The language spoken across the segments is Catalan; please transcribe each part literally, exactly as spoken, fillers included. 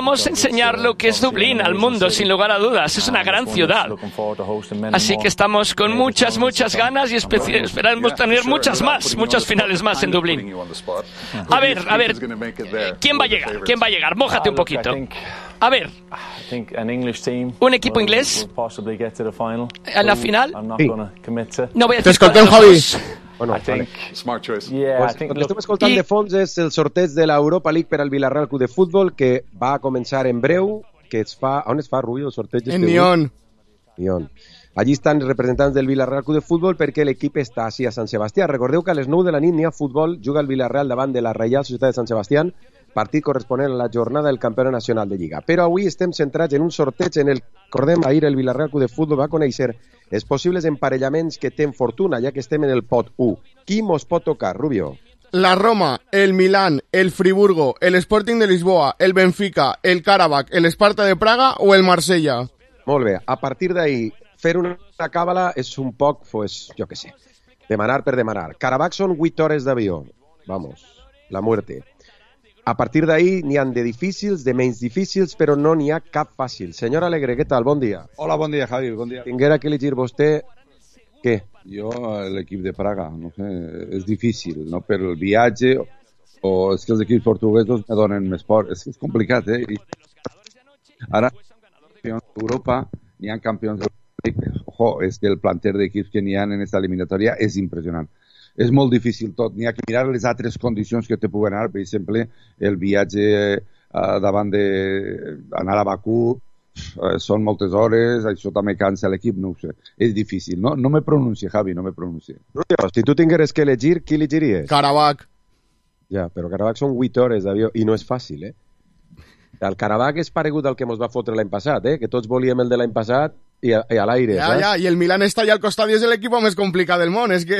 Vamos a enseñar lo que es Dublín al mundo, sin lugar a dudas. Es una gran ciudad. Así que estamos con muchas, muchas ganas y esperamos tener muchas más, muchas finales más en Dublín. A ver, a ver, ¿quién va a llegar? ¿Quién va a llegar? Mójate un poquito. A ver, un equipo inglés en la final. No voy a decir T'escoltem, Javi. Bueno, vale. Pues, el que estem escoltant de fons és el sorteig de l'Europa League per al Villarreal Club de Futbol, que va a començar en breu, que es fa... On es fa, Rubio, el sorteig? En Nyon. Nyon. Allí estan els representants del Villarreal Club de Futbol perquè l'equip està així a Sant Sebastià. Recordeu que a les nou de la nit n'hi ha futbol, juga el Villarreal davant de la Reial Societat de Sant Sebastià, partit corresponent a la jornada del Campionat Nacional de Lliga. Però avui estem centrats en un sorteig en el, recordem, ahir el Villarreal Club de Futbol va conèixer els possibles emparellaments que tenen fortuna, ja que estem en el pot u. Qui mos pot tocar, Rubio? La Roma, el Milán, el Friburgo, el Sporting de Lisboa, el Benfica, el Karabakh, el Sparta de Praga o el Marsella. Molt bé. A partir d'ahí, fer una càbala és un poc, pues, jo què sé, demanar per demanar. Karabakh són vuit hores d'avió. Vamos, la muerte. A partir d'ahí n'hi han de difícils, de menys difícils, però no n'hi ha cap fàcil. Senyor Alegre, què tal? Bon dia. Hola, bon dia, Javi, bon dia. Tinguera que elegir vostè, què? Jo, l'equip de Praga, no sé, és difícil, no? Per el viatge, o és que els equips portuguesos me donen més por. És que és complicat, eh? I ara, campions d'Europa, n'hi ha campions d'Europa. Ojo, és que el planter d'equips que n'hi ha en aquesta eliminatòria és impressionant. És molt difícil tot, n'hi ha que mirar les altres condicions que te puguen anar, per exemple, el viatge eh, davant d'anar a Bakú, eh, són moltes hores, això també cansa l'equip, no ho sé, és difícil, no, no me pronuncie, Javi, no me pronuncie. Rubio, si tu tingueres que elegir, qui elegiries? Karabakh. Ja, però Karabakh són vuit hores d'avió, i no és fàcil, eh? El Karabakh és paregut al que ens va fotre l'any passat, eh? Que tots volíem el de l'any passat i a, i a l'aire, ja, saps? Ja, i el Milan està allà al costat i és l'equip més complicat del món, és que...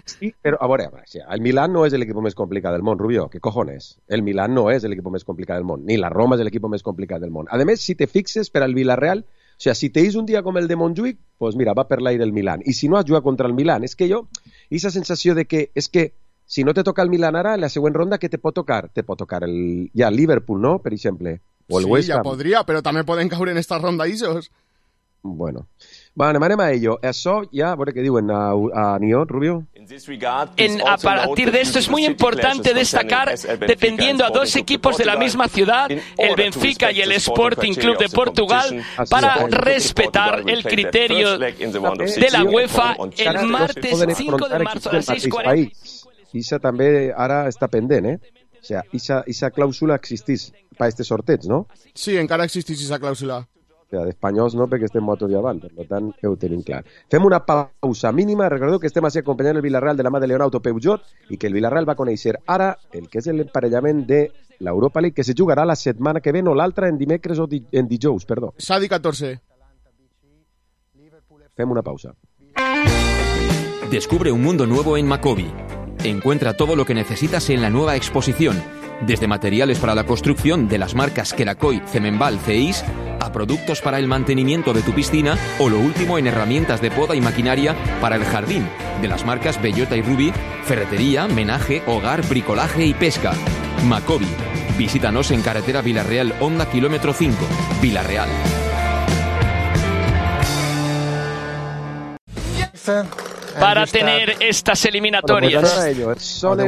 Sí, però a veure, el Milan no és l'equip més complicat del món, Rubio, ¿qué cojones? El Milan no és l'equip més complicat del món, ni la Roma és l'equip més complicat del món. A més, si te fixes per al Villarreal, o sea, si te és un dia com el de Montjuïc, pues mira, va per l'aire el Milan. I si no has jugat contra el Milan, és que jo, aquesta sensació de que, és que si no te toca el Milan ara, en la següent ronda, què te pot tocar? Te pot tocar el, ja, el Liverpool, no?, per exemple. O el sí, West Ham. Ja podria, però també poden caure en esta ronda isos. Bueno, bueno, anem a ello. Això ja, a veure què diuen a, a Nyon, Rubio. En, a partir de esto es muy importante destacar, dependiendo a dos equipos de la misma ciudad, el Benfica y el Sporting Club de Portugal, para respetar el criterio de la UEFA el martes cinco de marzo a las seis cuarenta. Isa també ara està pendent, eh? O sea, esa, esa clàusula existís per este sorteig, no? Sí, encara existís esa clàusula. O sea, d'espanyols no, perquè estem motos i avant, per tant, ho tenim clar. Fem una pausa mínima, recordeu que estem així acompanyant el Villarreal de la mà de Leonardo Peugeot i que el Villarreal va conèixer ara el que és l'emparellament de l'Europa League, que se jugarà la setmana que ve, no l'altra, en dimecres o di en dijous, perdó. Sadi catorze. Fem una pausa. Descubre un mundo nuevo en Macobi. Encuentra todo lo que necesitas en la nueva exposición, desde materiales para la construcción de las marcas Kerakoy, Cemenbal, Ceis, a productos para el mantenimiento de tu piscina o lo último en herramientas de poda y maquinaria para el jardín, de las marcas Bellota y Ruby, ferretería, menaje, hogar, bricolaje y pesca. Macobi. Visítanos en carretera Villarreal, Honda, kilómetro cinco, Villarreal. Para tener estas eliminatorias.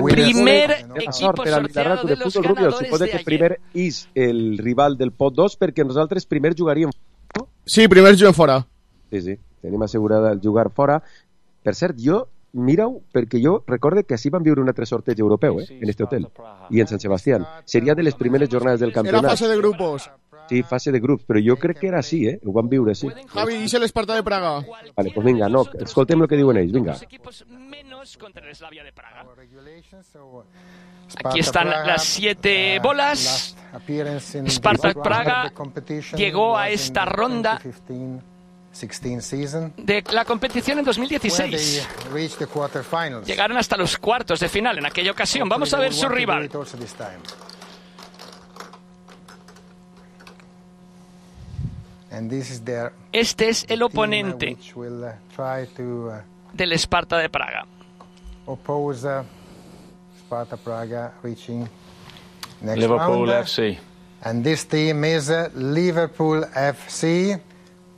Primer equipo sorteado de los ganadores Suposo que primer és el rival del pot dos perquè nosaltres primer jugaríem fora. Sí, primer juguem fora. Sí, sí, tenim assegurada el jugar fora. Per cert, jo, mira-ho, perquè jo recorde que així vam viure un altre sorteig europeu, eh, en este hotel, i en Sant Sebastián. Seria de les primeres jornades del campionat. Era fase de grupos. Sí, fase de grups, però jo crec que era així, eh? Ho vam viure així. Javi, i l'Esparta de Praga? Vale, pues vinga, no, escoltem el que diuen ells, vinga. Aquí están las siete bolas. Spartak Praga llegó a esta ronda de la competición en dos mil dieciséis. Llegaron hasta los cuartos de final en aquella ocasión. Vamos a ver su rival. Este es el oponente del Sparta de Praga. Liverpool F C. And this team is Liverpool F C.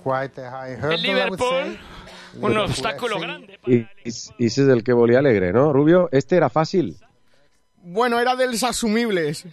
Quite a high hurdle, El Liverpool, un obstáculo grande. Y, y, y ese es el que volía alegre, ¿no, Rubio? Este era fácil. Bueno, era dels asumibles.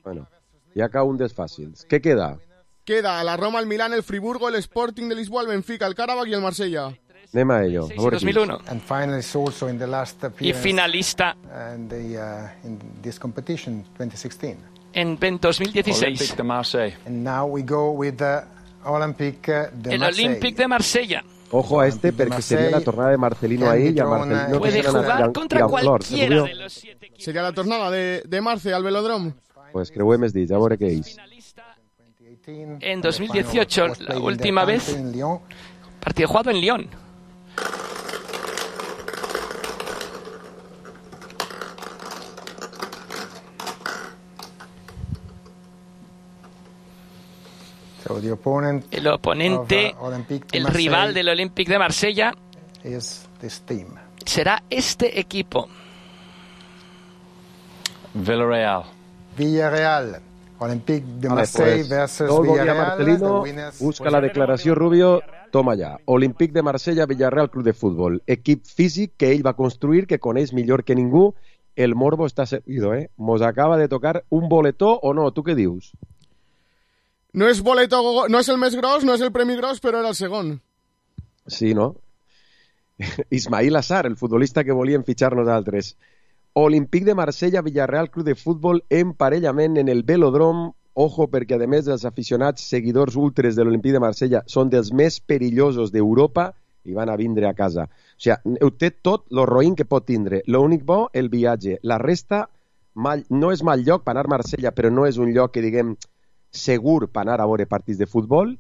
Bueno, y acá un desfácil. ¿Qué queda? Queda la Roma, el Milán, el Friburgo, el Sporting de Lisboa, el Benfica, el Karabakh y el Marsella. Anem a ello. A dos mil uno. And finally, also in the last Y finalista and the, uh, in this competition twenty sixteen. En dos mil dieciséis. Olympique de Marseille. And now we go with the Olympique de El Marseille. Olympique de Marsella. Ojo a este, porque sería la tornada de Marcelino ahí y a Marcelino Puede jugar contra cualquiera de los siete equipos. Sería la tornada de, de Marce al Velodrome. Pues creo que me dit, a veure què és. En dos mil dieciocho, la última vez, partido jugado en Lyon. So the opponent El oponente, of, uh, Olympique de el Marseille rival del Olympique de Marsella, is this team. será este equipo. Villarreal. Villarreal. Olympique de Vale, Marseille pues, versus todo el día Villarreal. Marcelino, The winners- busca la declaració, Rubio, toma ja. Olympique de Marsella, Villarreal Club de Futbol. Equip físic que ell va construir, que coneix millor que ningú. El morbo està servido, eh? Mos acaba de tocar un boletó o no? Tu què dius? No és boleto, no és el més gros, no és el premi gros, però era el segon. Sí, no? Ismail Assar, el futbolista que volien fitxar nosaltres. Olympique de Marsella, Villarreal Club de Futbol, emparellament en el Velodrome. Ojo, perquè a més els aficionats seguidors ultres de l'Olympique de Marsella són dels més perillosos d'Europa i van a vindre a casa. O sigui, ho té tot lo roïn que pot tindre. L'únic bo, el viatge. La resta, mal, no és mal lloc per anar a Marsella, però no és un lloc que, diguem, segur per anar a veure partits de futbol.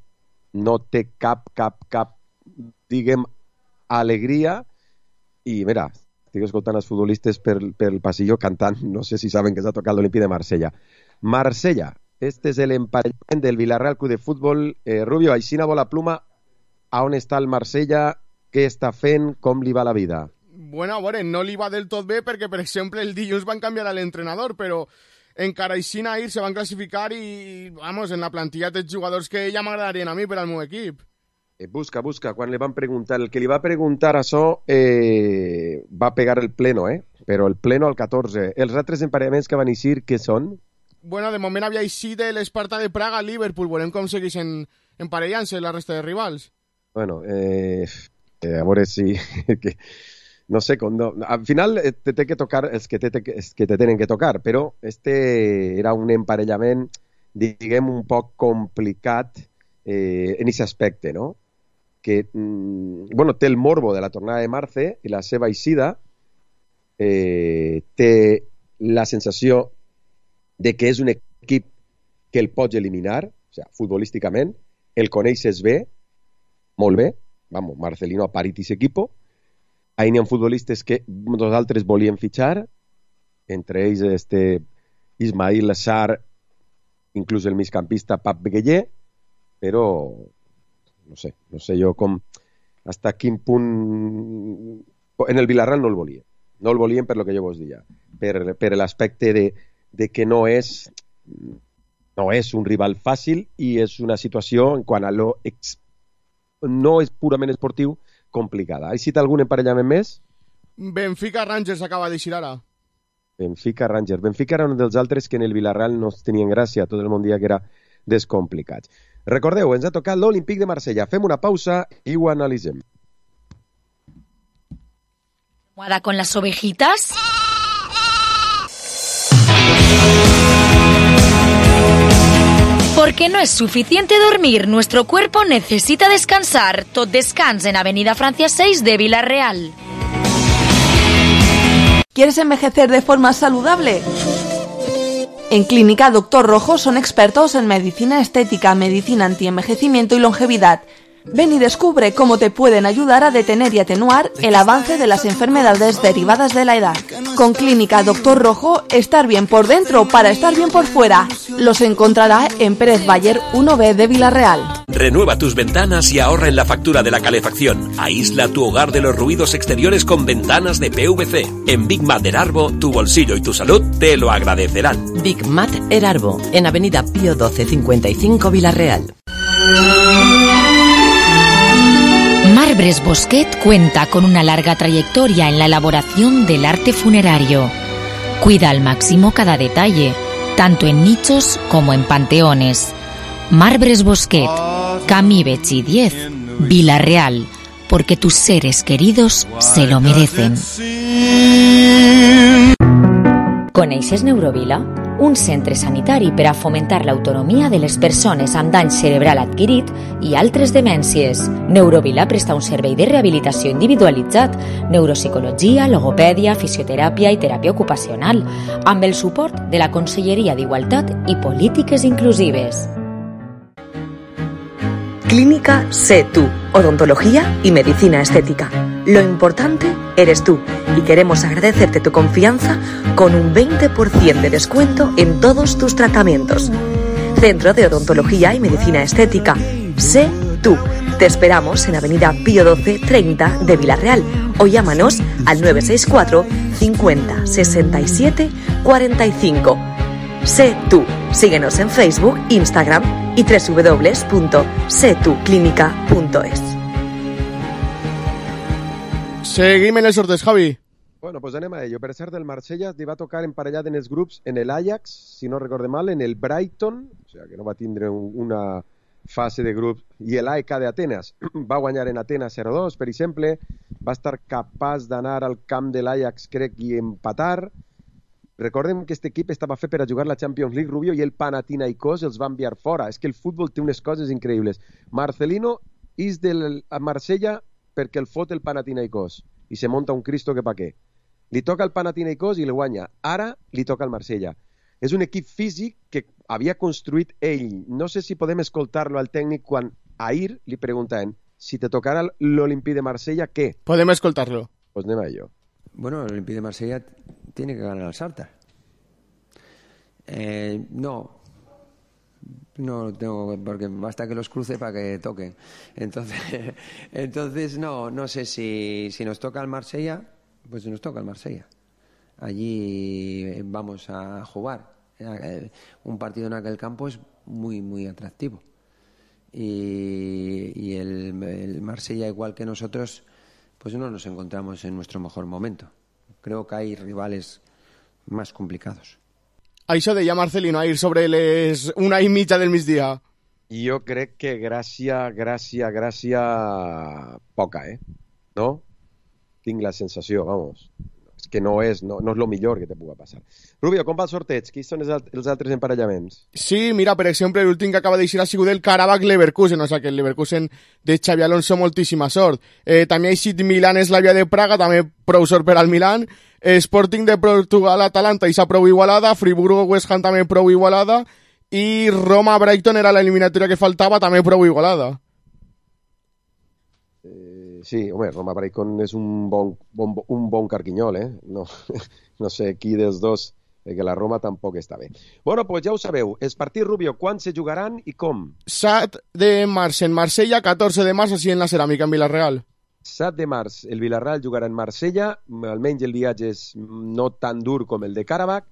No té cap, cap, cap, diguem, alegria. I, mira, estic escoltant els futbolistes pel, pel passillo cantant, no sé si saben que s'ha tocat l'Olympique de Marsella. Marsella, este és l'emparellament del Villarreal Club de Futbol. Eh, Rubio, aixina bo la pluma, a on està el Marsella, què està fent, com li va la vida? Bueno, a veure, no li va del tot bé perquè, per exemple, el dilluns van canviar a l'entrenador, però encara així ahir se van classificar i, vamos, en la plantilla té jugadors que ja m'agradarien a mi per al meu equip. Eh, busca, busca, quan li van preguntar, el que li va preguntar això eh, va pegar el pleno, eh? Però el pleno al catorze. Els altres emparellaments que van eixir, què són? Bueno, de moment havia eixit de l'Esparta de Praga a Liverpool, veurem com segueixen emparellant-se la resta de rivals. Bueno, eh, eh, a veure si... que, no sé, com no, al final eh, te té que tocar els que te, els que te tenen que tocar, però este era un emparellament, diguem, un poc complicat eh, en aquest aspecte, no? Que, mm, bueno, té el morbo de la tornada de Marce i la seva eixida eh, té la sensació de que és un equip que el pots eliminar, o sigui, futbolísticament, el coneixes bé, molt bé, vamos, Marcelino ha parit aquest equip, ahí n'hi ha futbolistes que nosaltres volíem fitxar, entre ells este Ismail Assar, inclús el migcampista Pap Beguellé, però no sé, no sé jo com, hasta quin punt... En el Villarreal no el volien, no el volien per lo que jo vos deia, per, per l'aspecte de, de que no és, no és un rival fàcil i és una situació, en quant a lo ex, no és purament esportiu, complicada. Has citat algun emparellament més? Benfica Rangers acaba d'eixir ara. Benfica Rangers. Benfica era un dels altres que en el Villarreal no tenien gràcia, tot el món dia que era descomplicats. Recordeu, ens ha tocat l'Olympique de Marsella. Fem una pausa i ho analitzem. ¿Almohada con las ovejitas? Porque no es suficiente dormir, nuestro cuerpo necesita descansar. Tot Descans en Avenida Francia seis de Villarreal. ¿Quieres envejecer de forma saludable? En Clínica Doctor Rojo son expertos en medicina estética, medicina antienvejecimiento y longevidad. Ven y descubre cómo te pueden ayudar a detener y atenuar el avance de las enfermedades derivadas de la edad. Con Clínica Doctor Rojo, estar bien por dentro para estar bien por fuera. Los encontrará en Pérez Bayer uno B de Villarreal. Renueva tus ventanas y ahorra en la factura de la calefacción. Aísla tu hogar de los ruidos exteriores con ventanas de P V C. En Big Mat Erarbo, tu bolsillo y tu salud te lo agradecerán. Big Mat Erarbo, en Avenida Pío doce cincuenta y cinco Villarreal. Marbres Bosquet cuenta con una larga trayectoria en la elaboración del arte funerario. Cuida al máximo cada detalle, tanto en nichos como en panteones. Marbres Bosquet, Camí Betxí diez, Villarreal, porque tus seres queridos se lo merecen. Coneixes Neurovila? Un centre sanitari per a fomentar l'autonomia de les persones amb dany cerebral adquirit i altres demències. Neurovila presta un servei de rehabilitació individualitzat, neuropsicologia, logopèdia, fisioteràpia i teràpia ocupacional, amb el suport de la Conselleria d'Igualtat i Polítiques Inclusives. Clínica Sé Tú, odontología y medicina estética. Lo importante eres tú y queremos agradecerte tu confianza con un veinte por ciento de descuento en todos tus tratamientos. Centro de Odontología y Medicina Estética. Sé Tú. Te esperamos en Avenida Pío doce treinta de Villarreal o llámanos al nueve seis cuatro cincuenta sesenta y siete cuarenta y cinco. Sé Tú. Síguenos en Facebook, Instagram y doble u doble u doble u punto sé tú clínica punto es. Seguim en els sorteig, Javi. Bueno, pues anem a ello. Per cert, el Marsella li va tocar emparellat en els grups en el Ajax, si no recorde mal, en el Brighton, o sigui que no va tindre una fase de grup, i el A E K d'Atenes. Va guanyar en Atenes zero dos, per exemple, va estar capaç d'anar al camp de l'Ajax, crec, i empatar. Recordem que aquest equip estava fet per a jugar la Champions League, Rubio, i el Panathinaikos els va enviar fora. És que el futbol té unes coses increïbles. Marcelino és del Marsella perquè el fot el Panathinaikos i se monta un Cristo que pa què. Li toca al Panathinaikos i el guanya. Ara li toca al Marsella. És un equip físic que havia construït ell. No sé si podem escoltar-lo al tècnic quan ahir li preguntaven si te tocara l'Olympique de Marsella, ¿qué? Podem escoltar-lo. Pues anem a ello. Bueno, el Olympique de Marsella tiene que ganar al Shakhtar. Eh, no, no tengo, porque basta que los cruce para que toquen. Entonces, entonces no, no sé si, si nos toca el Marsella, pues nos toca el Marsella. Allí vamos a jugar. Un partido en aquel campo es muy, muy atractivo. Y, y el, el Marsella, igual que nosotros, pues no nos encontramos en nuestro mejor momento. Creo que hay rivales más complicados. Això deia Marcelino ahir sobre les una i mitja del migdia. Jo crec que gràcia, gràcia, gràcia poca, eh? No? Tinc la sensació, vamos. És que no és, no, no és lo millor que te pugui passar. Rubio, com va el sorteig? Quins són els, alt els altres emparellaments? Sí, mira, per exemple, l'últim que acaba d'eixir ha sigut el Karabakh-Leverkusen, o sigui que el Leverkusen de Xavi Alonso moltíssima sort. Eh, també ha eixit Milan-Eslavia de Praga, també prou sort per al Milan. Sporting de Portugal-Atalanta, i s'ha prou igualada. Friburgo-West Ham també prou igualada. I Roma-Brighton era l'eliminatòria que faltava, també prou igualada. Sí, home, Roma-Brighton és un bon, bon, un bon carquinyol, eh? No, no sé qui dels dos, que la Roma tampoc està bé. Bueno, pues ja ho sabeu. Els partits, Rubio, quan se jugaran i com? set de març en Marsella, catorze de març així en la Ceràmica, en Villarreal. set de març el Villarreal jugarà en Marsella, almenys el viatge és no tan dur com el de Karabakh,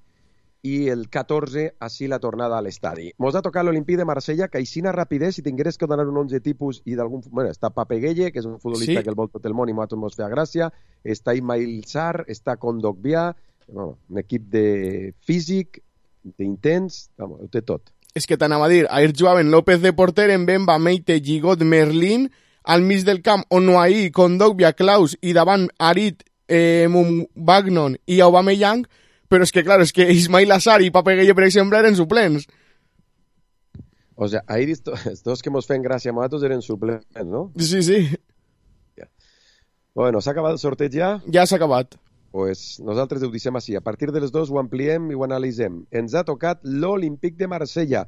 i el catorze, així la tornada a l'estadi. Mos ha tocat l'Olympique de Marsella, que aixina rapidez, si tingueres que donar un onze tipus i d'algun... Bueno, està Pape Gueye, que és un futbolista sí. que el vol tot el món i nosaltres mos feia gràcia, està Ismail Sarr, està Kondogbia, bueno, un equip de físic, d'intens, vamos, ho té tot. És que t'anava a dir, ahir jugaven López de porter, en Bemba, Meite, Gigot, Merlín, al mig del camp, Onuahi, Kondogbia, Klaus, i davant Arit, eh, Mubagnon i Aubameyang, però és que, clar, és que Ismail Assar i Pape Gueye, per exemple, eren suplents. O sigui, ahir els dos que mos feien gràcia a nosaltres eren suplents, no? Sí, sí. Ja. Bueno, s'ha acabat el sorteig ja? Ja s'ha acabat. Pues nosaltres ho deixem així. A partir de les dos ho ampliem i ho analitzem. Ens ha tocat l'Olympique de Marsella,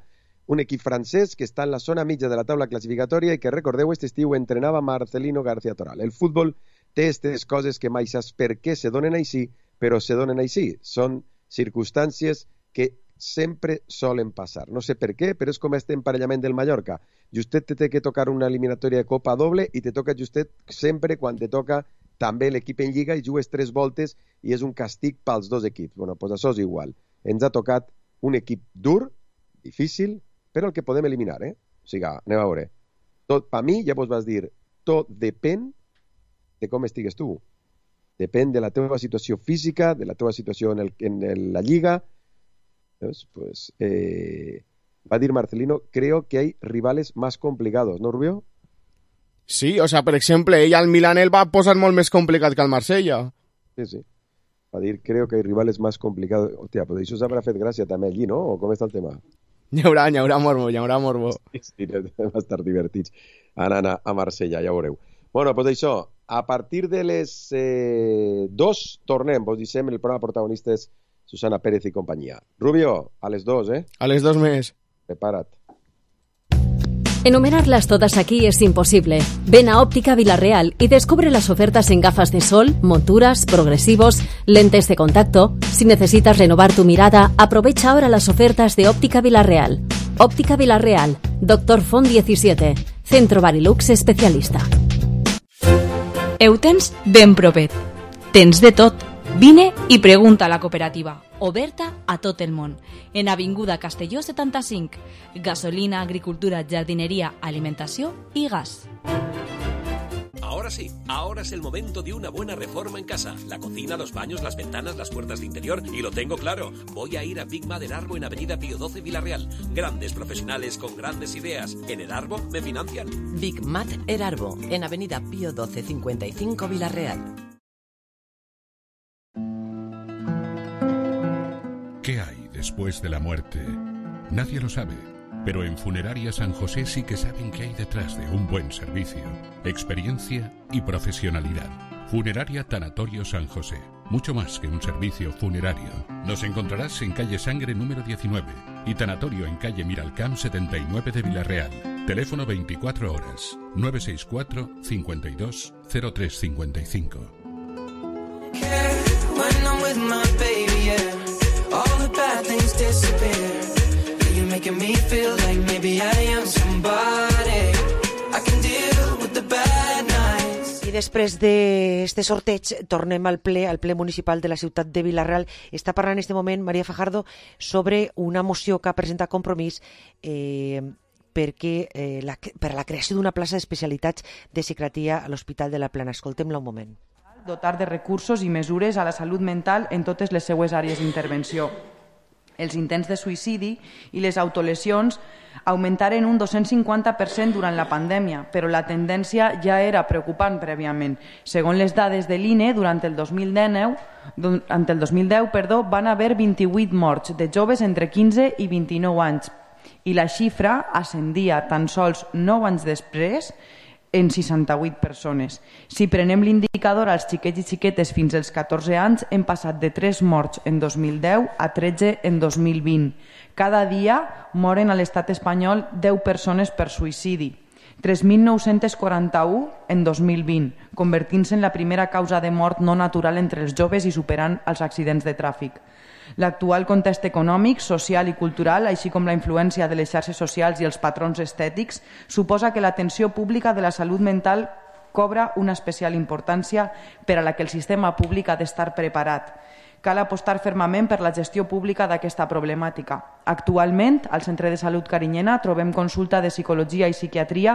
un equip francès que està en la zona mitja de la taula classificatòria i que, recordeu, aquest estiu entrenava Marcelino García Toral. El futbol té aquestes coses que mai saps per què se donen així, però se donen així. Són circumstàncies que sempre solen passar. No sé per què, però és com este emparellament del Mallorca. Justet te té que tocar una eliminatòria de Copa doble i te toca justet sempre quan te toca també l'equip en Lliga i jugues tres voltes i és un càstig pels dos equips. Bueno, doncs això és igual. Ens ha tocat un equip dur, difícil, però el que podem eliminar, eh? O sigui, anem a veure. Tot, per mi, ja vos vas dir, tot depèn de com estigues tu. Depèn de la teva situació física, de la teva situació en, el, en el, la Lliga. Pues, eh, va a decir Marcelino, creo que hay rivales más complicados, ¿no, Rubio? Sí, o sea, per exemple, ell al Milan el va posar molt més complicat que al Marsella. Sí, sí. Va dir, creo que hay rivales más complicados. Hòstia, però això s'haurà fet gràcia també allí, no? O com està el tema? Hi haurà, hi haurà morbo, hi haurà morbo. Sí, sí, va estar divertits anant a Marsella, ja ho veureu. Bueno, doncs això, a partir de les eh, dos tornem, vos dissem, el programa protagonistes Susana Pérez y compañía. Rubio, a les dos, ¿eh? A les dos més. Prepara't. Enumerarlas todas aquí es imposible. Ven a Óptica Villarreal y descubre las ofertas en gafas de sol, monturas, progresivos, lentes de contacto. Si necesitas renovar tu mirada, aprovecha ahora las ofertas de Óptica Villarreal. Óptica Villarreal, Doctor Font diecisiete, Centro Barilux especialista. Eutens ben propet. Tens de tot. Vine i pregunta a la cooperativa, oberta a tot el món. En Avinguda Castelló setanta-cinc, gasolina, agricultura, jardinería, alimentació y gas. Ahora sí, ahora es el momento de una buena reforma en casa. La cocina, los baños, las ventanas, las puertas de interior. Y lo tengo claro, voy a ir a Big Mad Erarbo en Avenida Pío doce Villarreal. Grandes profesionales con grandes ideas. En Erarbo me financian. Big Mad Erarbo en Avenida Pío doce cincuenta y cinco Villarreal. ¿Qué hay después de la muerte? Nadie lo sabe, pero en Funeraria San José sí que saben qué hay detrás de un buen servicio, experiencia y profesionalidad. Funeraria Tanatorio San José, mucho más que un servicio funerario. Nos encontrarás en calle Sangre número diecinueve y Tanatorio en calle Miralcamp setenta y nueve de Villarreal. Teléfono veinticuatro horas, nueve seis cuatro, cincuenta y dos, cero tres cincuenta y cinco. All the bad things disappear. You're making me feel like maybe I am somebody. I can deal with the bad nights. I després d'aquest sorteig tornem al ple, al ple municipal de la ciutat de Vila-real. Està parlant en aquest moment Maria Fajardo sobre una moció que ha presentat Compromís eh, perquè, eh, la, per a la creació d'una plaça d'especialitats de psiquiatria a l'Hospital de la Plana. Escoltem-la un moment. Dotar de recursos i mesures a la salut mental en totes les seues àrees d'intervenció. Els intents de suïcidi i les autolesions augmentaren un dos-cents cinquanta per cent durant la pandèmia, però la tendència ja era preocupant prèviament. Segons les dades de l'I N E, durant el dos mil deu, durant el dos mil deu perdó, van haver vint-i-vuit morts de joves entre quinze i vint-i-nou anys i la xifra ascendia tan sols nou anys després en seixanta-vuit persones. Si prenem l'indicador als xiquets i xiquetes fins als catorze anys, hem passat de tres morts en dos mil deu a tretze en dos mil vint. Cada dia moren a l'estat espanyol deu persones per suïcidi, tres mil nou-cents quaranta-u en dos mil vint, convertint-se en la primera causa de mort no natural entre els joves i superant els accidents de tràfic. L'actual context econòmic, social i cultural, així com la influència de les xarxes socials i els patrons estètics, suposa que l'atenció pública de la salut mental cobra una especial importància per a la que el sistema públic ha d'estar preparat. Cal apostar fermament per la gestió pública d'aquesta problemàtica. Actualment, al Centre de Salut Carinyena trobem consulta de psicologia i psiquiatria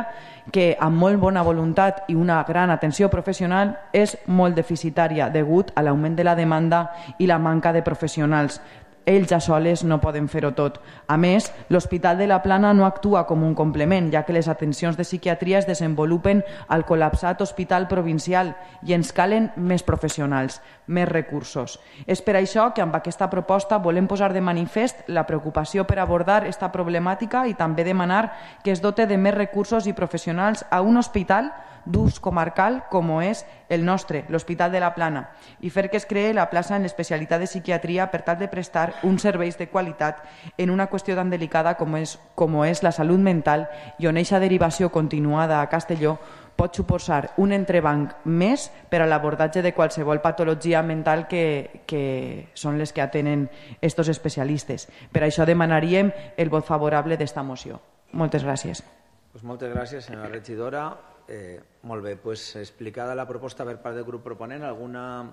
que, amb molt bona voluntat i una gran atenció professional, és molt deficitària degut a l'augment de la demanda i la manca de professionals. Ells a soles no poden fer-ho tot. A més, l'Hospital de la Plana no actua com un complement, ja que les atencions de psiquiatria es desenvolupen al col·lapsat Hospital Provincial i ens calen més professionals, més recursos. És per això que amb aquesta proposta volem posar de manifest la preocupació per abordar aquesta problemàtica i també demanar que es dote de més recursos i professionals a un hospital d'ús comarcal com és el nostre, l'Hospital de la Plana, i fer que es creï la plaça en l'especialitat de psiquiatria per tal de prestar uns serveis de qualitat en una qüestió tan delicada com és, com és la salut mental i on eixa derivació continuada a Castelló pot suposar un entrebanc més per a l'abordatge de qualsevol patologia mental que, que són les que atenen estos especialistes. Per això demanaríem el vot favorable d'esta moció. Moltes gràcies. Pues moltes gràcies, senyora regidora. Eh, molt bé, pues explicada la proposta per part del grup proponent, alguna,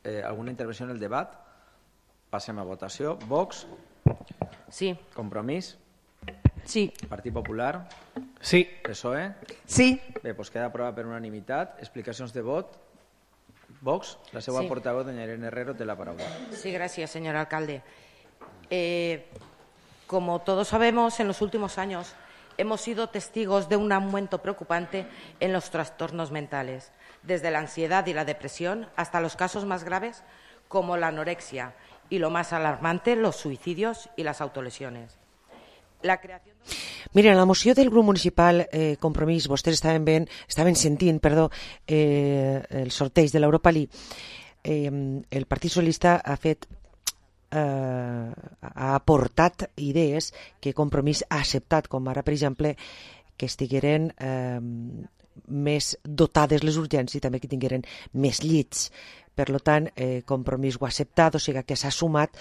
eh, alguna intervenció en el debat? Passem a votació. Vox? Sí. Compromís? Sí. Partit Popular? Sí. P S O E? Sí. Bé, doncs queda aprovat per unanimitat. Explicacions de vot. Vox, la seva Sí. portaveu, doña Irene Herrero, té la paraula. Sí, gracias, señor alcalde. Eh, como todos sabemos, en los últimos años hemos sido testigos de un aumento preocupante en los trastornos mentales, desde la ansiedad y la depresión hasta los casos más graves como la anorexia y, lo más alarmante, los suicidios y las autolesiones. La creación... Mira, en la moció del grup municipal eh, Compromís, vostès estaven, ben, estaven sentint perdó, eh, el sorteig de l'Europa League. Eh, el Partit Socialista ha fet eh, ha aportat idees que Compromís ha acceptat, com ara, per exemple, que estigueren eh, més dotades les urgències i també que tingueren més llits. Per tant, eh, Compromís ho ha acceptat, o sigui que s'ha sumat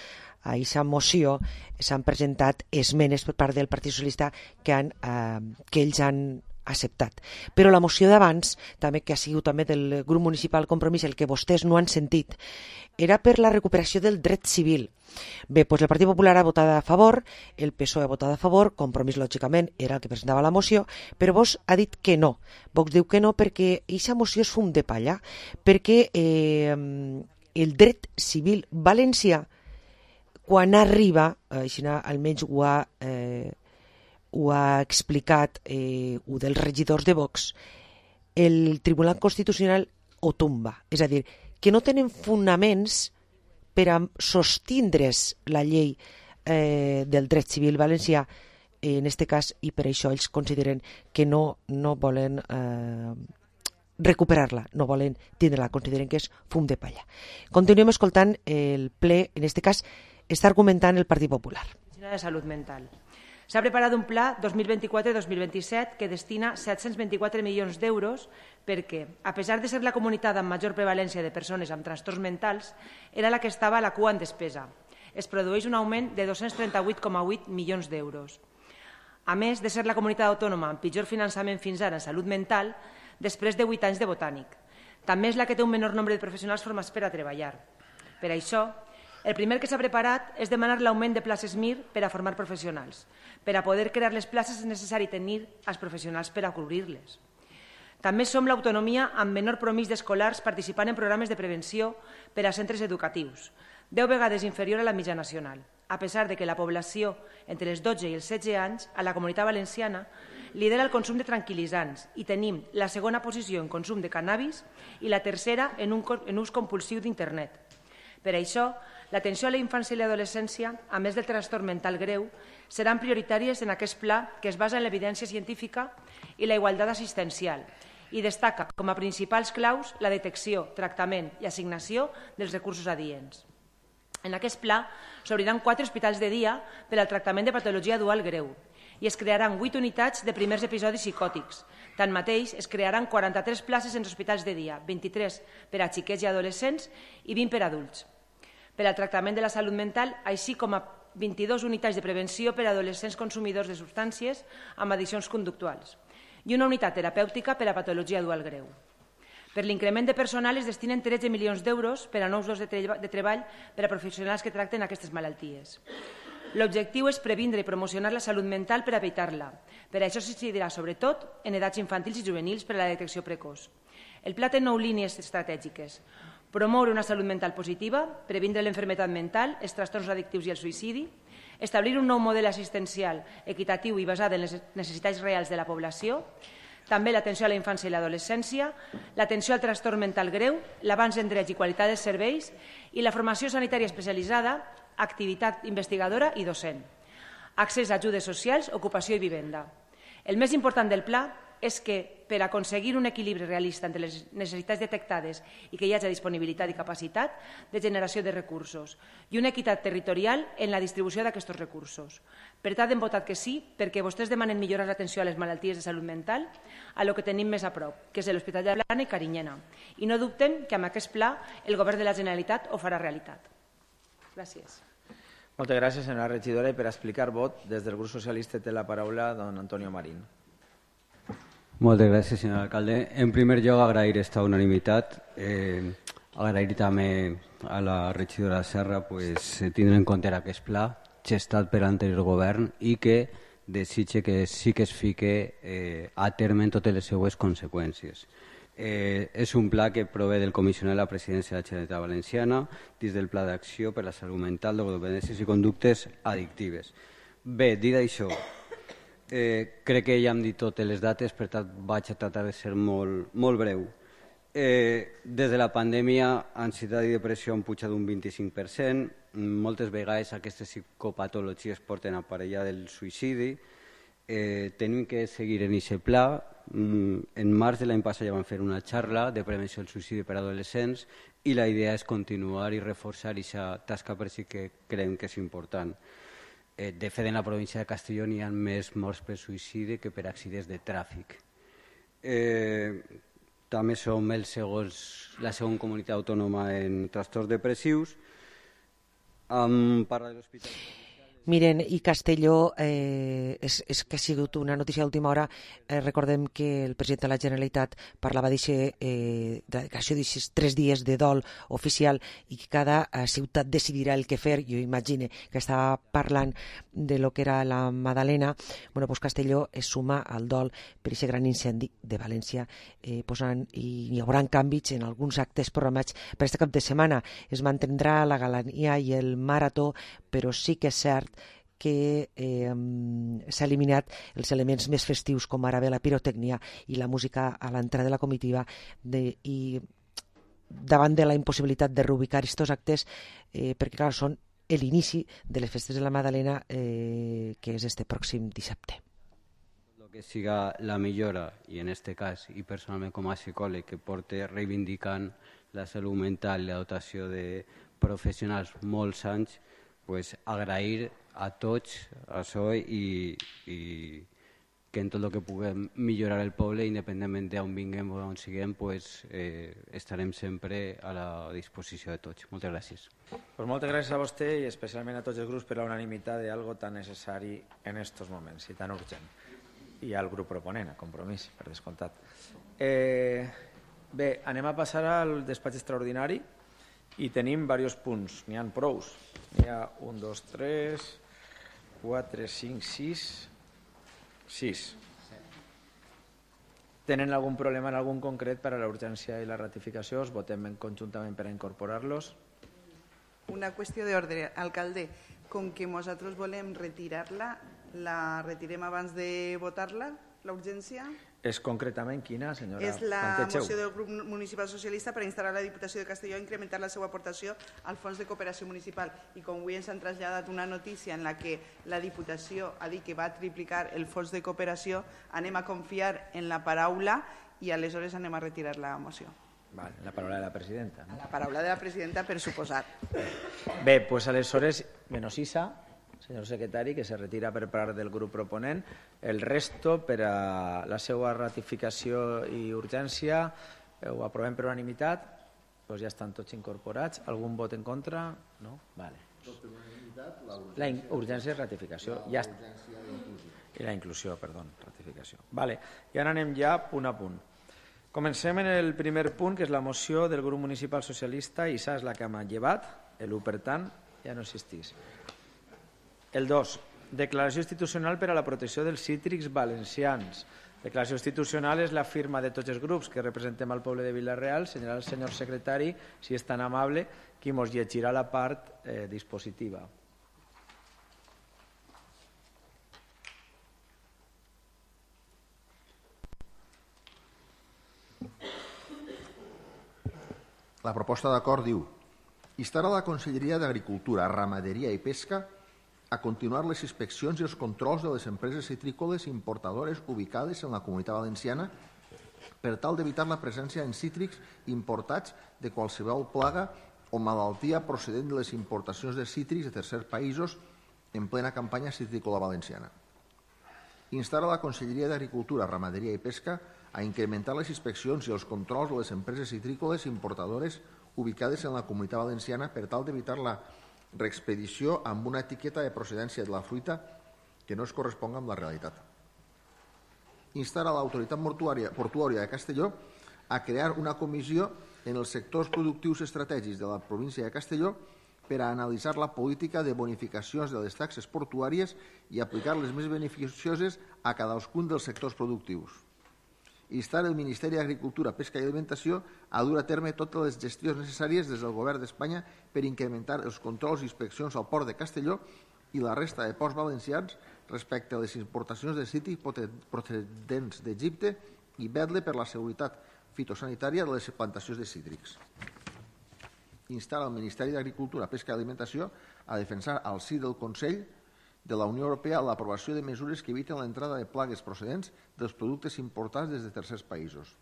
a aquesta moció, s'han presentat esmenes per part del Partit Socialista que, han, eh, que ells han acceptat. Però la moció d'abans, també que ha sigut també del grup municipal Compromís, el que vostès no han sentit, era per la recuperació del dret civil. Bé, doncs el Partit Popular ha votat a favor, el P S O E ha votat a favor, Compromís, lògicament, era el que presentava la moció, però Vox ha dit que no. Vox diu que no perquè aquesta moció és fum de palla, perquè eh, el dret civil valencià, quan arriba, així almenys ho ha, eh, ho ha explicat eh, un dels regidors de Vox, el Tribunal Constitucional ho tomba. És a dir, que no tenen fonaments per a sostindre's la llei eh, del dret civil valencià, en aquest cas, i per això ells consideren que no, no volen eh, recuperar-la, no volen tindre-la, consideren que és fum de palla. Continuem escoltant el ple, en aquest cas, està argumentant el Partit Popular. De Salud Mental. S'ha preparat un pla dos mil vint-i-quatre dos mil vint-i-set que destina set-cents vint-i-quatre milions d'euros perquè, a pesar de ser la comunitat amb major prevalència de persones amb trastorns mentals, era la que estava a la cua en despesa. Es produeix un augment de dos-cents trenta-vuit coma vuit milions d'euros. A més de ser la comunitat autònoma amb pitjor finançament fins ara en salut mental, després de vuit anys de botànic. També és la que té un menor nombre de professionals formats per a treballar. Per això, el primer que s'ha preparat és demanar l'augment de places Mir per a formar professionals. Per a poder crear les places és necessari tenir els professionals per a cobrir-les. També som l'autonomia amb menor promís d'escolars participant en programes de prevenció per a centres educatius, deu vegades inferior a la mitjana nacional, a pesar de que la població entre els dotze i els setze anys a la Comunitat Valenciana lidera el consum de tranquil·litzants i tenim la segona posició en consum de cannabis i la tercera en, un, en ús compulsiu d'internet. Per això, l'atenció a la infància i l'adolescència, a més del trastorn mental greu, seran prioritàries en aquest pla que es basa en l'evidència científica i la igualtat assistencial i destaca com a principals claus la detecció, tractament i assignació dels recursos adients. En aquest pla s'obriran quatre hospitals de dia per al tractament de patologia dual greu i es crearan vuit unitats de primers episodis psicòtics. Tanmateix, es crearan quaranta-tres places en hospitals de dia, vint-i-tres per a xiquets i adolescents i vint per a adults. Per al tractament de la salut mental, així com a vint-i-dues unitats de prevenció per a adolescents consumidors de substàncies amb addiccions conductuals i una unitat terapèutica per a patologia dual greu. Per l'increment de personal es destinen tretze milions d'euros per a nous llocs de, tre de treball per a professionals que tracten aquestes malalties. L'objectiu és previndre i promocionar la salut mental per a evitar-la. Per això s'incidirà sobretot en edats infantils i juvenils per a la detecció precoç. El pla té nou línies estratègiques. Promoure una salut mental positiva, previndre l'enfermetat mental, els trastorns addictius i el suïcidi, establir un nou model assistencial equitatiu i basat en les necessitats reals de la població, també l'atenció a la infància i l'adolescència, l'atenció al trastorn mental greu, l'avanç en drets i qualitat dels serveis i la formació sanitària especialitzada, activitat investigadora i docent, accés a ajudes socials, ocupació i vivenda. El més important del pla és que per aconseguir un equilibri realista entre les necessitats detectades i que hi hagi disponibilitat i capacitat de generació de recursos i una equitat territorial en la distribució d'aquests recursos. Per tant, hem votat que sí perquè vostès demanen millorar l'atenció a les malalties de salut mental a lo que tenim més a prop, que és l'Hospital de Blana i Carinyena. I no dubten que amb aquest pla el Govern de la Generalitat ho farà realitat. Gràcies. Moltes gràcies, senyora regidora. I per explicar vot, des del grup socialista té la paraula don Antonio Marín. Moltes gràcies, senyor alcalde. En primer lloc, agrair esta unanimitat. Eh, agrair també a la regidora Serra pues, tindre en compte aquest pla gestat per l'anterior govern i que desitge que sí que es fique eh, a terme en totes les seues conseqüències. Eh, és un pla que prové del comissionat de la presidència de la Generalitat Valenciana dins del Pla d'Acció per la Salut Mental, Drogodependències i Conductes Addictives. Bé, dit això, eh, crec que ja hem dit totes les dates, per tant vaig a tratar de ser molt, molt breu. Eh, des de la pandèmia, ansietat i depressió han pujat un vint-i-cinc per cent. Moltes vegades aquestes psicopatologies porten aparellada del suïcidi. Eh, tenim que seguir en aquest pla. En març de l'any passat ja vam fer una xarra de prevenció del suïcidi per a adolescents i la idea és continuar i reforçar aquesta tasca per si que creiem que és important. Eh, de fet, en la província de Castelló hi ha més morts per suïcidi que per accidents de tràfic. Eh, també som el segons, la segona comunitat autònoma en trastorns depressius. Um, parla de l'hospital... Miren, i Castelló, eh, és, és que ha sigut una notícia d'última hora. Eh, recordem que el president de la Generalitat parlava d'això, eh, d'aquests tres dies de dol oficial i que cada eh, ciutat decidirà el que fer. Jo imagine que estava parlant de lo que era la Madalena. Bueno, pues Castelló es suma al dol per aquest gran incendi de València, eh, posant, i hi haurà canvis en alguns actes programats per aquest cap de setmana. Es mantindrà la galania i el marató, però sí que és cert que eh, s'ha eliminat els elements més festius com ara bé la pirotècnia i la música a l'entrada de la comitiva de, i davant de la impossibilitat de reubicar aquests actes eh, perquè clar, són l'inici de les festes de la Madalena eh, que és este pròxim dissabte. Lo que siga la millora i en este cas i personalment com a psicòleg que porte reivindicant la salut mental i la dotació de professionals molts anys, pues agrair a tots això i, i que en tot el que puguem millorar el poble, independentment d'on vinguem o on siguem, pues, eh, estarem sempre a la disposició de tots. Moltes gràcies. Pues moltes gràcies a vostè i especialment a tots els grups per la unanimitat d'algo tan necessari en estos moments i tan urgent. I al grup proponent, a Compromís, per descomptat. Eh, bé, anem a passar al despatx extraordinari i tenim diversos punts, n'hi ha prous. N'hi ha un, dos, tres, quatre, cinc, sis, sis. Tenen algun problema en algun concret per a la urgència i la ratificació? Els votem conjuntament per a incorporar-los? Una qüestió d'ordre, alcalde. Com que nosaltres volem retirar-la, la retirem abans de votar-la, la urgència? És concretament quina, senyora? És la Planteixeu. moció del grup municipal socialista per instar a la Diputació de Castelló a incrementar la seva aportació al Fons de Cooperació Municipal. I com avui ens han traslladat una notícia en la que la Diputació ha dit que va triplicar el Fons de Cooperació, anem a confiar en la paraula i aleshores anem a retirar la moció. Vale, la paraula de la presidenta. No? La paraula de la presidenta, per suposat. Bé, doncs aleshores, menys Isa, senyor secretari, que se retira per part del grup proponent. El resto, per a la seva ratificació i urgència, ho aprovem per unanimitat, doncs ja estan tots incorporats. Algun vot en contra? No? Vale. La urgència és ratificació. Ja I la inclusió, perdó, ratificació. Vale. I ara anem ja punt a punt. Comencem en el primer punt, que és la moció del grup municipal socialista, i s'ha és la que m'ha llevat, l'u per tant, ja no existís. El dos, declaració institucional per a la protecció dels cítrics valencians. Declaració institucional és la firma de tots els grups que representem al poble de Vila-real. Senyora el senyor secretari, si és tan amable, qui mos llegirà la part eh, dispositiva. La proposta d'acord diu: instar a la Conselleria d'Agricultura, Ramaderia i Pesca a continuar les inspeccions i els controls de les empreses citrícoles importadores ubicades en la Comunitat Valenciana per tal d'evitar la presència en cítrics importats de qualsevol plaga o malaltia procedent de les importacions de cítrics de tercers països en plena campanya citrícola valenciana. Instar a la Conselleria d'Agricultura, Ramaderia i Pesca a incrementar les inspeccions i els controls de les empreses citrícoles importadores ubicades en la Comunitat Valenciana per tal d'evitar la reexpedició amb una etiqueta de procedència de la fruita que no es corresponga amb la realitat. Instar a l'autoritat portuària de Castelló a crear una comissió en els sectors productius estratègics de la província de Castelló per a analitzar la política de bonificacions de les taxes portuàries i aplicar les més beneficioses a cadascun dels sectors productius. Instar el Ministeri d'Agricultura, Pesca i Alimentació a dur a terme totes les gestions necessàries des del Govern d'Espanya per incrementar els controls i inspeccions al port de Castelló i la resta de ports valencians respecte a les importacions de cítrics procedents d'Egipte i vetllar per la seguretat fitosanitària de les plantacions de cítrics. Instar al Ministeri d'Agricultura, Pesca i Alimentació a defensar al si del Consell de la Unió Europea l'aprovació de mesures que eviten l'entrada de plagues procedents dels productes importats des de tercers països.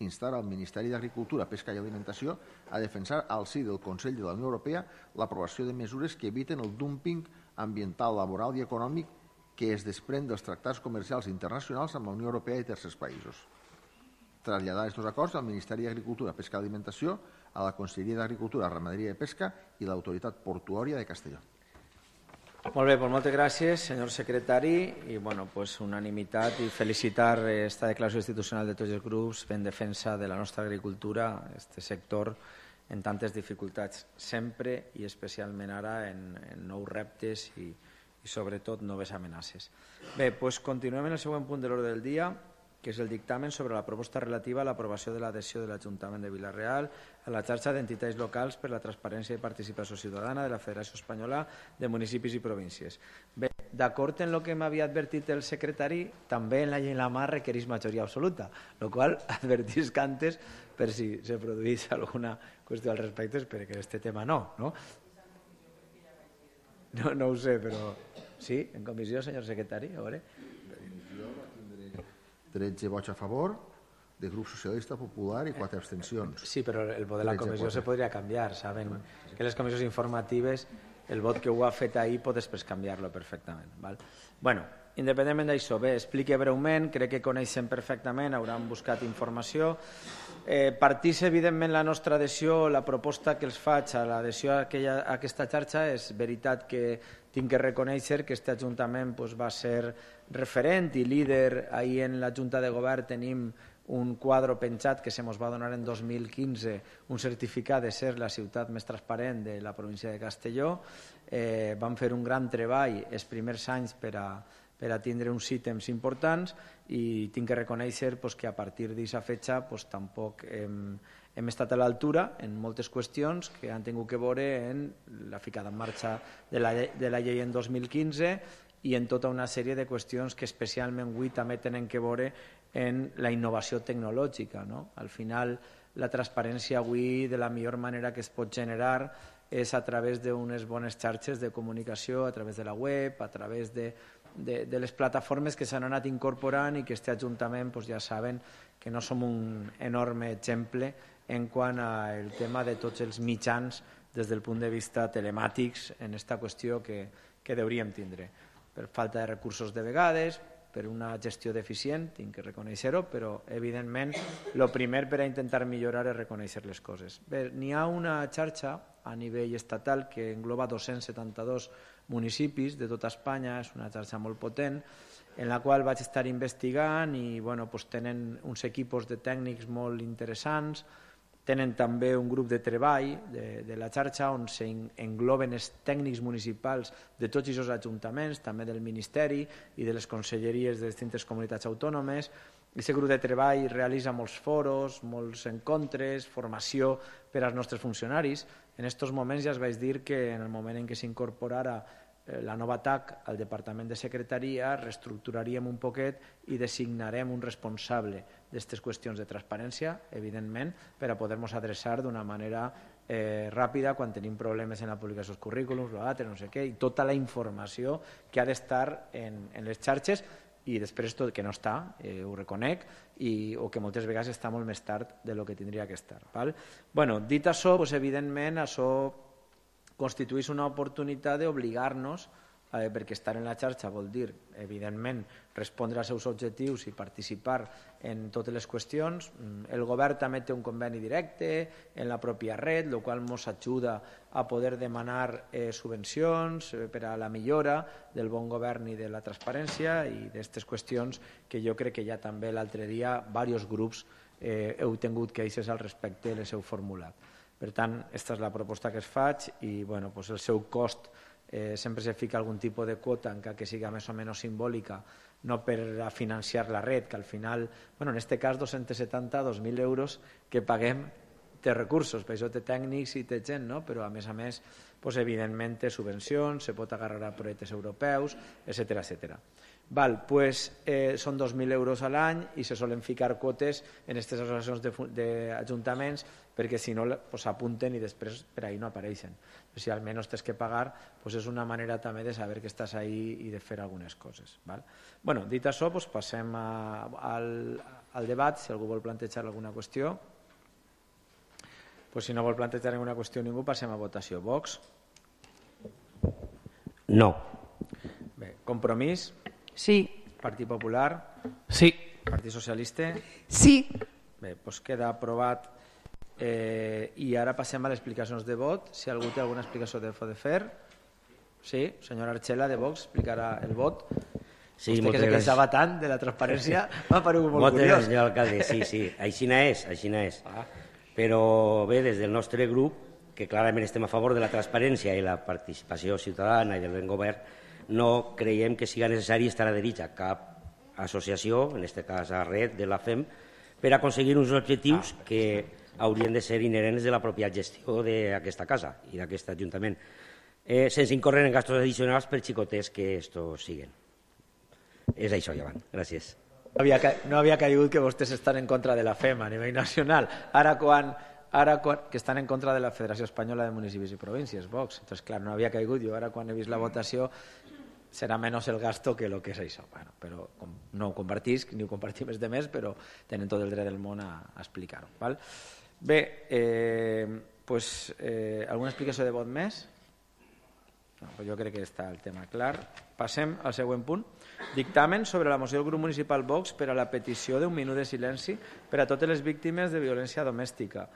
Instar al Ministeri d'Agricultura, Pesca i Alimentació a defensar al si del Consell de la Unió Europea l'aprovació de mesures que eviten el dumping ambiental, laboral i econòmic que es desprèn dels tractats comercials internacionals amb la Unió Europea i tercers països. Traslladar aquests acords al Ministeri d'Agricultura, Pesca i Alimentació, a la Conselleria d'Agricultura, Ramaderia i Pesca i l'Autoritat Portuària de Castelló. Molt bé, doncs moltes gràcies, senyor secretari, i bueno, pues unanimitat i felicitar esta declaració institucional de tots els grups en defensa de la nostra agricultura, este sector en tantes dificultats sempre i especialment ara en, en nous reptes i, i sobretot noves amenaces. Bé, doncs continuem en el següent punt de l'ordre del dia, que és el dictamen sobre la proposta relativa a l'aprovació de l'adhesió de l'Ajuntament de Vila-real a la xarxa d'entitats locals per la transparència i participació ciutadana de la Federació Espanyola de Municipis i Províncies. Bé, d'acord en el que m'havia advertit el secretari, també en la llei en la mà requereix majoria absoluta, el qual advertisc antes per si se produís alguna qüestió al respecte, perquè aquest tema no, no? No, no ho sé, però sí, en comissió, senyor secretari, a veure. tretze vots a favor, de grup socialista, popular i quatre abstencions. Sí, però el vot de la comissió se podria canviar. Saben que les comissions informatives, el vot que ho ha fet ahir pot després canviar-lo perfectament. Val? Bueno, independentment d'això, bé, explique breument, crec que coneixen perfectament, hauran buscat informació. Eh, partís, evidentment, la nostra adhesió, la proposta que els faig a l'adhesió a, aquella, a aquesta xarxa, és veritat que tinc que reconèixer que aquest Ajuntament pues, va ser referent i líder. Ahir en la Junta de Govern tenim un quadre penjat que se mos va donar en dos mil quinze, un certificat de ser la ciutat més transparent de la província de Castelló. Eh, vam fer un gran treball els primers anys per a, per a tindre uns ítems importants i tinc que reconèixer pues, que a partir d'aquesta fetge pues, tampoc hem, hem estat a l'altura en moltes qüestions que han tingut que veure en la ficada en marxa de la, de la llei en dos mil quinze i en tota una sèrie de qüestions que especialment avui també tenen que veure en la innovació tecnològica. No? Al final, la transparència avui de la millor manera que es pot generar és a través d'unes bones xarxes de comunicació, a través de la web, a través de, de, de les plataformes que s'han anat incorporant i que aquest Ajuntament pues, ja saben que no som un enorme exemple en quant al tema de tots els mitjans des del punt de vista telemàtics en aquesta qüestió que, que hauríem tindre. Per falta de recursos de vegades, per una gestió deficient, tinc que reconèixer-ho, però evidentment el primer per a intentar millorar és reconèixer les coses. Bé, n'hi ha una xarxa a nivell estatal que engloba dos-cents setanta-dos municipis de tota Espanya, és una xarxa molt potent, en la qual vaig estar investigant i bueno, pues tenen uns equipos de tècnics molt interessants, tenen també un grup de treball de, de la xarxa on s'engloben els tècnics municipals de tots aquests ajuntaments, també del Ministeri i de les conselleries de distintes comunitats autònomes. Aquest grup de treball realitza molts foros, molts encontres, formació per als nostres funcionaris. En aquests moments ja es vaig dir que en el moment en què s'incorporara la nova T A C al Departament de Secretaria reestructuraríem un poquet i designarem un responsable d'aquestes qüestions de transparència, evidentment, per a poder-nos adreçar d'una manera eh, ràpida quan tenim problemes en la publicació dels currículums, l'altre, no sé què, i tota la informació que ha d'estar en, en les xarxes i després tot que no està, eh, ho reconec, i, o que moltes vegades està molt més tard de lo que tindria que estar. Val? Bueno, dit això, pues, evidentment, això constitueix una oportunitat d'obligar-nos, eh, perquè estar en la xarxa vol dir, evidentment, respondre als seus objectius i participar en totes les qüestions. El govern també té un conveni directe en la pròpia red, el qual ens ajuda a poder demanar eh, subvencions eh, per a la millora del bon govern i de la transparència i d'aquestes qüestions que jo crec que ja també l'altre dia diversos grups eh, heu tingut queixes al respecte i les heu formulat. Per tant, aquesta és la proposta que es faig i bueno, pues el seu cost eh, sempre se fica algun tipus de quota, encara que siga més o menys simbòlica, no per a financiar la red, que al final, bueno, en aquest cas dos-cents setanta, dos mil euros que paguem té recursos, per això té tècnics i té gent, no? Però a més a més, pues, evidentment té subvencions, se pot agarrar a projectes europeus, etcètera, etcètera. Val, pues, eh, són dos mil euros a l'any i se solen ficar quotes en aquestes associacions d'ajuntaments perquè si no s'apunten pues, i després per ahí no apareixen. Si almenys tens que pagar, pues, és una manera també de saber que estàs ahí i de fer algunes coses. Val? Bueno, dit això, pues, passem a, al, al debat, si algú vol plantejar alguna qüestió. Pues, si no vol plantejar alguna qüestió ningú, passem a votació. Vox? No. Bé, Compromís? Sí. Partit Popular? Sí. Partit Socialista? Sí. Bé, doncs queda aprovat. Eh, I ara passem a les explicacions de vot. Si algú té alguna explicació de de fer. Sí, senyora Archela de Vox explicarà el vot. Sí, Vostè que se queixava tant de la transparència m'ha paregut molt moltes curiós. Gràcies, senyor alcalde. Sí, sí, aixina és, aixina és. Ah. Però bé, des del nostre grup, que clarament estem a favor de la transparència i la participació ciutadana i del ben govern, no creiem que siga necessari estar adherits a cap associació, en aquest cas a Red de la F E M, per aconseguir uns objectius ah, que haurien de ser inherents de la pròpia gestió d'aquesta casa i d'aquest ajuntament, eh, sense incórrer en gastos addicionals per xicotets que estos siguen. És això, Llevant. Gràcies. No havia, no havia caigut que vostès estan en contra de la F E M a nivell nacional. Ara quan... Ara, quan, que estan en contra de la Federació Espanyola de Municipis i Províncies, Vox. Entonces, clar, no havia caigut. Jo ara, quan he vist la votació, serà menys el gasto que el que és això. Bueno, però com, no ho compartisc, ni ho compartim els demés, però tenen tot el dret del món a, a explicar-ho. Val? Bé, eh, pues, eh, alguna explicació de vot més? No, pues jo crec que està el tema clar. Passem al següent punt. Dictamen sobre la moció del grup municipal Vox per a la petició d'un minut de silenci per a totes les víctimes de violència domèstica.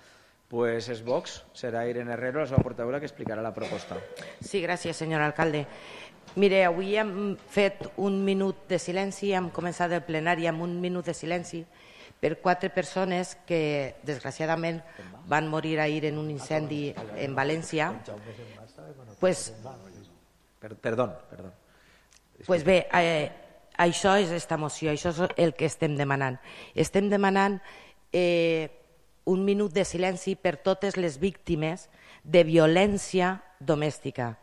Pues és Vox, serà Irene Herrero, la seva portaveu, que explicarà la proposta. Sí, gràcies, senyor alcalde. Mire, avui hem fet un minut de silenci, hem començat el plenari amb un minut de silenci per quatre persones que, desgraciadament, van morir ahir en un incendi en València. Pues, perdó, perdó. Pues bé, eh, això és esta moció, això és el que estem demanant. Estem demanant eh, un minut de silenci per totes les víctimes de violència domèstica.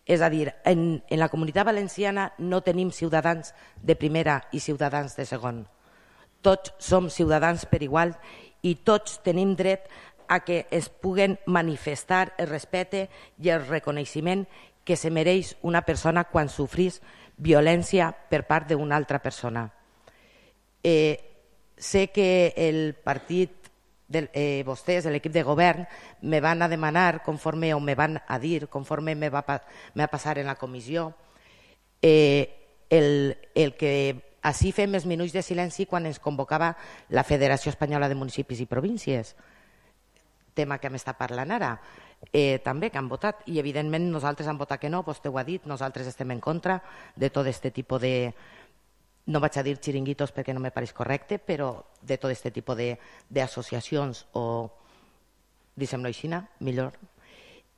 És a dir, en, en la Comunitat Valenciana no tenim ciutadans de primera i ciutadans de segon. Tots som ciutadans per igual i tots tenim dret a que es puguen manifestar el respecte i el reconeixement que se mereix una persona quan sofrís violència per part d'una altra persona. Eh, sé que el partit de, eh, vostès, l'equip de govern, me van a demanar, conforme o me van a dir, conforme me va, me va passar en la comissió, eh, el, el que així fem els minuts de silenci quan ens convocava la Federació Espanyola de Municipis i Províncies, tema que m'està parlant ara, eh, també que han votat, i evidentment nosaltres hem votat que no, vostè ho ha dit, nosaltres estem en contra de tot aquest tipus de, no vaig a dir xiringuitos perquè no me pareix correcte, però de tot aquest tipus d'associacions o, diguem-lo així, millor.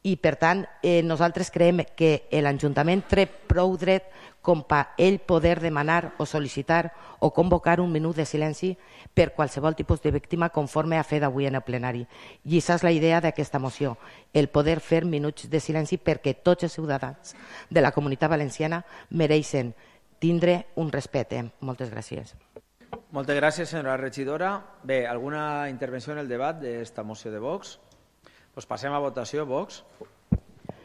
I per tant, eh, nosaltres creiem que l'Ajuntament té prou dret com per ell poder demanar o sol·licitar o convocar un minut de silenci per qualsevol tipus de víctima conforme ha fet avui en el plenari. I aquesta és la idea d'aquesta moció, el poder fer minuts de silenci perquè tots els ciutadans de la Comunitat Valenciana mereixen tindre un respecte. Moltes gràcies. Moltes gràcies, senyora regidora. Bé, alguna intervenció en el debat d'esta moció de Vox? Pues passem a votació. Vox?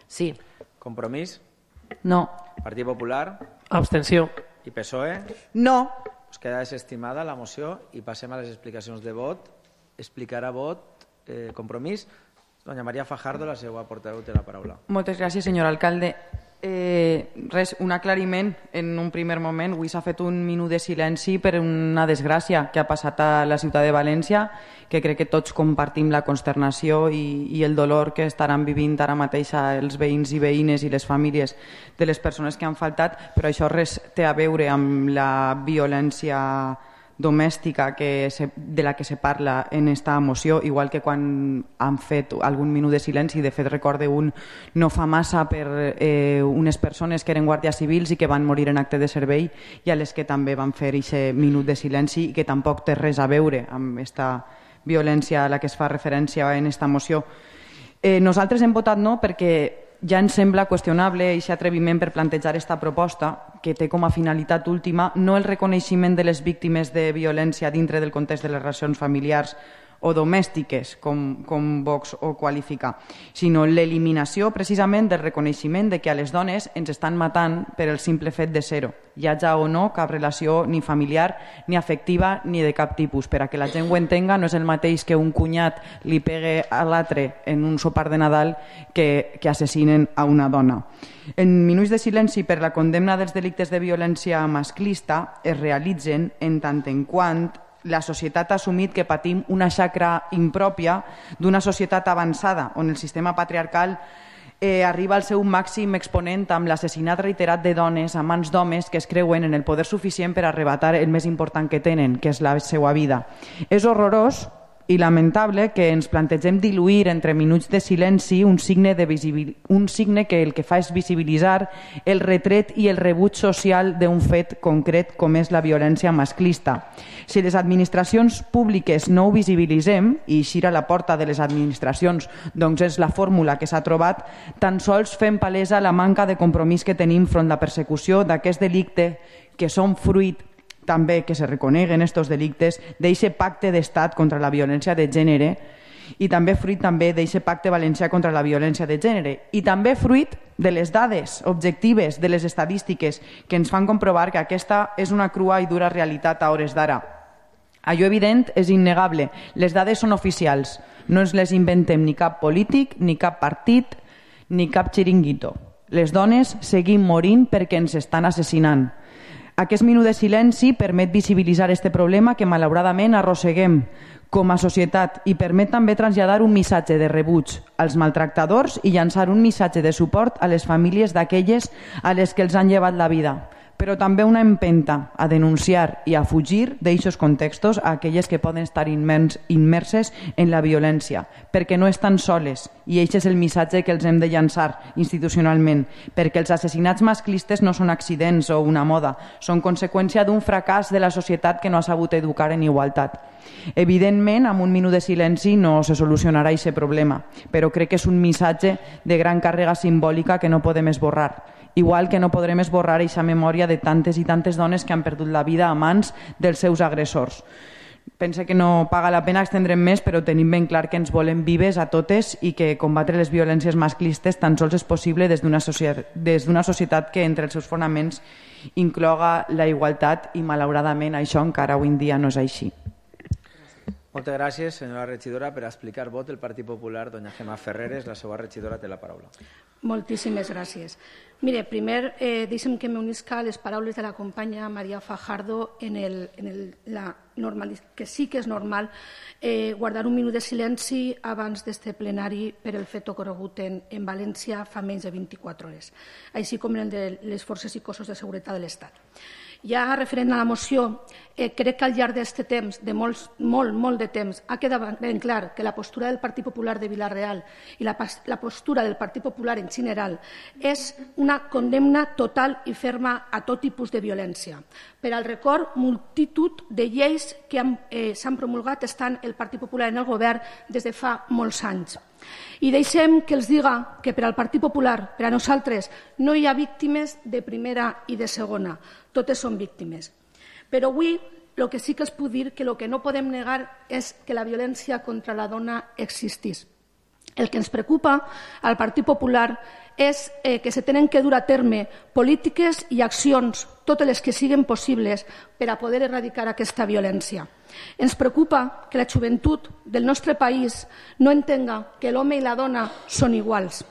Sí. Compromís? No. Partit Popular? Abstenció. I P S O E? No. Pues queda desestimada la moció i passem a les explicacions de vot. Explicarà vot, eh, Compromís. Doña María Fajardo, la seva portaveu, té la paraula. Moltes gràcies, senyor alcalde. Eh, res, un aclariment en un primer moment. Avui s'ha fet un minut de silenci per una desgràcia que ha passat a la ciutat de València, que crec que tots compartim la consternació i, i el dolor que estaran vivint ara mateix els veïns i veïnes i les famílies de les persones que han faltat, però això res té a veure amb la violència domèstica que se, de la que se parla en esta moció, igual que quan han fet algun minut de silenci. De fet, recorde un no fa massa per eh, unes persones que eren guàrdies civils i que van morir en acte de servei i a les que també van fer aquest minut de silenci i que tampoc té res a veure amb esta violència a la que es fa referència en esta moció. Eh, nosaltres hem votat no perquè ja ens sembla qüestionable aquest atreviment per plantejar aquesta proposta que té com a finalitat última no el reconeixement de les víctimes de violència dintre del context de les relacions familiars o domèstiques, com, com Vox ho qualifica, sinó l'eliminació precisament del reconeixement de que a les dones ens estan matant per el simple fet de ser-ho, hi hagi o no cap relació ni familiar, ni afectiva, ni de cap tipus. Per a que la gent ho entenga, no és el mateix que un cunyat li pegue a l'altre en un sopar de Nadal que, que assassinen a una dona. En minuts de silenci per la condemna dels delictes de violència masclista es realitzen en tant en quant la societat ha assumit que patim una xacra impròpia d'una societat avançada on el sistema patriarcal eh, arriba al seu màxim exponent amb l'assassinat reiterat de dones a mans d'homes que es creuen en el poder suficient per arrebatar el més important que tenen, que és la seva vida. És horrorós i lamentable que ens plantegem diluir entre minuts de silenci un signe, de visibil... un signe que el que fa és visibilitzar el retret i el rebuig social d'un fet concret com és la violència masclista. Si les administracions públiques no ho visibilitzem, i eixir a la porta de les administracions doncs és la fórmula que s'ha trobat, tan sols fem palesa la manca de compromís que tenim front la persecució d'aquest delicte que són fruit també que se reconeguen estos delictes d'eixe pacte d'estat contra la violència de gènere i també fruit també d'eixe pacte valencià contra la violència de gènere i també fruit de les dades objectives, de les estadístiques que ens fan comprovar que aquesta és una crua i dura realitat a hores d'ara. Allò evident és innegable, les dades són oficials, no ens les inventem ni cap polític, ni cap partit, ni cap xiringuito. Les dones seguim morint perquè ens estan assassinant. Aquest minut de silenci permet visibilitzar aquest problema que malauradament arrosseguem com a societat i permet també traslladar un missatge de rebuig als maltractadors i llançar un missatge de suport a les famílies d'aquelles a les que els han llevat la vida, però també una empenta a denunciar i a fugir d'eixos contextos a aquelles que poden estar immerses en la violència, perquè no estan soles i aquest és el missatge que els hem de llançar institucionalment, perquè els assassinats masclistes no són accidents o una moda, són conseqüència d'un fracàs de la societat que no ha sabut educar en igualtat. Evidentment, amb un minut de silenci no se solucionarà aquest problema, però crec que és un missatge de gran càrrega simbòlica que no podem esborrar. Igual que no podrem esborrar aquesta memòria de tantes i tantes dones que han perdut la vida a mans dels seus agressors. Pense que no paga la pena extendre'm més, però tenim ben clar que ens volem vives a totes i que combatre les violències masclistes tan sols és possible des d'una societat, des d'una societat que entre els seus fonaments incloga la igualtat i malauradament això encara avui en dia no és així. Moltes gràcies, senyora regidora. Per explicar vot del Partit Popular, doña Gemma Ferreres, la seva regidora, té la paraula. Moltíssimes gràcies. Mire, primer, eh, deixem que m'unisca a les paraules de la companya Maria Fajardo en, el, en el, la normal, que sí que és normal eh, guardar un minut de silenci abans d'este plenari per el fet ocorregut en, en València fa menys de vint-i-quatre hores, així com el de les forces i cossos de seguretat de l'Estat. Ja referent a la moció, eh, crec que al llarg d'aquest temps, de molts, molt, molt de temps, ha quedat ben clar que la postura del Partit Popular de Vila-real i la, la postura del Partit Popular en general és una condemna total i ferma a tot tipus de violència. Per al record, multitud de lleis que s'han eh, promulgat estan el Partit Popular en el govern des de fa molts anys. I deixem que els diga que per al Partit Popular, per a nosaltres, no hi ha víctimes de primera i de segona, totes són víctimes. Però avui el que sí que es pot dir que el que no podem negar és que la violència contra la dona existís. El que ens preocupa al Partit Popular és eh, que se tenen que dur a terme polítiques i accions, totes les que siguin possibles, per a poder erradicar aquesta violència. Ens preocupa que la joventut del nostre país no entenga que l'home i la dona són iguals.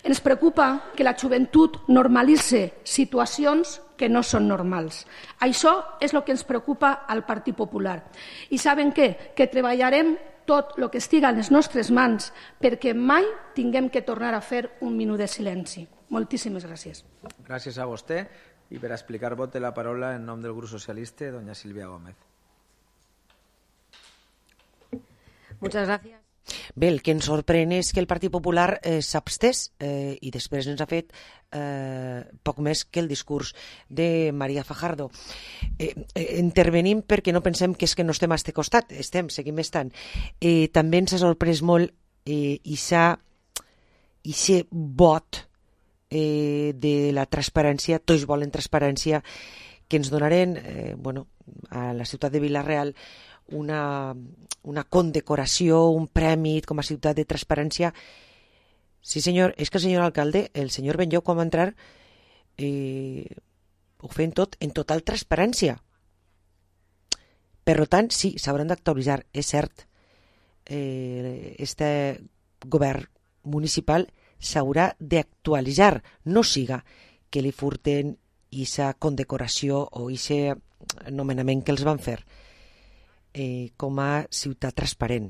Ens preocupa que la joventut normalitze situacions que no són normals. Això és el que ens preocupa al Partit Popular. I saben què? Que treballarem tot el que estiga a les nostres mans perquè mai tinguem que tornar a fer un minut de silenci. Moltíssimes gràcies. Gràcies a vostè. I per explicar vot té la paraula en nom del grup socialista, doña Silvia Gómez. Muchas gracias. Bé, el que ens sorprèn és que el Partit Popular eh, s'abstès eh, i després ens ha fet eh, poc més que el discurs de María Fajardo. Eh, eh, intervenim perquè no pensem que és que no estem a este costat, estem, seguim estant. Eh, també ens ha sorprès molt eh, ixa, ixe vot eh, de la transparència, tots volen transparència, que ens donaren eh, bueno, a la ciutat de Vila-real una, una condecoració, un premi com a ciutat de transparència. Sí, senyor, és que el senyor alcalde, el senyor Benlloc, quan va entrar, eh, ho feien tot en total transparència. Per tant, sí, s'hauran d'actualitzar, és cert. Eh, este govern municipal s'haurà d'actualitzar, no siga que li furten aquesta condecoració o aquest nomenament que els van fer. Eh, com a ciutat transparent.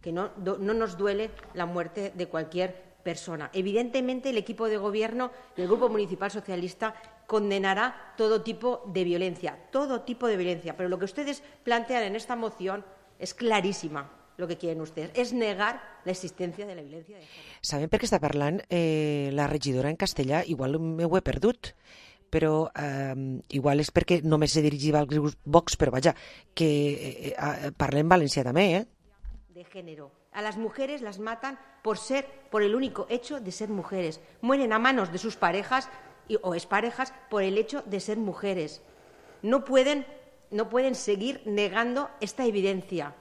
Que no, no nos duele la muerte de cualquier persona. Evidentemente, el equipo de gobierno y el Grupo Municipal Socialista condenará todo tipo de violencia, todo tipo de violencia. Pero lo que ustedes plantean en esta moción es clarísima. Lo que quieren ustedes es negar la existencia de la violencia de género. Saben per què està parlant eh, la regidora en castellà? Igual m'ho he perdut, però eh, igual és perquè només se dirigia al grup Vox, però vaja, que eh, eh, parlem valencià també, eh? De género. A las mujeres las matan por ser, por el único hecho de ser mujeres. Mueren a manos de sus parejas y, o exparejas por el hecho de ser mujeres. No pueden, no pueden seguir negando esta evidencia.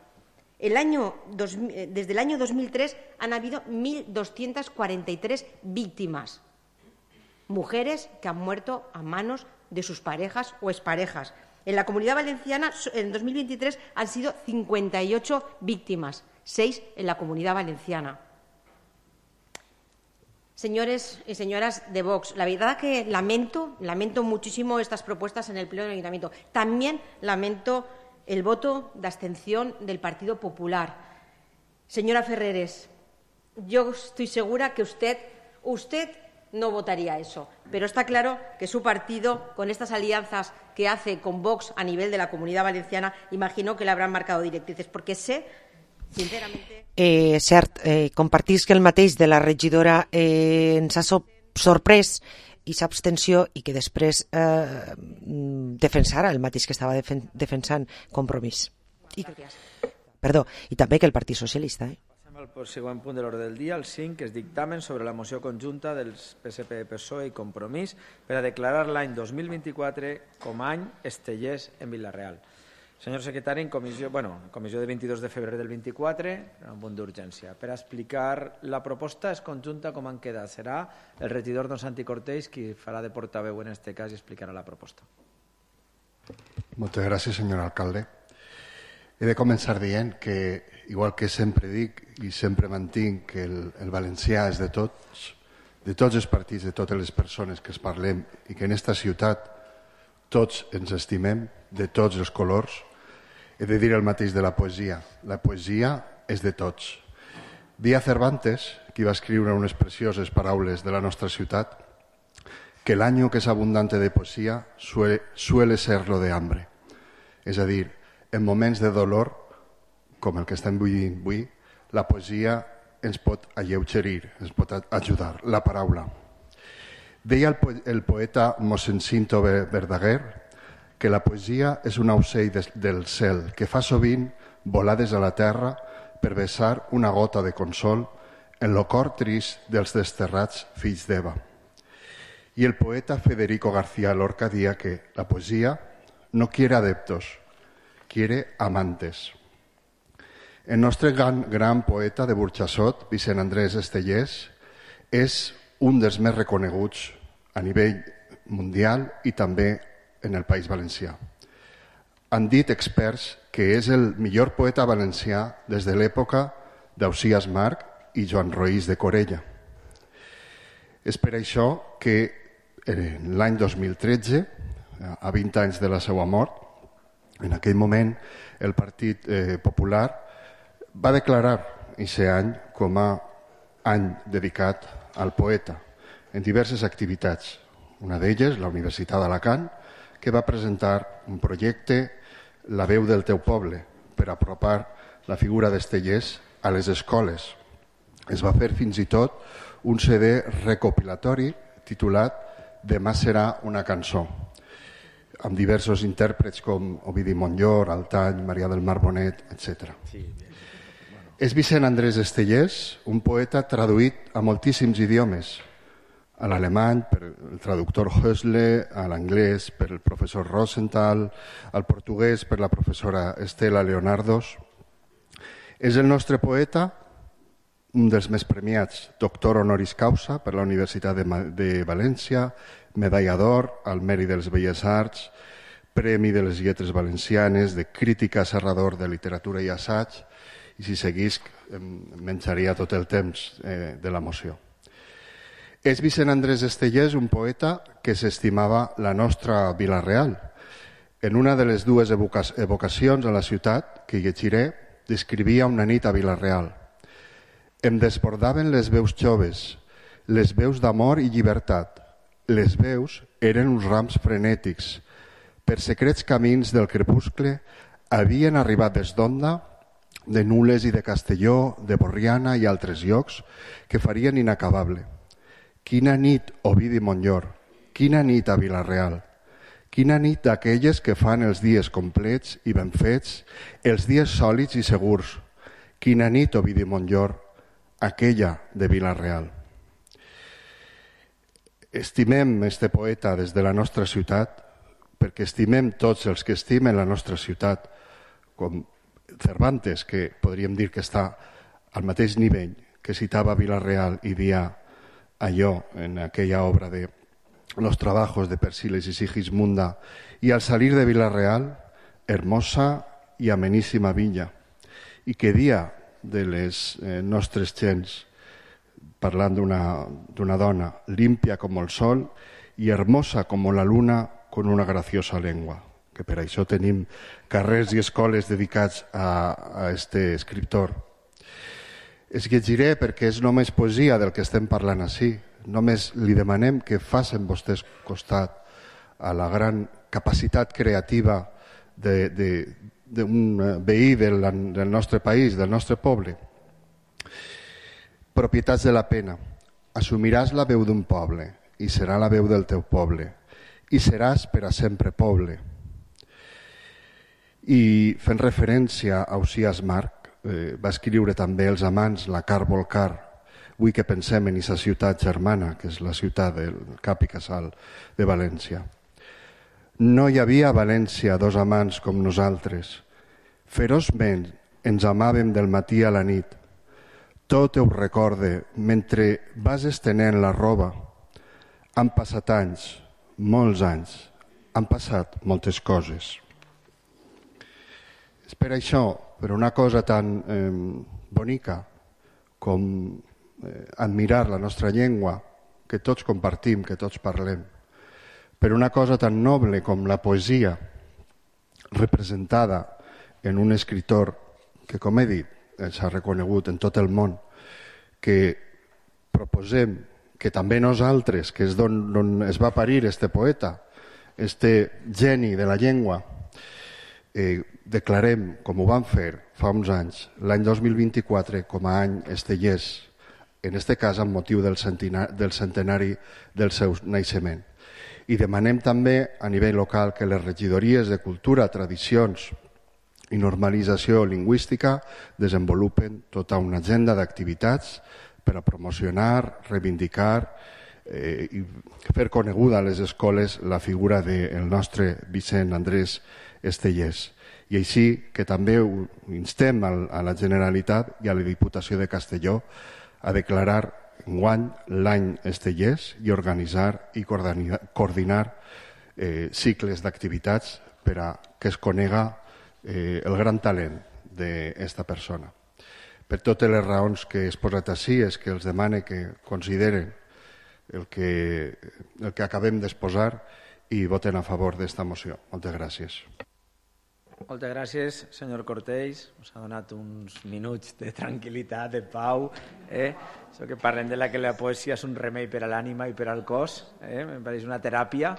El año dos, desde el año dos mil tres han habido mil doscientas cuarenta y tres víctimas. Mujeres que han muerto a manos de sus parejas o exparejas. En la Comunidad Valenciana, en dos mil veintitrés, han sido cincuenta y ocho víctimas, seis en la Comunidad Valenciana. Señores y señoras de Vox, la verdad que lamento, lamento muchísimo estas propuestas en el Pleno del Ayuntamiento. También lamento el voto de abstención del Partido Popular. Señora Ferreres, yo estoy segura que usted, usted no votaría eso. Pero está claro que su partido, con estas alianzas que hace con Vox a nivel de la Comunidad Valenciana, imagino que le habrán marcado directrices, porque sé, sinceramente... Eh, cert, eh, compartís que el mateix de la regidora eh, ens ha so sorprès i s'abstenció i que després eh, defensara el mateix que estava defen defensant Compromís. I, perdó, i també que el Partit Socialista, eh? El següent punt de l'ordre del dia, el cinc, que és dictamen sobre la moció conjunta dels P S P, P S O E i Compromís per a declarar l'any dos mil vint-i-quatre com a any estellers en Vila-real. Senyor secretari, en comissió, bueno, en comissió de vint-i-dos de febrer del vint-i-quatre, un punt d'urgència. Per a explicar la proposta és conjunta com han quedat. Serà el regidor don Santi Cortés qui farà de portaveu en aquest cas i explicarà la proposta. Moltes gràcies, senyor alcalde. He de començar dient que, igual que sempre dic i sempre mantinc que el, el valencià és de tots, de tots els partits, de totes les persones que es parlem i que en esta ciutat tots ens estimem, de tots els colors, he de dir el mateix de la poesia. La poesia és de tots. Dia Cervantes, qui va escriure unes precioses paraules de la nostra ciutat, que el año que es abundante de poesía suele, suele serlo de hambre. És a dir, en moments de dolor, com el que estem vivint avui, la poesia ens pot alleugerir, ens pot ajudar, la paraula. Deia el, po el poeta mossèn Cinto Verdaguer que la poesia és un aucell de del cel que fa sovint volades a la terra per vessar una gota de consol en lo cor trist dels desterrats fills d'Eva. I el poeta Federico García Lorca dia que la poesia no quiere adeptos, quiere amantes. El nostre gran, gran poeta de Burxassot, Vicent Andrés Estellés, és un dels més reconeguts a nivell mundial i també en el País Valencià. Han dit experts que és el millor poeta valencià des de l'època d'Ausiàs Marc i Joan Roís de Corella. És per això que l'any dos mil tretze, a vint anys de la seva mort, en aquell moment el Partit eh, Popular va declarar aquest any com a any dedicat al poeta en diverses activitats. Una d'elles, la Universitat d'Alacant, que va presentar un projecte, La veu del teu poble, per apropar la figura d'Estellés a les escoles. Es va fer fins i tot un C D recopilatori titulat Demà serà una cançó, amb diversos intèrprets com Ovidi Montllor, Altany, Maria del Mar Bonet, etcètera. Sí, bueno. És Vicent Andrés Estellés, un poeta traduït a moltíssims idiomes, a l'alemany per el traductor Hösle, a l'anglès per el professor Rosenthal, al portuguès per la professora Estela Leonardos. És el nostre poeta, un dels més premiats, doctor honoris causa per la Universitat de, de València, medalla d'or al Mèrit de les Belles Arts, Premi de les Lletres Valencianes, de crítica serrador de literatura i assaig, i si seguís em menjaria tot el temps eh, de la moció. És Vicent Andrés Estellés un poeta que s'estimava la nostra Vila Real. En una de les dues evocacions a la ciutat que llegiré, descrivia una nit a Vila Real. Em desbordaven les veus joves, les veus d'amor i llibertat. Les veus eren uns rams frenètics. Per secrets camins del crepuscle havien arribat des d'Onda, de Nules i de Castelló, de Borriana i altres llocs que farien inacabable. Quina nit, Ovidi Montllor, quina nit a Vila-real, quina nit d'aquelles que fan els dies complets i ben fets, els dies sòlids i segurs, quina nit, Ovidi Montllor, aquella de Vila-real. Estimem este poeta des de la nostra ciutat, perquè estimem tots els que estimen la nostra ciutat, com Cervantes, que podríem dir que està al mateix nivell, que citava Vila-real i dia allò en aquella obra de Los trabajos de Persíles y Sigismunda, y al salir de Vila-real, hermosa i ameníssima villa, i que dia de les eh, nostres gens, parlant d'una dona limpia com el sol i hermosa com la luna con una graciosa lengua, que per això tenim carrers i escoles dedicats a, a este escriptor. Es llegiré perquè és només poesia del que estem parlant ací. Només li demanem que facin vostès costat a la gran capacitat creativa d'un veí del, del nostre país, del nostre poble. Propietats de la pena. Assumiràs la veu d'un poble i serà la veu del teu poble i seràs per a sempre poble. I fent referència a Ausiàs Marc, Eh, va escriure també Els amants, la Car Volcar, vull que pensem en aquesta ciutat germana, que és la ciutat del cap i casal de València. No hi havia a València dos amants com nosaltres. Feroçment ens amàvem del matí a la nit. Tot ho recorde mentre vas estenent la roba. Han passat anys, molts anys, han passat moltes coses. És per això, per una cosa tan eh, bonica com eh, admirar la nostra llengua, que tots compartim, que tots parlem, per una cosa tan noble com la poesia, representada en un escriptor que, com he dit, s'ha reconegut en tot el món, que proposem que també nosaltres, que és d'on es va parir este poeta, este geni de la llengua, eh, declarem, com ho vam fer fa uns anys, l'any dos mil vint-i-quatre com a any estellés, en este cas amb motiu del centenari, del centenari del seu naixement. I demanem també a nivell local que les regidories de cultura, tradicions i normalització lingüística desenvolupen tota una agenda d'activitats per a promocionar, reivindicar eh, i fer coneguda a les escoles la figura del nostre Vicent Andrés Estellés. I així que també instem a la Generalitat i a la Diputació de Castelló a declarar enguany l'any estellers i organitzar i coordinar eh, cicles d'activitats per a que es conega eh, el gran talent d'aquesta persona. Per totes les raons que he exposat així és que els demane que consideren el que, el que acabem d'exposar i voten a favor d'esta moció. Moltes gràcies. Moltes gràcies, senyor Cortells. Us ha donat uns minuts de tranquil·litat, de pau. Eh? Això que parlem de la que la poesia és un remei per a l'ànima i per al cos. Eh? Em pareix una teràpia.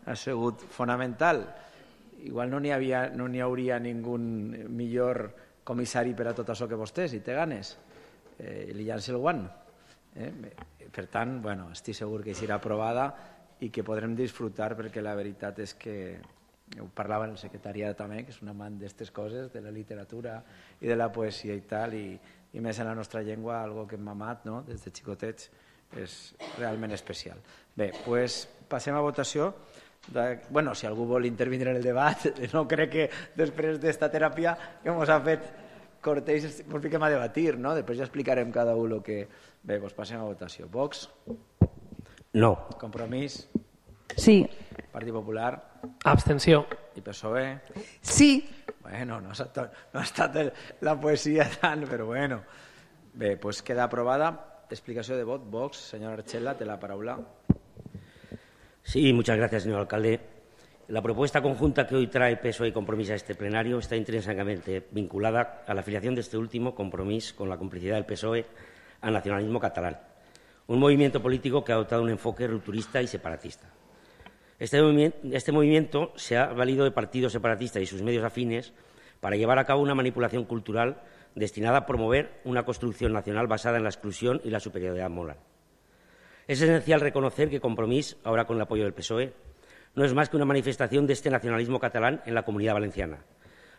Ha sigut fonamental. Igual no n'hi havia, no n'hi hauria ningú millor comissari per a tot això que vostè, si té ganes. Eh, li llanci el guant. Eh? Per tant, bueno, estic segur que serà aprovada i que podrem disfrutar, perquè la veritat és que ho parlava el secretariat també, que és un amant d'aquestes coses, de la literatura i de la poesia i tal, i, i més en la nostra llengua, algo que hem amat, no?, des de xicotets, és realment especial. Bé, doncs passem a votació. De, bueno, si algú vol intervindre en el debat, no crec que després d'esta teràpia que ens ha fet Cortells ens fiquem a debatir, no? Després ja explicarem cada un el que... Bé, doncs passem a votació. Vox? No. Compromís? Sí. Partit Popular? Abstenció. I P S O E? Sí. Bueno, no ha estat, no ha estat el, la poesia tant, però bueno. Bé, doncs queda aprovada. Explicació de vot. Vox, señora Archela, té la paraula. Sí, muchas gracias, señor alcalde. La propuesta conjunta que hoy trae P S O E y Compromís a este plenario está intrínsecamente vinculada a la afiliación de este último, Compromís, con la complicidad del P S O E al nacionalismo catalán, un movimiento político que ha adoptado un enfoque rupturista y separatista. Este movimiento, este movimiento se ha valido de partidos separatistas y sus medios afines para llevar a cabo una manipulación cultural destinada a promover una construcción nacional basada en la exclusión y la superioridad moral. Es esencial reconocer que Compromís, ahora con el apoyo del P S O E, no es más que una manifestación de este nacionalismo catalán en la Comunidad Valenciana,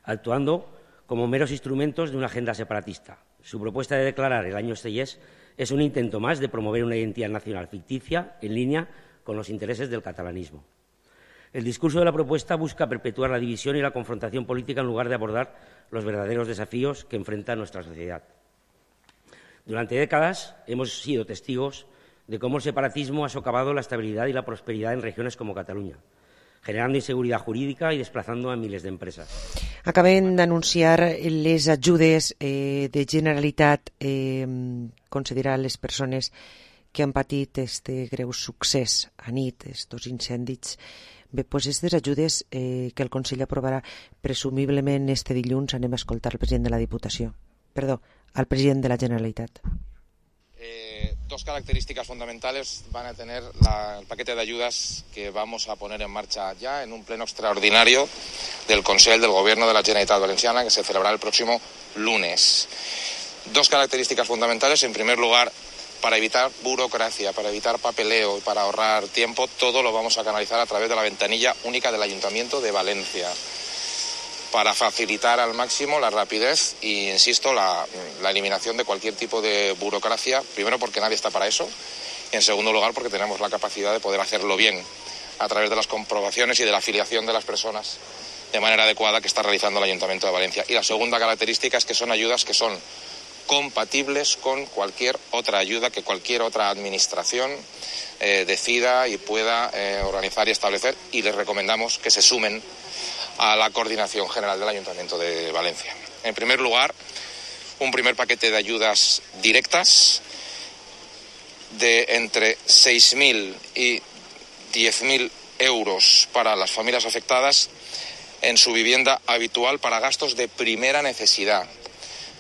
actuando como meros instrumentos de una agenda separatista. Su propuesta de declarar el año estellés es un intento más de promover una identidad nacional ficticia en línea con los intereses del catalanismo. El discurso de la propuesta busca perpetuar la división y la confrontación política en lugar de abordar los verdaderos desafíos que enfrenta nuestra sociedad. Durante décadas hemos sido testigos de cómo el separatismo ha socavado la estabilidad y la prosperidad en regiones como Cataluña, generando inseguridad jurídica y desplazando a miles de empresas. Acaben d'anunciar les ajudes eh, de Generalitat eh, concedirà a les persones que han patit este greu succés a nit, estos incendis. Bé, doncs aquestes ajudes eh, que el Consell aprovarà presumiblement este dilluns, anem a escoltar el president de la Diputació, perdó, al president de la Generalitat. Eh, dos características fundamentales van a tener la, el paquete de ayudas que vamos a poner en marcha ya en un pleno extraordinario del Consell del Gobierno de la Generalitat Valenciana que se celebrará el próximo lunes. Dos características fundamentales. En primer lugar, para evitar burocracia, para evitar papeleo y para ahorrar tiempo, todo lo vamos a canalizar a través de la ventanilla única del Ayuntamiento de Valencia, para facilitar al máximo la rapidez y, insisto, la, la eliminación de cualquier tipo de burocracia, primero porque nadie está para eso, y en segundo lugar porque tenemos la capacidad de poder hacerlo bien a través de las comprobaciones y de la afiliación de las personas de manera adecuada que está realizando el Ayuntamiento de Valencia. Y la segunda característica es que son ayudas que son compatibles con cualquier otra ayuda que cualquier otra administración eh, decida y pueda eh, organizar y establecer, y les recomendamos que se sumen a la coordinación general del Ayuntamiento de Valencia. En primer lugar, un primer paquete de ayudas directas de entre seis mil y diez mil euros para las familias afectadas en su vivienda habitual para gastos de primera necesidad,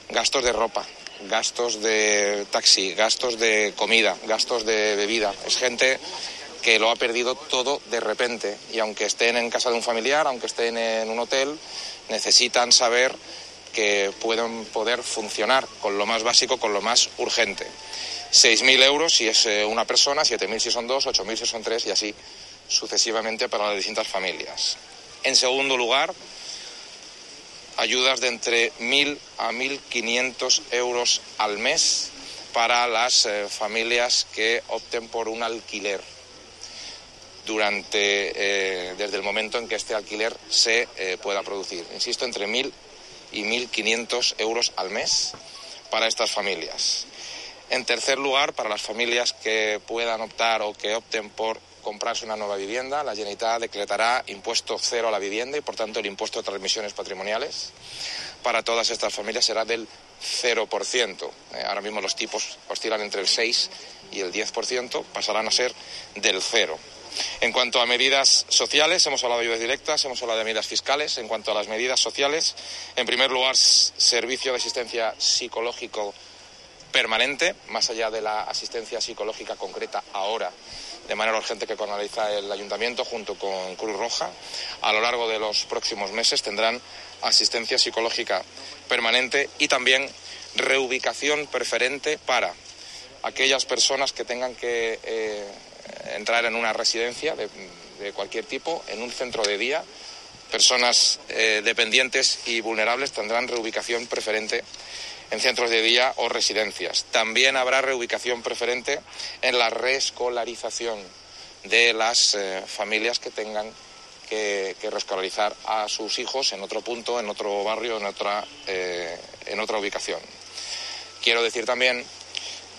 gastos de ropa, gastos de taxi, gastos de comida, gastos de bebida. Es gente que lo ha perdido todo de repente y aunque estén en casa de un familiar, aunque estén en un hotel, necesitan saber que pueden poder funcionar con lo más básico, con lo más urgente. seis mil euros si es una persona, siete mil si son dos, ocho mil si son tres y así sucesivamente para las distintas familias. En segundo lugar, ayudas de entre mil a mil quinientos euros al mes para las eh, familias que opten por un alquiler. durante eh, desde el momento en que este alquiler se eh, pueda producir. Insisto, entre mil y mil quinientos euros al mes para estas familias. En tercer lugar, para las familias que puedan optar o que opten por comprarse una nueva vivienda, la Generalitat decretará impuesto cero a la vivienda y, por tanto, el impuesto de transmisiones patrimoniales para todas estas familias será del cero por ciento. Eh, ahora mismo los tipos oscilan entre el seis y el diez por ciento, pasarán a ser del cero. En cuanto a medidas sociales, hemos hablado de ayudas directas, hemos hablado de medidas fiscales. En cuanto a las medidas sociales, en primer lugar, servicio de asistencia psicológico permanente, más allá de la asistencia psicológica concreta ahora, de manera urgente, que canaliza el Ayuntamiento junto con Cruz Roja. A lo largo de los próximos meses tendrán asistencia psicológica permanente y también reubicación preferente para aquellas personas que tengan que eh, entrar en una residencia de, de cualquier tipo, en un centro de día. Personas eh, dependientes y vulnerables tendrán reubicación preferente en centros de día o residencias. También habrá reubicación preferente en la reescolarización de las eh, familias que tengan que, que reescolarizar a sus hijos en otro punto, en otro barrio, en otra, eh, en otra ubicación. Quiero decir también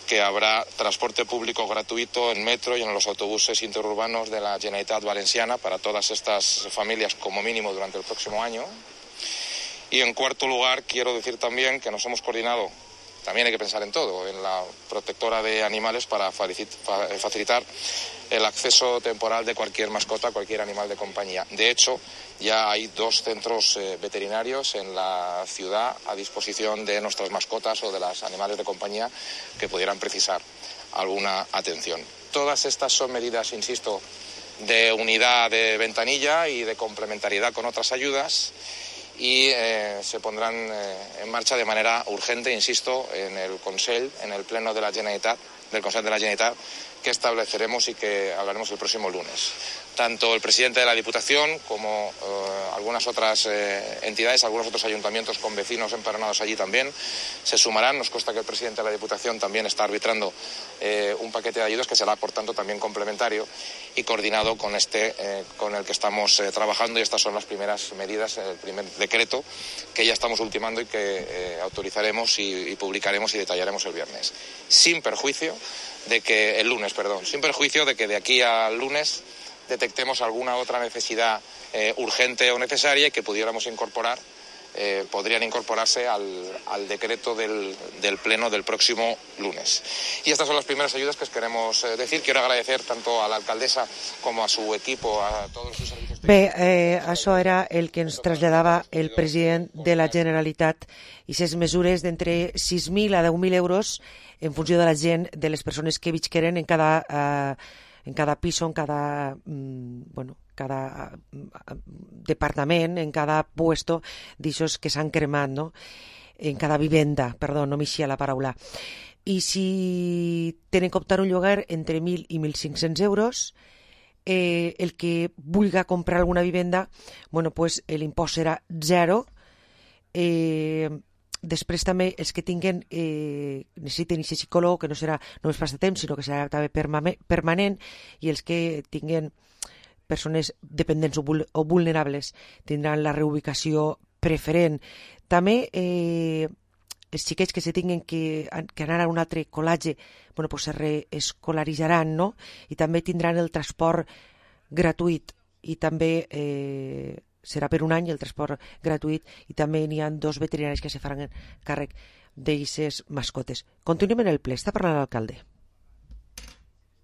que habrá transporte público gratuito en metro y en los autobuses interurbanos de la Generalitat Valenciana para todas estas familias, como mínimo durante el próximo año. Y en cuarto lugar, quiero decir también que nos hemos coordinado, también hay que pensar en todo, en la protectora de animales para facilitar el acceso temporal de cualquier mascota, cualquier animal de compañía. De hecho, ya hay dos centros eh, veterinarios en la ciudad a disposición de nuestras mascotas o de los animales de compañía que pudieran precisar alguna atención. Todas estas son medidas, insisto, de unidad de ventanilla y de complementariedad con otras ayudas, y eh, se pondrán eh, en marcha de manera urgente, insisto, en el Consell, en el Pleno de la Generalitat, del Consell de la Generalitat, que estableceremos y que hablaremos el próximo lunes. Tanto el presidente de la Diputación como eh, algunas otras eh, entidades, algunos otros ayuntamientos con vecinos empadronados allí también se sumarán. Nos consta que el presidente de la Diputación también está arbitrando eh, un paquete de ayudas que será, por tanto, también complementario y coordinado con este eh, con el que estamos eh, trabajando, y estas son las primeras medidas, el primer decreto que ya estamos ultimando y que eh, autorizaremos y, y publicaremos y detallaremos el viernes. Sin perjuicio de que el lunes, perdón, sin perjuicio de que de aquí al lunes detectemos alguna otra necesidad eh, urgente o necesaria y que pudiéramos incorporar, eh, podrían incorporarse al, al decreto del, del Pleno del próximo lunes. Y estas son las primeras ayudas que os queremos eh, decir. Quiero agradecer tanto a la alcaldesa como a su equipo, a todos sus servicios. Bé, eh, això era el que ens traslladava el president de la Generalitat, i ses mesures d'entre sis mil a deu mil euros en funció de la gent, de les persones que visqueren en cada, eh, en cada piso, en cada, mm, bueno, cada departament, en cada puesto d'aixòs que s'han cremat, no? En cada vivenda, perdó, no m'eixia la paraula. I si tenen que optar un lloguer entre mil i mil cinc-cents euros, eh, el que vulga comprar alguna vivenda, bueno, pues l'impost serà zero. Eh, Després també els que tinguen, eh, necessiten aquest psicòleg, que no serà només pas de temps, sinó que serà també permanent, i els que tinguen persones dependents o vulnerables tindran la reubicació preferent. També eh, els xiquets que se tinguin que, que anar a un altre col·legi, bueno, pues se reescolaritzaran, no? I també tindran el transport gratuït, i també eh, serà per un any el transport gratuït, i també n'hi ha dos veterinaris que se faran càrrec d'aquestes mascotes. Continuem en el ple. Està parlant l'alcalde.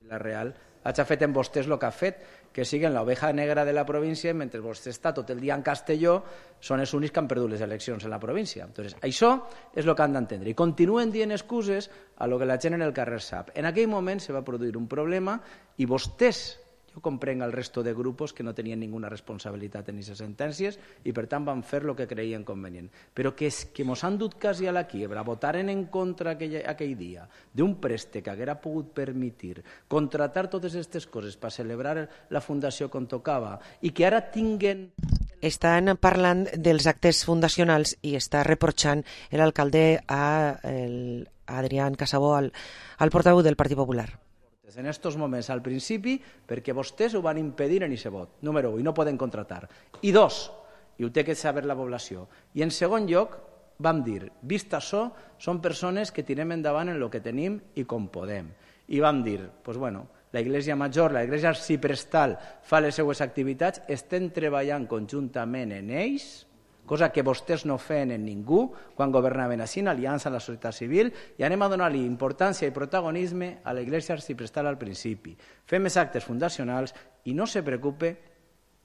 La Real ha fet en vostès el que ha fet, que siguen l'oveja negra de la província, mentre vostè està tot el dia en Castelló, són els únics que han perdut les eleccions en la província. Entonces, això és el que han d'entendre. I continuen dient excuses a lo que la gent en el carrer sap. En aquell moment se va produir un problema i vostès, jo comprenc el resto de grupos que no tenien ninguna responsabilitat en aquestes sentències i per tant van fer el que creien convenient. Però que és que mos han dut quasi a la quiebra, votaren en contra aquell, aquell dia d'un préstec que haguera pogut permetir contratar totes aquestes coses per celebrar la fundació com tocava i que ara tinguen... Estan parlant dels actes fundacionals i està reprochant l'alcalde a el Adrián Casabó, al, al portaveu del Partit Popular. en estos moments al principi perquè vostès ho van impedir en aquest vot. Número u, i no poden contratar. I dos, i ho té que saber la població. I en segon lloc, vam dir, vist això, són persones que tirem endavant en el que tenim i com podem. I vam dir, doncs bueno, la Iglesia Major, la Iglesia Arciprestal fa les seues activitats, estem treballant conjuntament en ells, cosa que vostès no feien en ningú quan governaven així, en aliança amb la societat civil, i anem a donar-li importància i protagonisme a la Iglesia Arciprestal al principi. Fem els actes fundacionals i no se preocupe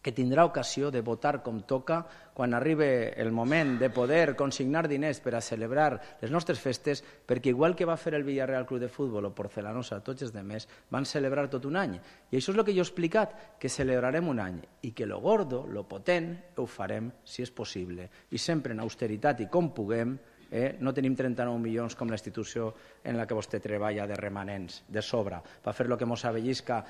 que tindrà ocasió de votar com toca quan arribi el moment de poder consignar diners per a celebrar les nostres festes, perquè igual que va fer el Villarreal Club de Futbol o Porcelanosa, tots els demés, van celebrar tot un any. I això és el que jo he explicat, que celebrarem un any i que lo gordo, lo potent, ho farem si és possible. I sempre en austeritat i com puguem, eh, no tenim trenta-nou milions com la institució en la que vostè treballa de remanents, de sobre, per fer el que mos avellisca.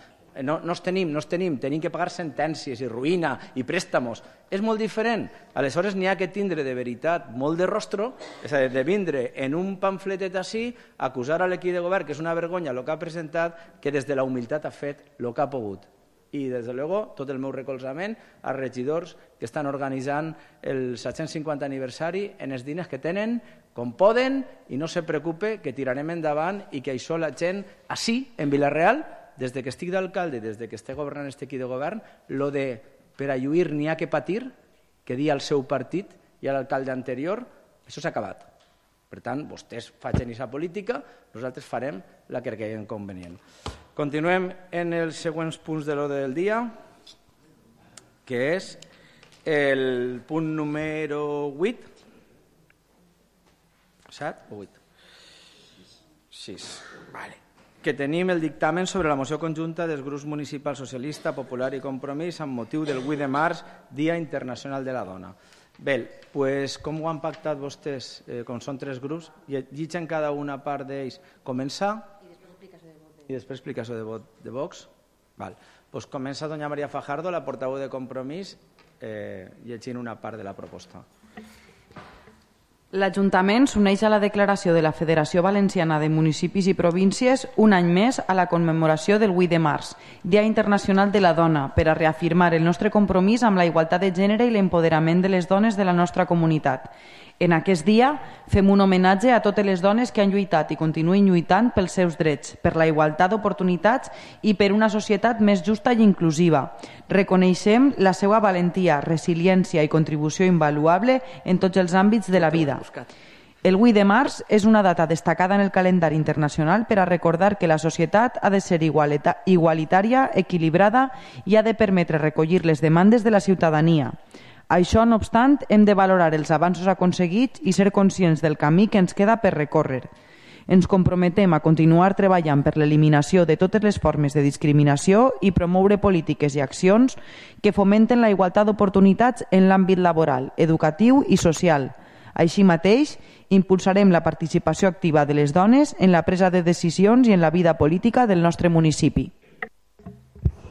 No, no els tenim, no els tenim, tenim que pagar sentències i ruïna i préstamos. És molt diferent. Aleshores n'hi ha que tindre de veritat molt de rostro, és a dir, de vindre en un pamfletet així, acusar a l'equip de govern, que és una vergonya el que ha presentat, que des de la humilitat ha fet el que ha pogut. I, des de luego, tot el meu recolzament als regidors que estan organitzant el set-cents cinquanta aniversari en els diners que tenen, com poden, i no se preocupe que tirarem endavant i que això la gent, així, en Vila-real, des que estic d'alcalde, des que estic governant aquest equip de govern, lo de per a lluir n'hi ha que patir, que dia al seu partit i a l'alcalde anterior, això s'ha acabat. Per tant, vostès facin aquesta política, nosaltres farem la que creiem convenient. Continuem en els següents punts de l'ordre del dia, que és el punt número vuit. set o vuit? sis. Vale. Que tenim el dictamen sobre la moció conjunta dels grups municipal socialista, popular i compromís amb motiu del vuit de març, Dia Internacional de la Dona. Bé, doncs, com ho han pactat vostès, eh, com són tres grups, llegeixen cada una part d'ells començar i després explicació de vot de Vox. Val. Doncs comença doña María Fajardo, la portaveu de Compromís, eh, llegint una part de la proposta. L'Ajuntament s'uneix a la declaració de la Federació Valenciana de Municipis i Províncies un any més a la commemoració del vuit de març, Dia Internacional de la Dona, per a reafirmar el nostre compromís amb la igualtat de gènere i l'empoderament de les dones de la nostra comunitat. En aquest dia fem un homenatge a totes les dones que han lluitat i continuen lluitant pels seus drets, per la igualtat d'oportunitats i per una societat més justa i inclusiva. Reconeixem la seva valentia, resiliència i contribució invaluable en tots els àmbits de la vida. El vuit de març és una data destacada en el calendari internacional per a recordar que la societat ha de ser igualitària, equilibrada i ha de permetre recollir les demandes de la ciutadania. Això, no obstant, hem de valorar els avanços aconseguits i ser conscients del camí que ens queda per recórrer. Ens comprometem a continuar treballant per l'eliminació de totes les formes de discriminació i promoure polítiques i accions que fomenten la igualtat d'oportunitats en l'àmbit laboral, educatiu i social. Així mateix, impulsarem la participació activa de les dones en la presa de decisions i en la vida política del nostre municipi.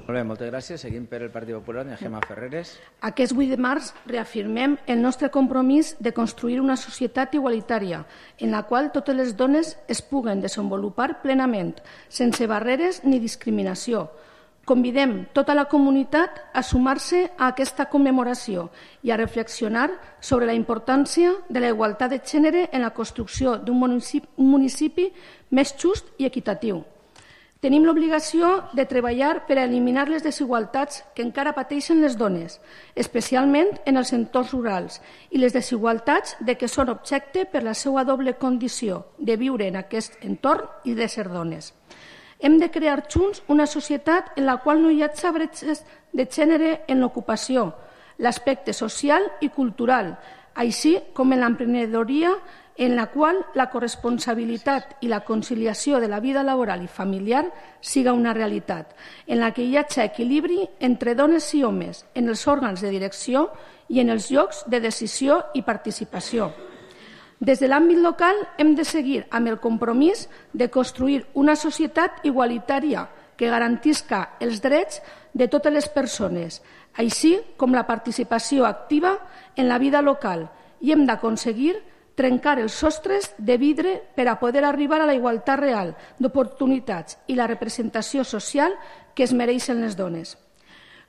Molt bé, moltes gràcies. Seguim per el Partit Popular, Gemma Ferreres. Aquest vuit de març reafirmem el nostre compromís de construir una societat igualitària en la qual totes les dones es puguen desenvolupar plenament, sense barreres ni discriminació. Convidem tota la comunitat a sumar-se a aquesta commemoració i a reflexionar sobre la importància de la igualtat de gènere en la construcció d'un municipi, un municipi més just i equitatiu. Tenim l'obligació de treballar per a eliminar les desigualtats que encara pateixen les dones, especialment en els entorns rurals, i les desigualtats de què són objecte per la seva doble condició de viure en aquest entorn i de ser dones. Hem de crear junts una societat en la qual no hi hagi bretxes de gènere en l'ocupació, l'aspecte social i cultural, així com en l'emprenedoria, en la qual la corresponsabilitat i la conciliació de la vida laboral i familiar siga una realitat, en la que hi hagi equilibri entre dones i homes en els òrgans de direcció i en els llocs de decisió i participació. Des de l'àmbit local hem de seguir amb el compromís de construir una societat igualitària que garantisca els drets de totes les persones, així com la participació activa en la vida local, i hem d'aconseguir trencar els sostres de vidre per a poder arribar a la igualtat real d'oportunitats i la representació social que es mereixen les dones.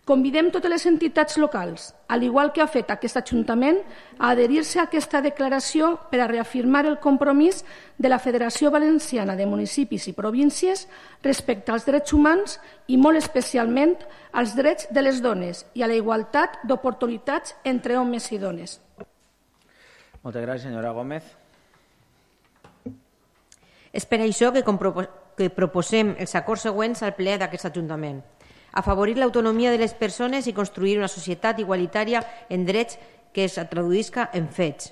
Convidem totes les entitats locals, al igual que ha fet aquest Ajuntament, a adherir-se a aquesta declaració per a reafirmar el compromís de la Federació Valenciana de Municipis i Províncies respecte als drets humans i molt especialment als drets de les dones i a la igualtat d'oportunitats entre homes i dones. Moltes gràcies, senyora Gómez. És per això que, que proposem els acords següents al ple d'aquest Ajuntament. Afavorir l'autonomia de les persones i construir una societat igualitària en drets que es traduïsca en fets.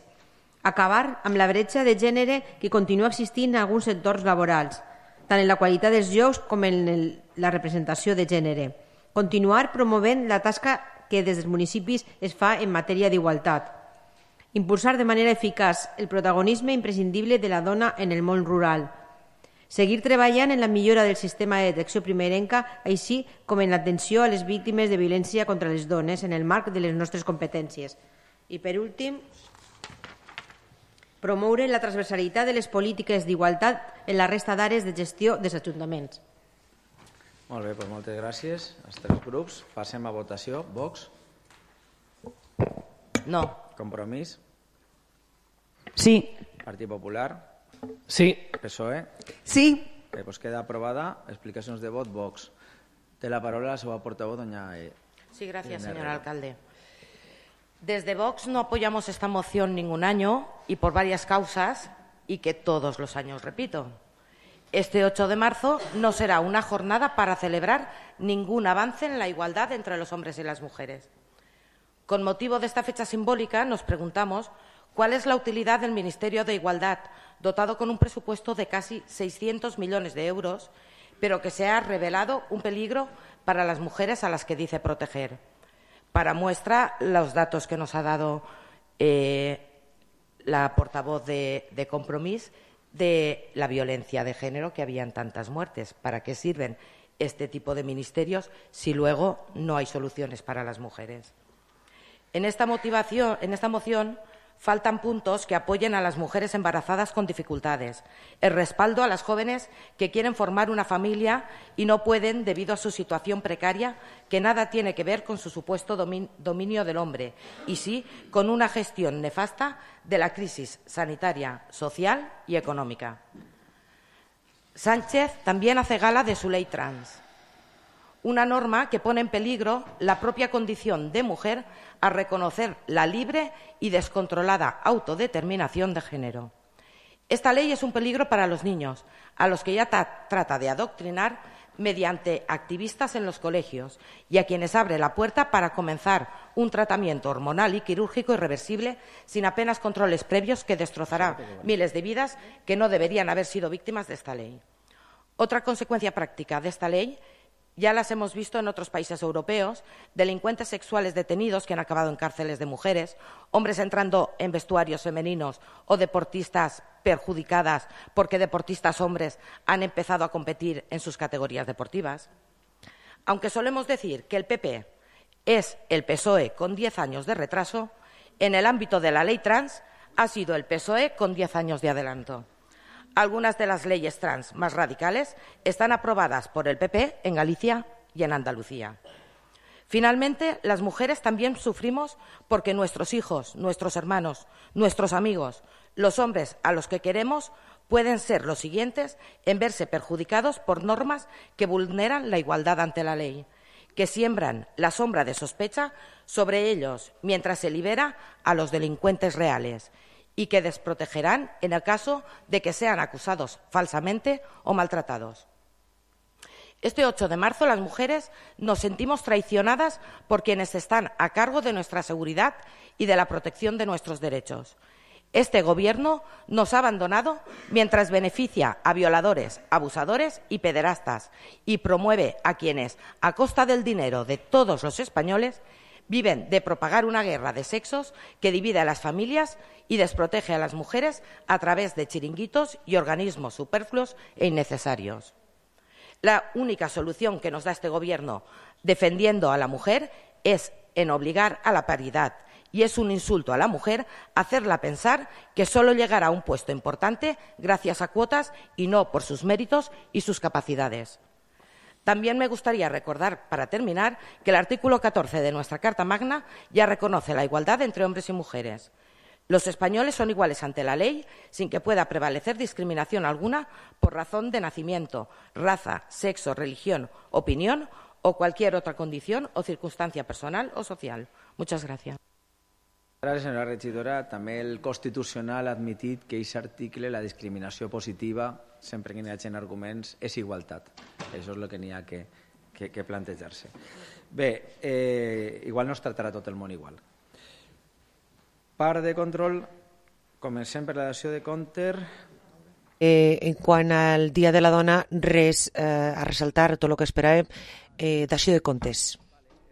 Acabar amb la bretxa de gènere que continua existint en alguns sectors laborals, tant en la qualitat dels llocs com en el, la representació de gènere. Continuar promovent la tasca que des dels municipis es fa en matèria d'igualtat. Impulsar de manera eficaç el protagonisme imprescindible de la dona en el món rural. Seguir treballant en la millora del sistema de detecció primerenca, així com en l'atenció a les víctimes de violència contra les dones en el marc de les nostres competències. I, per últim, promoure la transversalitat de les polítiques d'igualtat en la resta d'àrees de gestió dels ajuntaments. Molt bé, doncs moltes gràcies als tres grups. Passem a votació. Vox? No. Compromís? Sí. Partit Popular? Sí. P S O E? Sí. Bé, doncs queda aprovada. Explicacions de vot, Vox. Té la paraula la seva portavoz, doña... Sí, gracias, señor alcalde. Desde Vox no apoyamos esta moción ningún año y por varias causas y que todos los años repito. Este ocho de marzo no será una jornada para celebrar ningún avance en la igualdad entre los hombres y las mujeres. Con motivo de esta fecha simbólica nos preguntamos cuál es la utilidad del Ministerio de Igualdad, dotado con un presupuesto de casi seiscientos millones de euros, pero que se ha revelado un peligro para las mujeres a las que dice proteger. Para muestra, los datos que nos ha dado eh, la portavoz de, de Compromís de la violencia de género, que habían tantas muertes. ¿Para qué sirven este tipo de ministerios si luego no hay soluciones para las mujeres? En esta motivación, en esta moción faltan puntos que apoyen a las mujeres embarazadas con dificultades, el respaldo a las jóvenes que quieren formar una familia y no pueden debido a su situación precaria, que nada tiene que ver con su supuesto dominio del hombre, y sí con una gestión nefasta de la crisis sanitaria, social y económica. Sánchez también hace gala de su ley trans, una norma que pone en peligro la propia condición de mujer a reconocer la libre y descontrolada autodeterminación de género. Esta ley es un peligro para los niños, a los que ya trata de adoctrinar mediante activistas en los colegios y a quienes abre la puerta para comenzar un tratamiento hormonal y quirúrgico irreversible sin apenas controles previos que destrozará miles de vidas que no deberían haber sido víctimas de esta ley. Otra consecuencia práctica de esta ley ya las hemos visto en otros países europeos, delincuentes sexuales detenidos que han acabado en cárceles de mujeres, hombres entrando en vestuarios femeninos o deportistas perjudicadas porque deportistas hombres han empezado a competir en sus categorías deportivas. Aunque solemos decir que el P P es el P S O E con diez años de retraso, en el ámbito de la ley trans ha sido el P S O E con diez años de adelanto. Algunas de las leyes trans más radicales están aprobadas por el P P en Galicia y en Andalucía. Finalmente, las mujeres también sufrimos porque nuestros hijos, nuestros hermanos, nuestros amigos, los hombres a los que queremos pueden ser los siguientes en verse perjudicados por normas que vulneran la igualdad ante la ley, que siembran la sombra de sospecha sobre ellos mientras se libera a los delincuentes reales y que desprotegerán en el caso de que sean acusados falsamente o maltratados. Este ocho de marzo las mujeres nos sentimos traicionadas por quienes están a cargo de nuestra seguridad y de la protección de nuestros derechos. Este Gobierno nos ha abandonado mientras beneficia a violadores, abusadores y pederastas y promueve a quienes, a costa del dinero de todos los españoles, viven de propagar una guerra de sexos que divide a las familias y desprotege a las mujeres a través de chiringuitos y organismos superfluos e innecesarios. La única solución que nos da este Gobierno defendiendo a la mujer es en obligar a la paridad y es un insulto a la mujer hacerla pensar que solo llegará a un puesto importante gracias a cuotas y no por sus méritos y sus capacidades. También me gustaría recordar, para terminar, que el artículo catorce de nuestra Carta Magna ya reconoce la igualdad entre hombres y mujeres. Los españoles son iguales ante la ley sin que pueda prevalecer discriminación alguna por razón de nacimiento, raza, sexo, religión, opinión o cualquier otra condición o circunstancia personal o social. Muchas gracias. Gràcies, senyora regidora. També el Constitucional ha admitit que aquest article, la discriminació positiva, sempre que n'hi hagi arguments, és igualtat. Això és el que n'hi ha que, que, que plantejar-se. Bé, eh, igual no es tractarà tot el món igual. Part de control, comencem per la dació de compte. Eh, en quant al Dia de la Dona, res eh, a ressaltar, tot el que esperàvem, eh, dació de comptes.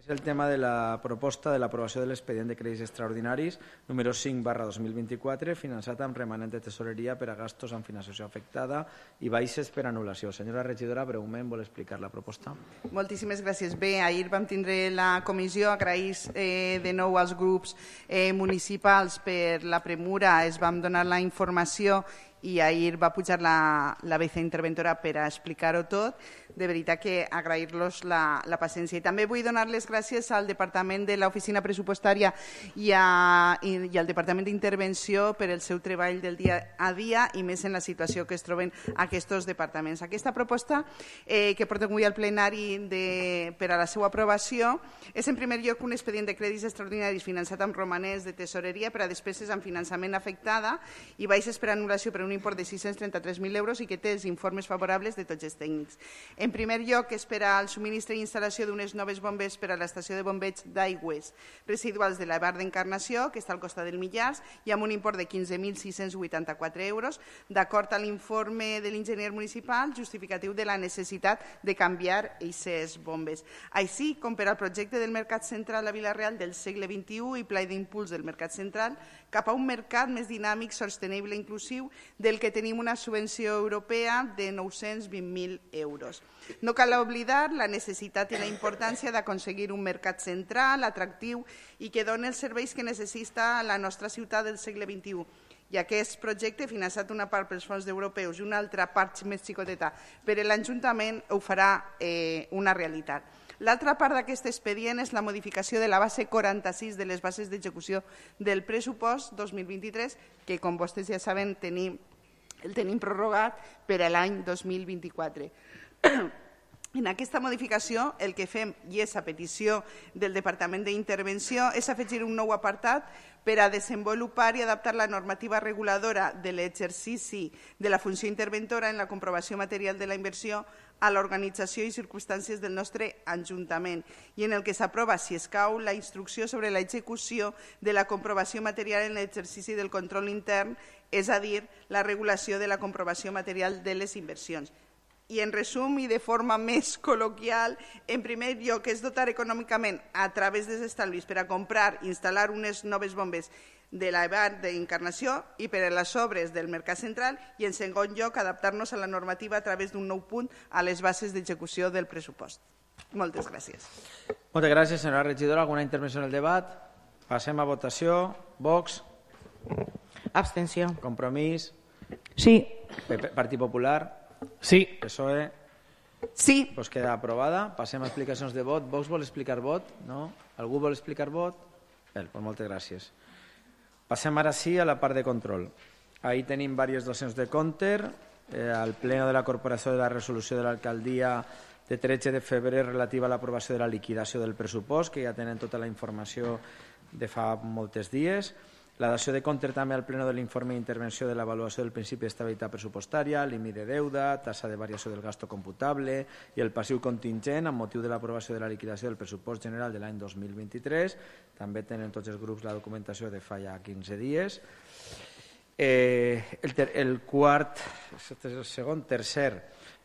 És el tema de la proposta de l'aprovació de l'expedient de crèdits extraordinaris número cinc barra dos mil vint-i-quatre, finançat amb remanent de tesoreria per a gastos amb financiació afectada i baixes per anul·lació. Senyora regidora, breument vol explicar la proposta. Moltíssimes gràcies. Bé, ahir vam tindre la comissió, agrair eh, de nou als grups eh, municipals per la premura, es vam donar la informació i ahir va pujar la, la viceinterventora per a explicar-ho tot. De veritat que agrair-los la, la paciència. I també vull donar les gràcies al Departament de l'Oficina Pressupostària i, a, i, i al Departament d'Intervenció per el seu treball del dia a dia i més en la situació que es troben aquests departaments. Aquesta proposta eh, que portem avui al plenari de, per a la seva aprovació és en primer lloc un expedient de crèdits extraordinaris finançat amb romanents de tesoreria per a despeses amb finançament afectada i baixes per anul·lació per un import de sis-cents trenta-tres mil euros i que té els informes favorables de tots els tècnics. En primer lloc, és per al subministre i instal·lació d'unes noves bombes per a l'estació de bombeig d'aigües residuals de la Bar d'Encarnació, que està al costat del Millars, i amb un import de quinze mil sis-cents vuitanta-quatre euros, d'acord amb l'informe de l'enginyer municipal justificatiu de la necessitat de canviar aquestes bombes. Així com per al projecte del Mercat Central a Vila-real del segle vint-i-u i pla d'impuls del Mercat Central cap a un mercat més dinàmic, sostenible i inclusiu, del que tenim una subvenció europea de nou-cents vint mil euros. No cal oblidar la necessitat i la importància d'aconseguir un mercat central, atractiu i que doni els serveis que necessita la nostra ciutat del segle vint-i-u. I aquest projecte, finançat una part pels fons europeus i una altra part més xicoteta per l'Ajuntament, ho farà eh, una realitat. L'altra part d'aquest expedient és la modificació de la base quaranta-sis de les bases d'execució del pressupost dos mil vint-i-tres, que, com vostès ja saben, tenim, el tenim prorrogat per a l'any dos mil vint-i-quatre. En aquesta modificació, el que fem, i és a petició del Departament d'Intervenció, és afegir un nou apartat per a desenvolupar i adaptar la normativa reguladora de l'exercici de la funció interventora en la comprovació material de la inversió a l'organització i circumstàncies del nostre Ajuntament i en el que s'aprova, si escau, la instrucció sobre l'execució de la comprovació material en l'exercici del control intern, és a dir, la regulació de la comprovació material de les inversions. I en resum i de forma més col·loquial, en primer lloc és dotar econòmicament a través dels estalvis per a comprar i instal·lar unes noves bombes de la Bar d'Encarnació i per a les obres del Mercat Central i en segon lloc adaptar-nos a la normativa a través d'un nou punt a les bases d'execució del pressupost. Moltes gràcies. Moltes gràcies, senyora regidora. Alguna intervenció en el debat? Passem a votació. Vox? Abstenció. Compromís? Sí. Partit Popular? Sí. P S O E? Sí. Pues queda aprovada. Passem a explicacions de vot. Vox vol explicar vot? No? Algú vol explicar vot? Bé, pues moltes gràcies. Passem ara sí a la part de control. Ahí tenim diverses docions de compte. Eh, al pleno de la Corporació de la resolució de l'alcaldia de tretze de febrer relativa a l'aprovació de la liquidació del pressupost, que ja tenen tota la informació de fa molts dies. La dació de compte també al pleno de l'informe d'intervenció de l'avaluació del principi d'estabilitat pressupostària, límit de deuda, tassa de variació del gasto computable i el passiu contingent amb motiu de l'aprovació de la liquidació del pressupost general de l'any dos mil vint-i-tres. També tenen tots els grups la documentació de fa ja quinze dies. Eh, el, ter, el quart, el segon, tercer,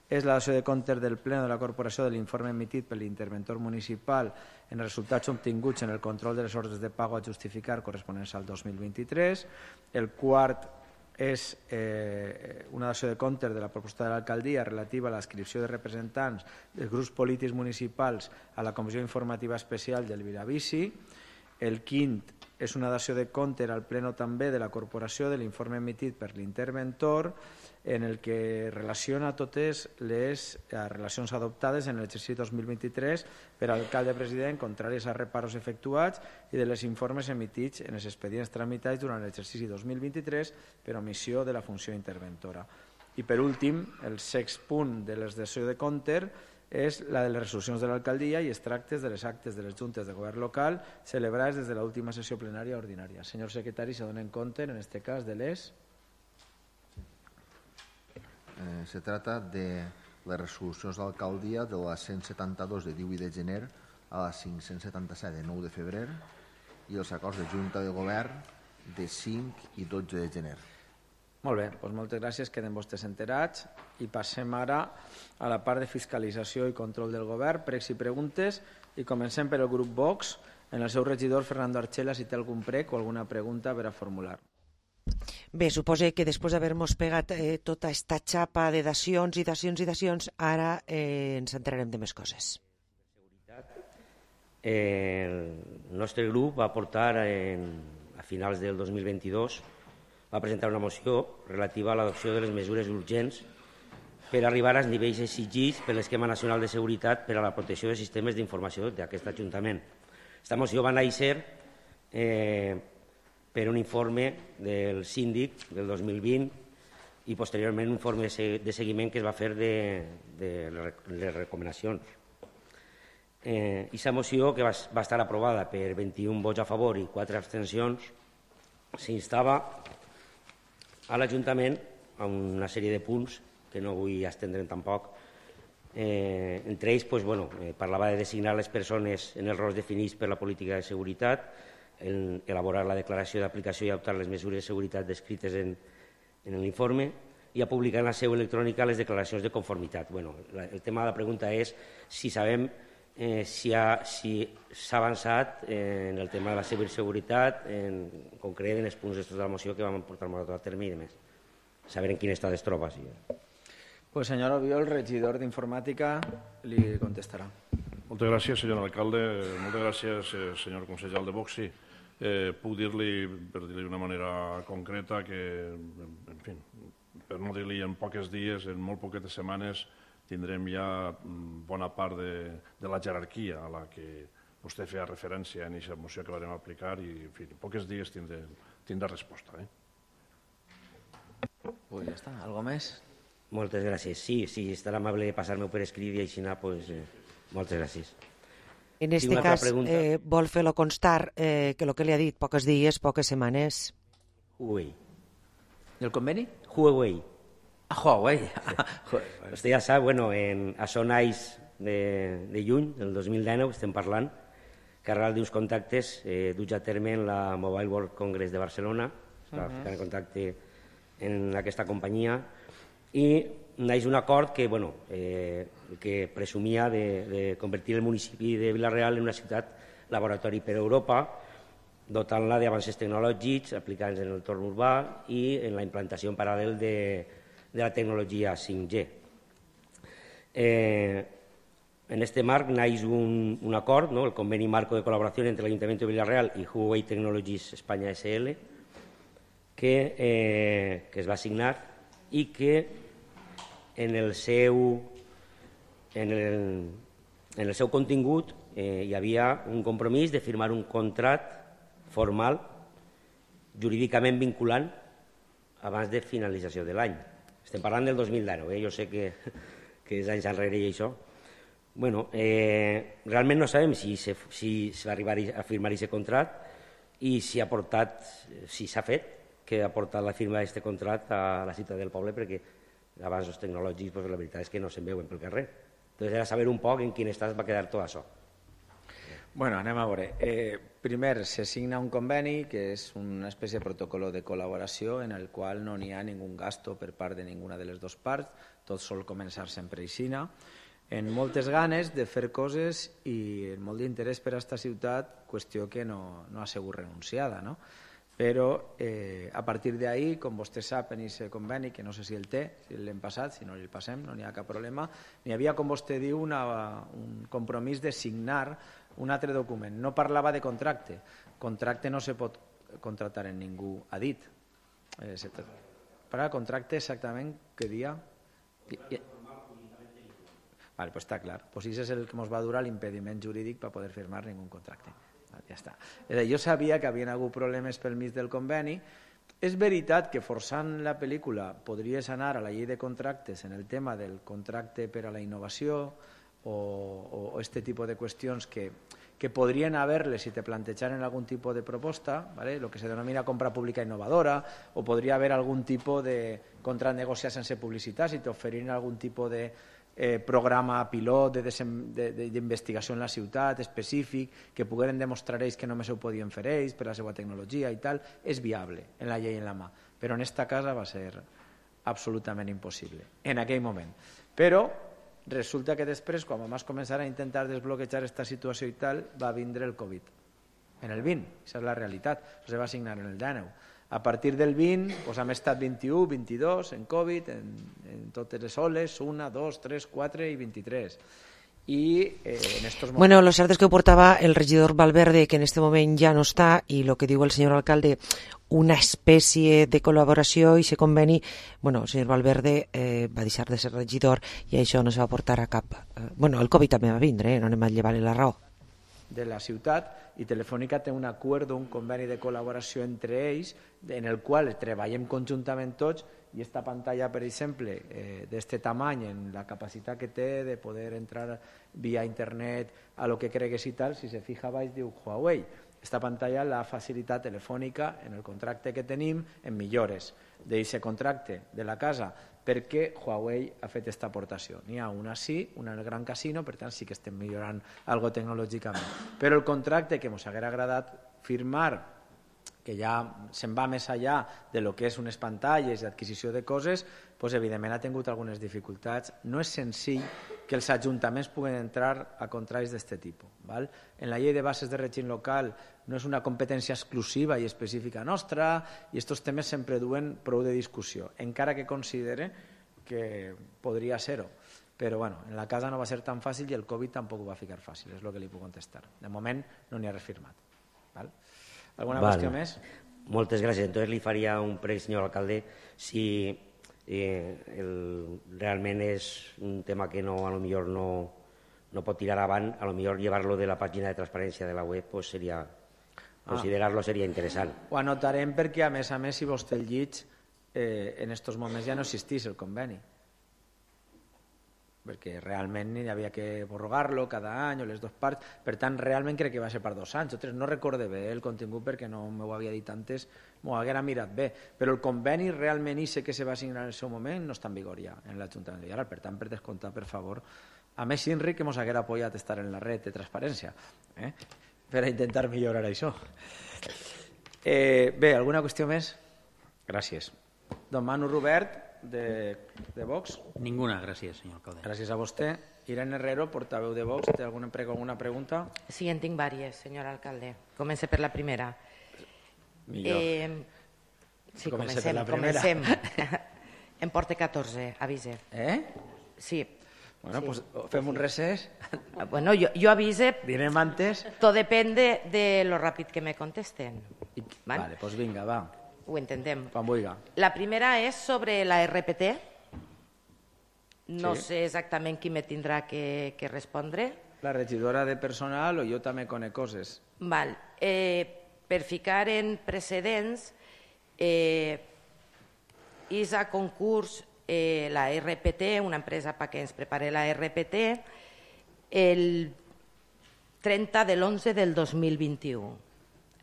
és la dació de comptes del Pleno de la Corporació de l'informe emitit per l'interventor municipal en resultats obtinguts en el control de les ordres de pago a justificar corresponents al dos mil vint-i-tres. El quart és eh, una dació de comptes de la proposta de l'alcaldia relativa a l'adscripció de representants dels grups polítics municipals a la Comissió Informativa Especial del Viravici. El quint és una dació de compte al pleno també de la corporació de l'informe emitit per l'interventor en el que relaciona totes les relacions adoptades en l'exercici dos mil vint-i-tres per alcalde-president contraris a reparos efectuats i de les informes emitits en els expedients tramitats durant l'exercici dos mil vint-i-tres per omissió de la funció interventora. I per últim, el sext punt de la dació de compte és la de les resolucions de l'alcaldia i extractes de les actes de les juntes de govern local celebrades des de l'última sessió plenària ordinària. Senyor secretari, se donen compte, en aquest cas, de les... Eh, se trata de les resolucions d'alcaldia de la cent setanta-dos de divuit de gener a la cinc-cents setanta-set de nou de febrer i els acords de Junta de Govern de cinc i dotze de gener. Molt bé, doncs moltes gràcies, queden vostès enterats i passem ara a la part de fiscalització i control del govern, pregs i preguntes, i comencem per el grup Vox, en el seu regidor Fernando Archela, si té algun prec o alguna pregunta per a formular. Bé, suposo que després d'haver-nos pegat eh, tota aquesta xapa de dacions i dacions i dacions, ara eh, ens enterarem de més coses. Eh, el nostre grup va portar en, a finals del dos mil vint-i-dos va presentar una moció relativa a l'adopció de les mesures urgents per arribar als nivells exigits per l'Esquema Nacional de Seguretat per a la protecció de sistemes d'informació d'aquest Ajuntament. Aquesta moció va néixer eh, per un informe del síndic del dos mil vint i posteriorment un informe de seguiment que es va fer de, de les recomanacions. Eh, aquesta moció, que va, va estar aprovada per vint-i-un vots a favor i quatre abstencions, s'instava a l'Ajuntament a una sèrie de punts que no vull estendre'n tampoc. Eh, entre ells pues, bueno, eh, parlava de designar les persones en els rols definits per la política de seguretat, el, elaborar la declaració d'aplicació i adoptar les mesures de seguretat descrites en, en l'informe i a publicar en la seu electrònica les declaracions de conformitat. Bueno, la, el tema de la pregunta és si sabem eh, si s'ha si avançat eh, en el tema de la ciberseguretat, en concret en els punts de la moció que vam portar a terme i demés. Saber en quin estat es troba. Sí. Pues senyor Obiol, regidor d'Informàtica, li contestarà. Moltes gràcies, senyor alcalde. Moltes gràcies, senyor consellal de Vox. Sí, eh, puc dir-li, per dir-li d'una manera concreta, que, en fi, per no dir-li en pocs dies, en molt poquetes setmanes, tindrem ja bona part de, de la jerarquia a la que vostè feia referència en aquesta moció que vam aplicar i, en fi, en pocs dies tindrà, tindrà resposta. Eh? Pues ja està. Algo més? Moltes gràcies. Sí, sí, estarà amable de passar-me per escrit i així anar, pues, eh, moltes gràcies. En aquest cas, eh, vol fer-lo constar eh, que el que li ha dit, pocs dies, poques setmanes. Huawei. I el conveni? Huawei. Ah, Huawei. Vostè ja sap, bueno, en, a sonais de, de juny del dos mil dinou estem parlant que arrel d'uns contactes eh, duts a terme en la Mobile World Congress de Barcelona, es va ficar en contacte en aquesta companyia i naix un acord que, bueno, eh, que presumia de, de convertir el municipi de Vila-real en una ciutat laboratori per Europa, dotant-la d'avances tecnològics aplicats en l'entorn urbà i en la implantació en paral·lel de, de la tecnologia cinc G. Eh, en este marc naix un, un acord, ¿no? El conveni marco de col·laboració entre l'Ajuntament de Vila-real i Huawei Technologies España S L, que, eh, que es va signar i que en el seu, en el, en el seu contingut eh, hi havia un compromís de firmar un contracte formal, jurídicament vinculant, abans de finalització de l'any. Estem parlant del dos mil dinou, eh? Jo sé que, que és anys enrere i això. Bueno, eh, realment no sabem si se, si se va arribar a firmar aquest contracte i si ha portat, si s'ha fet, que ha portat la firma d'aquest contracte a la ciutat del poble, perquè avanços tecnològics, pues, la veritat és que no se'n veuen pel carrer. Entonces era saber un poc en quin estat va quedar tot això. Bueno, anem a veure. Eh, primer, se signa un conveni, que és una espècie de protocolo de col·laboració en el qual no n'hi ha ningú gasto per part de ninguna de les dues parts, tot sol començar sempre aixina, en moltes ganes de fer coses i en molt d'interès per a aquesta ciutat, qüestió que no, no ha sigut renunciada, no? Però eh, a partir d'ahí, com vostè sap, en aquest conveni, que no sé si el té, si l'hem passat, si no el passem, no n'hi ha cap problema, n'hi havia, com vostè diu, una, un compromís de signar un altre document. No parlava de contracte. Contracte no se pot contractar en ningú, ha dit. Eh, para contracte exactament què dia? Vale, pues està clar. Pues això és el que ens va durar l'impediment jurídic per poder firmar ningú contracte. Ja està. Jo sabia que havien hagut problemes pel mig del conveni. És veritat que forçant la pel·lícula podries anar a la llei de contractes en el tema del contracte per a la innovació o aquest tipus de qüestions que, que podrien haver-les si te plantejaren algun tipus de proposta, ¿vale? Lo que se denomina compra pública innovadora, o podria haver algun tipus de contracte negociat sense publicitat si t'oferien algun tipus de Eh, programa pilot d'investigació en la ciutat específic, que pogueren demostrar ells que només ho podien fer ells per la seva tecnologia i tal, és viable en la llei en la mà. Però en esta casa va ser absolutament impossible, en aquell moment. Però resulta que després, quan vam començar a intentar desbloquejar aquesta situació i tal, va vindre el Covid. En el vint, aquesta és la realitat. Això se va signar en el dinou. A partir del vint, doncs hem estat vint-i-u, vint-i-dos, en Covid, en, en totes les oles, una, dos, tres, quatre i vint-i-tres. I eh, en estos momentos... Bueno, lo cierto es que portaba el regidor Valverde, que en este momento ya no está, y lo que digo el señor alcalde, una especie de col·laboració i se conveni, bueno, el senyor Valverde eh, va deixar de ser regidor i això no se va portar a cap. Eh, bueno, el Covid també va vindre, eh? No anem a llevar-li la raó. De la ciutat, i Telefònica té un acord, un conveni de col·laboració entre ells, en el qual treballem conjuntament tots, i esta pantalla, per exemple, eh, d'este tamany, en la capacitat que té de poder entrar via internet a lo que cregues i tal, si se fija baix diu Huawei. Esta pantalla l'ha facilitat Telefònica en el contracte que tenim en millores d'aquest contracte de la casa, perquè Huawei ha fet aquesta aportació. N'hi ha una sí, una en el Gran Casino, per tant sí que estem millorant algo tecnològicament. Però el contracte que ens haguera agradat firmar, que ja se'n va més allà de lo que és unes pantalles i adquisició de coses, doncs evidentment ha tingut algunes dificultats. No és senzill que els ajuntaments puguen entrar a contractes d'aquest tipus. Val? En la llei de bases de règim local no és una competència exclusiva i específica nostra i aquests temes sempre duen prou de discussió, encara que considere que podria ser-ho. Però bueno, en la casa no va ser tan fàcil i el Covid tampoc ho va ficar fàcil, és el que li puc contestar. De moment no n'hi ha res firmat. Val? ¿Alguna vale. qüestió més? Moltes gràcies. Entonces li faria un prec, senyor alcalde, si eh, el, realment és un tema que no, a lo millor no, no pot tirar avant, a lo millor llevar-lo de la pàgina de transparència de la web, pues seria, ah. considerar-lo seria interessant. Ho anotarem perquè, a més a més, si vostè el llig, eh, en aquests moments ja no existís el conveni. Perquè realment hi havia que prorrogar-lo cada any o les dues parts, per tant realment crec que va ser per dos anys o tres, no recorde bé el contingut perquè no m'ho havia dit antes, m'ho haguera mirat bé, però el conveni realment i sé que se va signar en el seu moment no està en vigor ja en l'Ajuntament de Villarreal, per tant per descomptar, per favor, a més Inri que ens haguera apoyat estar en la red de transparència eh? per a intentar millorar això. Eh, bé, alguna qüestió més? Gràcies. Don Manu Robert De, de Vox. Ninguna, gràcies, senyor alcalde. Gràcies a vostè. Irene Herrero, portaveu de Vox, ¿té alguna, alguna pregunta? Sí, en tinc vàries, senyor alcalde. Comencé per la primera. Millor. Eh, sí, comencem, comencem. per la primera. comencem. En porte catorze, avise. Eh? Sí. Bueno, sí. pues fem un recés. Bueno, yo, yo avise. Direm antes. Todo depende de lo ràpid que me contesten. I, ¿vale? Vale, pues vinga, va. Ho entenem. Quan vulgui. La primera és sobre la R P T. No sí. sé exactament qui me tindrà que, que respondre. La regidora de personal o jo també conec coses. Val. Eh, per ficar en precedents, eh, és a concurs eh, la R P T, una empresa perquè ens prepare la R P T, el trenta de l'onze del dos mil vint-i-u.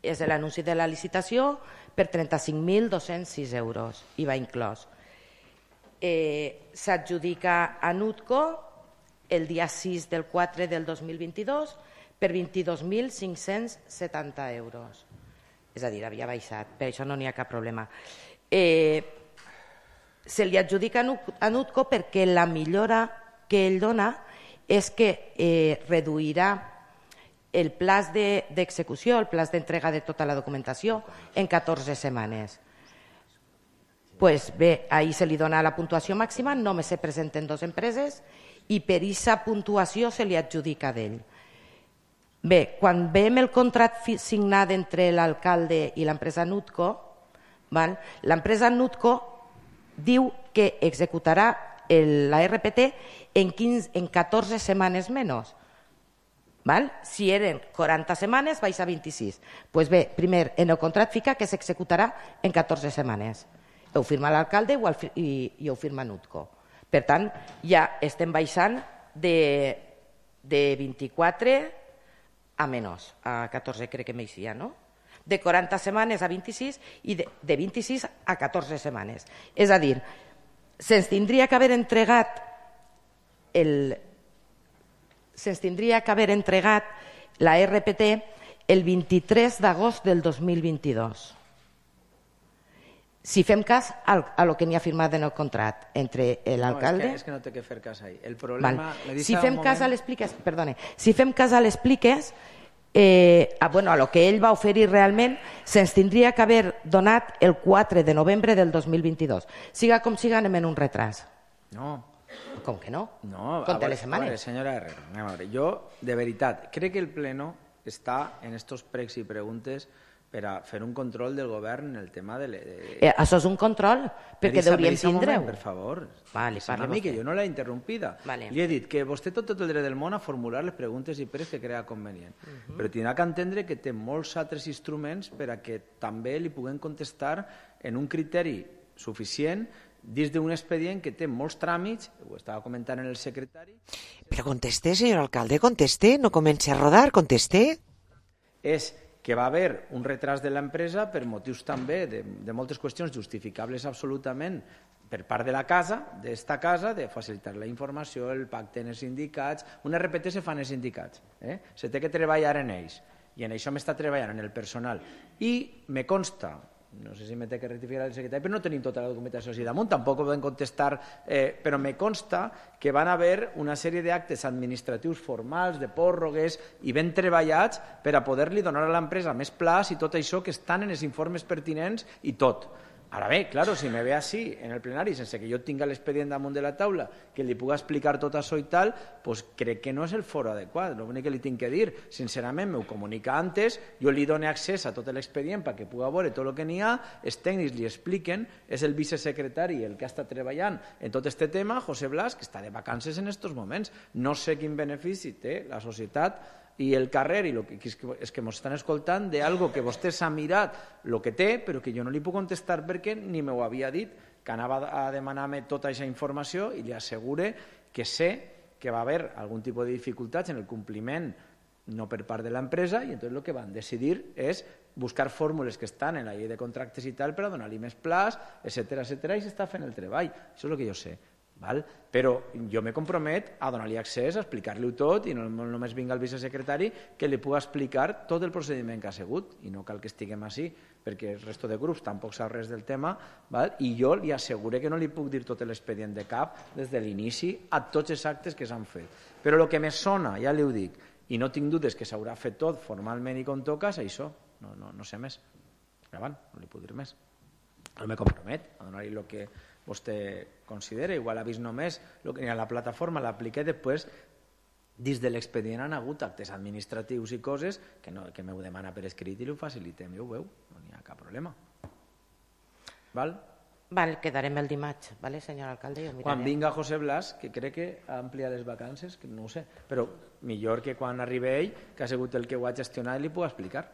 És l'anunci de la licitació per trenta-cinc mil dos-cents sis euros, I V A inclòs. Eh, S'adjudica a Nutco el dia sis del quatre del dos mil vint-i-dos per vint-i-dos mil cinc-cents setanta euros. És a dir, havia baixat, per això no n'hi ha cap problema. Eh, se li adjudica a Nutco perquè la millora que ell dona és que eh, reduirà el plaç d'execució, el plaç d'entrega de tota la documentació en catorze setmanes. Pues bé, ahir se li dona la puntuació màxima, només se presenten dues empreses i per aquesta puntuació se li adjudica d'ell. Bé, quan veiem el contracte signat entre l'alcalde i l'empresa Nutco, l'empresa Nutco diu que executarà la R P T en catorze setmanes menys. Si eren quaranta setmanes, vais a vint-i-sis. Doncs bé, primer, en el contracte fica que s'executarà en catorze setmanes. Ho firma l'alcalde i ho firma Nutco. Per tant, ja estem baixant de vint-i-quatre a menys, a catorze crec que m'eixia, no? De quaranta setmanes a vint-i-sis i de vint-i-sis a catorze setmanes. És a dir, se'ns tindria que haver entregat el... se'ns tindria que haver entregat la R P T el vint-i-tres d'agost del dos mil vint-i-dos. Si fem cas a lo que n'hi ha firmat en el contracte entre l'alcalde... No, és que no té que fer cas ahí. El problema... Si fem cas a les pliques... Perdone. Si fem cas a les pliques, a lo que ell va oferir realment, se'ns tindria que haver donat el quatre de novembre del dos mil vint-i-dos. Siga com siga, anem en un retras. No. Com que no? No. Compte les setmanes. A veure, senyora Herrero, anem a veure. Jo, de veritat, crec que el pleno està en estos pregs i preguntes per a fer un control del govern en el tema de... Això és un control, perquè deuríem tindre-ho. Per favor, sembla a mi que jo no l'he interrompida. Li he dit que vostè té tot el dret del món a formular les preguntes i pregs que crea convenient, però tindrà que entendre que té molts altres instruments per a que també li puguem contestar en un criteri suficient dins d'un expedient que té molts tràmits, ho estava comentant en el secretari... Però conteste, senyor alcalde, conteste, no comenci a rodar, conteste. És que va haver un retras de l'empresa per motius també de, de moltes qüestions justificables absolutament per part de la casa, d'esta casa, de facilitar la informació, el pacte en els sindicats. Un R P T se fa en els sindicats, eh? Se té que treballar en ells, i en això m'està treballant en el personal. I me consta, no sé si me té que rectificar el secretari, però no tenim tota la documentació així damunt, tampoc ho vam contestar, eh, però me consta que van haver una sèrie d'actes administratius formals, de pròrrogues, i ben treballats per a poder-li donar a l'empresa més plaç i tot això que estan en els informes pertinents i tot. Ara bé, claro, si me ve així en el plenari, sense que jo tinga l'expedient damunt de la taula, que li puga explicar tot això i tal, doncs crec que no és el foro adequat. L'únic que li tinc que dir, sincerament, m'ho comunica antes, jo li dono accés a tot l'expedient perquè puga veure tot el que n'hi ha, els tècnics li expliquen, és el vicesecretari el que està treballant en tot aquest tema, José Blas, que està de vacances en aquests moments. No sé quin benefici té la societat i el carrer i el que, és que ens estan escoltant d'algo que vostè s'ha mirat el que té, però que jo no li puc contestar perquè ni m'ho havia dit, que anava a demanar-me tota aquesta informació i li assegure que sé que va haver algun tipus de dificultats en el compliment no per part de l'empresa, i entonces el que van decidir és buscar fórmules que estan en la llei de contractes i tal per a donar-li més plaç, etcètera, etcètera, i s'està fent el treball. Això és el que jo sé. Val? Però jo me compromet a donar-li accés, a explicar-li-ho tot, i no només vinga el vicesecretari que li pugui explicar tot el procediment que ha sigut, i no cal que estiguem així, perquè el resto de grups tampoc sap res del tema, val? I jo li asseguro que no li puc dir tot l'expedient de cap des de l'inici a tots els actes que s'han fet. Però el que me sona, ja li ho dic, i no tinc dubtes que s'haurà fet tot formalment i com toca, és això, no, no, no sé més. Avant, no li puc dir més. No me compromet a donar-li el que vostè considera, igual ha vist només el que hi ha a la plataforma, l'apliqué, després dins de l'expedient han hagut actes administratius i coses que, no, que m'ho demana per escrit i ho facilitem, i ho veu, no hi ha cap problema. Val? Val, quedarem el dimarts, vale, senyor alcalde? Quan vinga José Blas, que crec que ha ampliat les vacances, que no ho sé, però millor que quan arribi ell, que ha sigut el que ho ha gestionat, li puc explicar.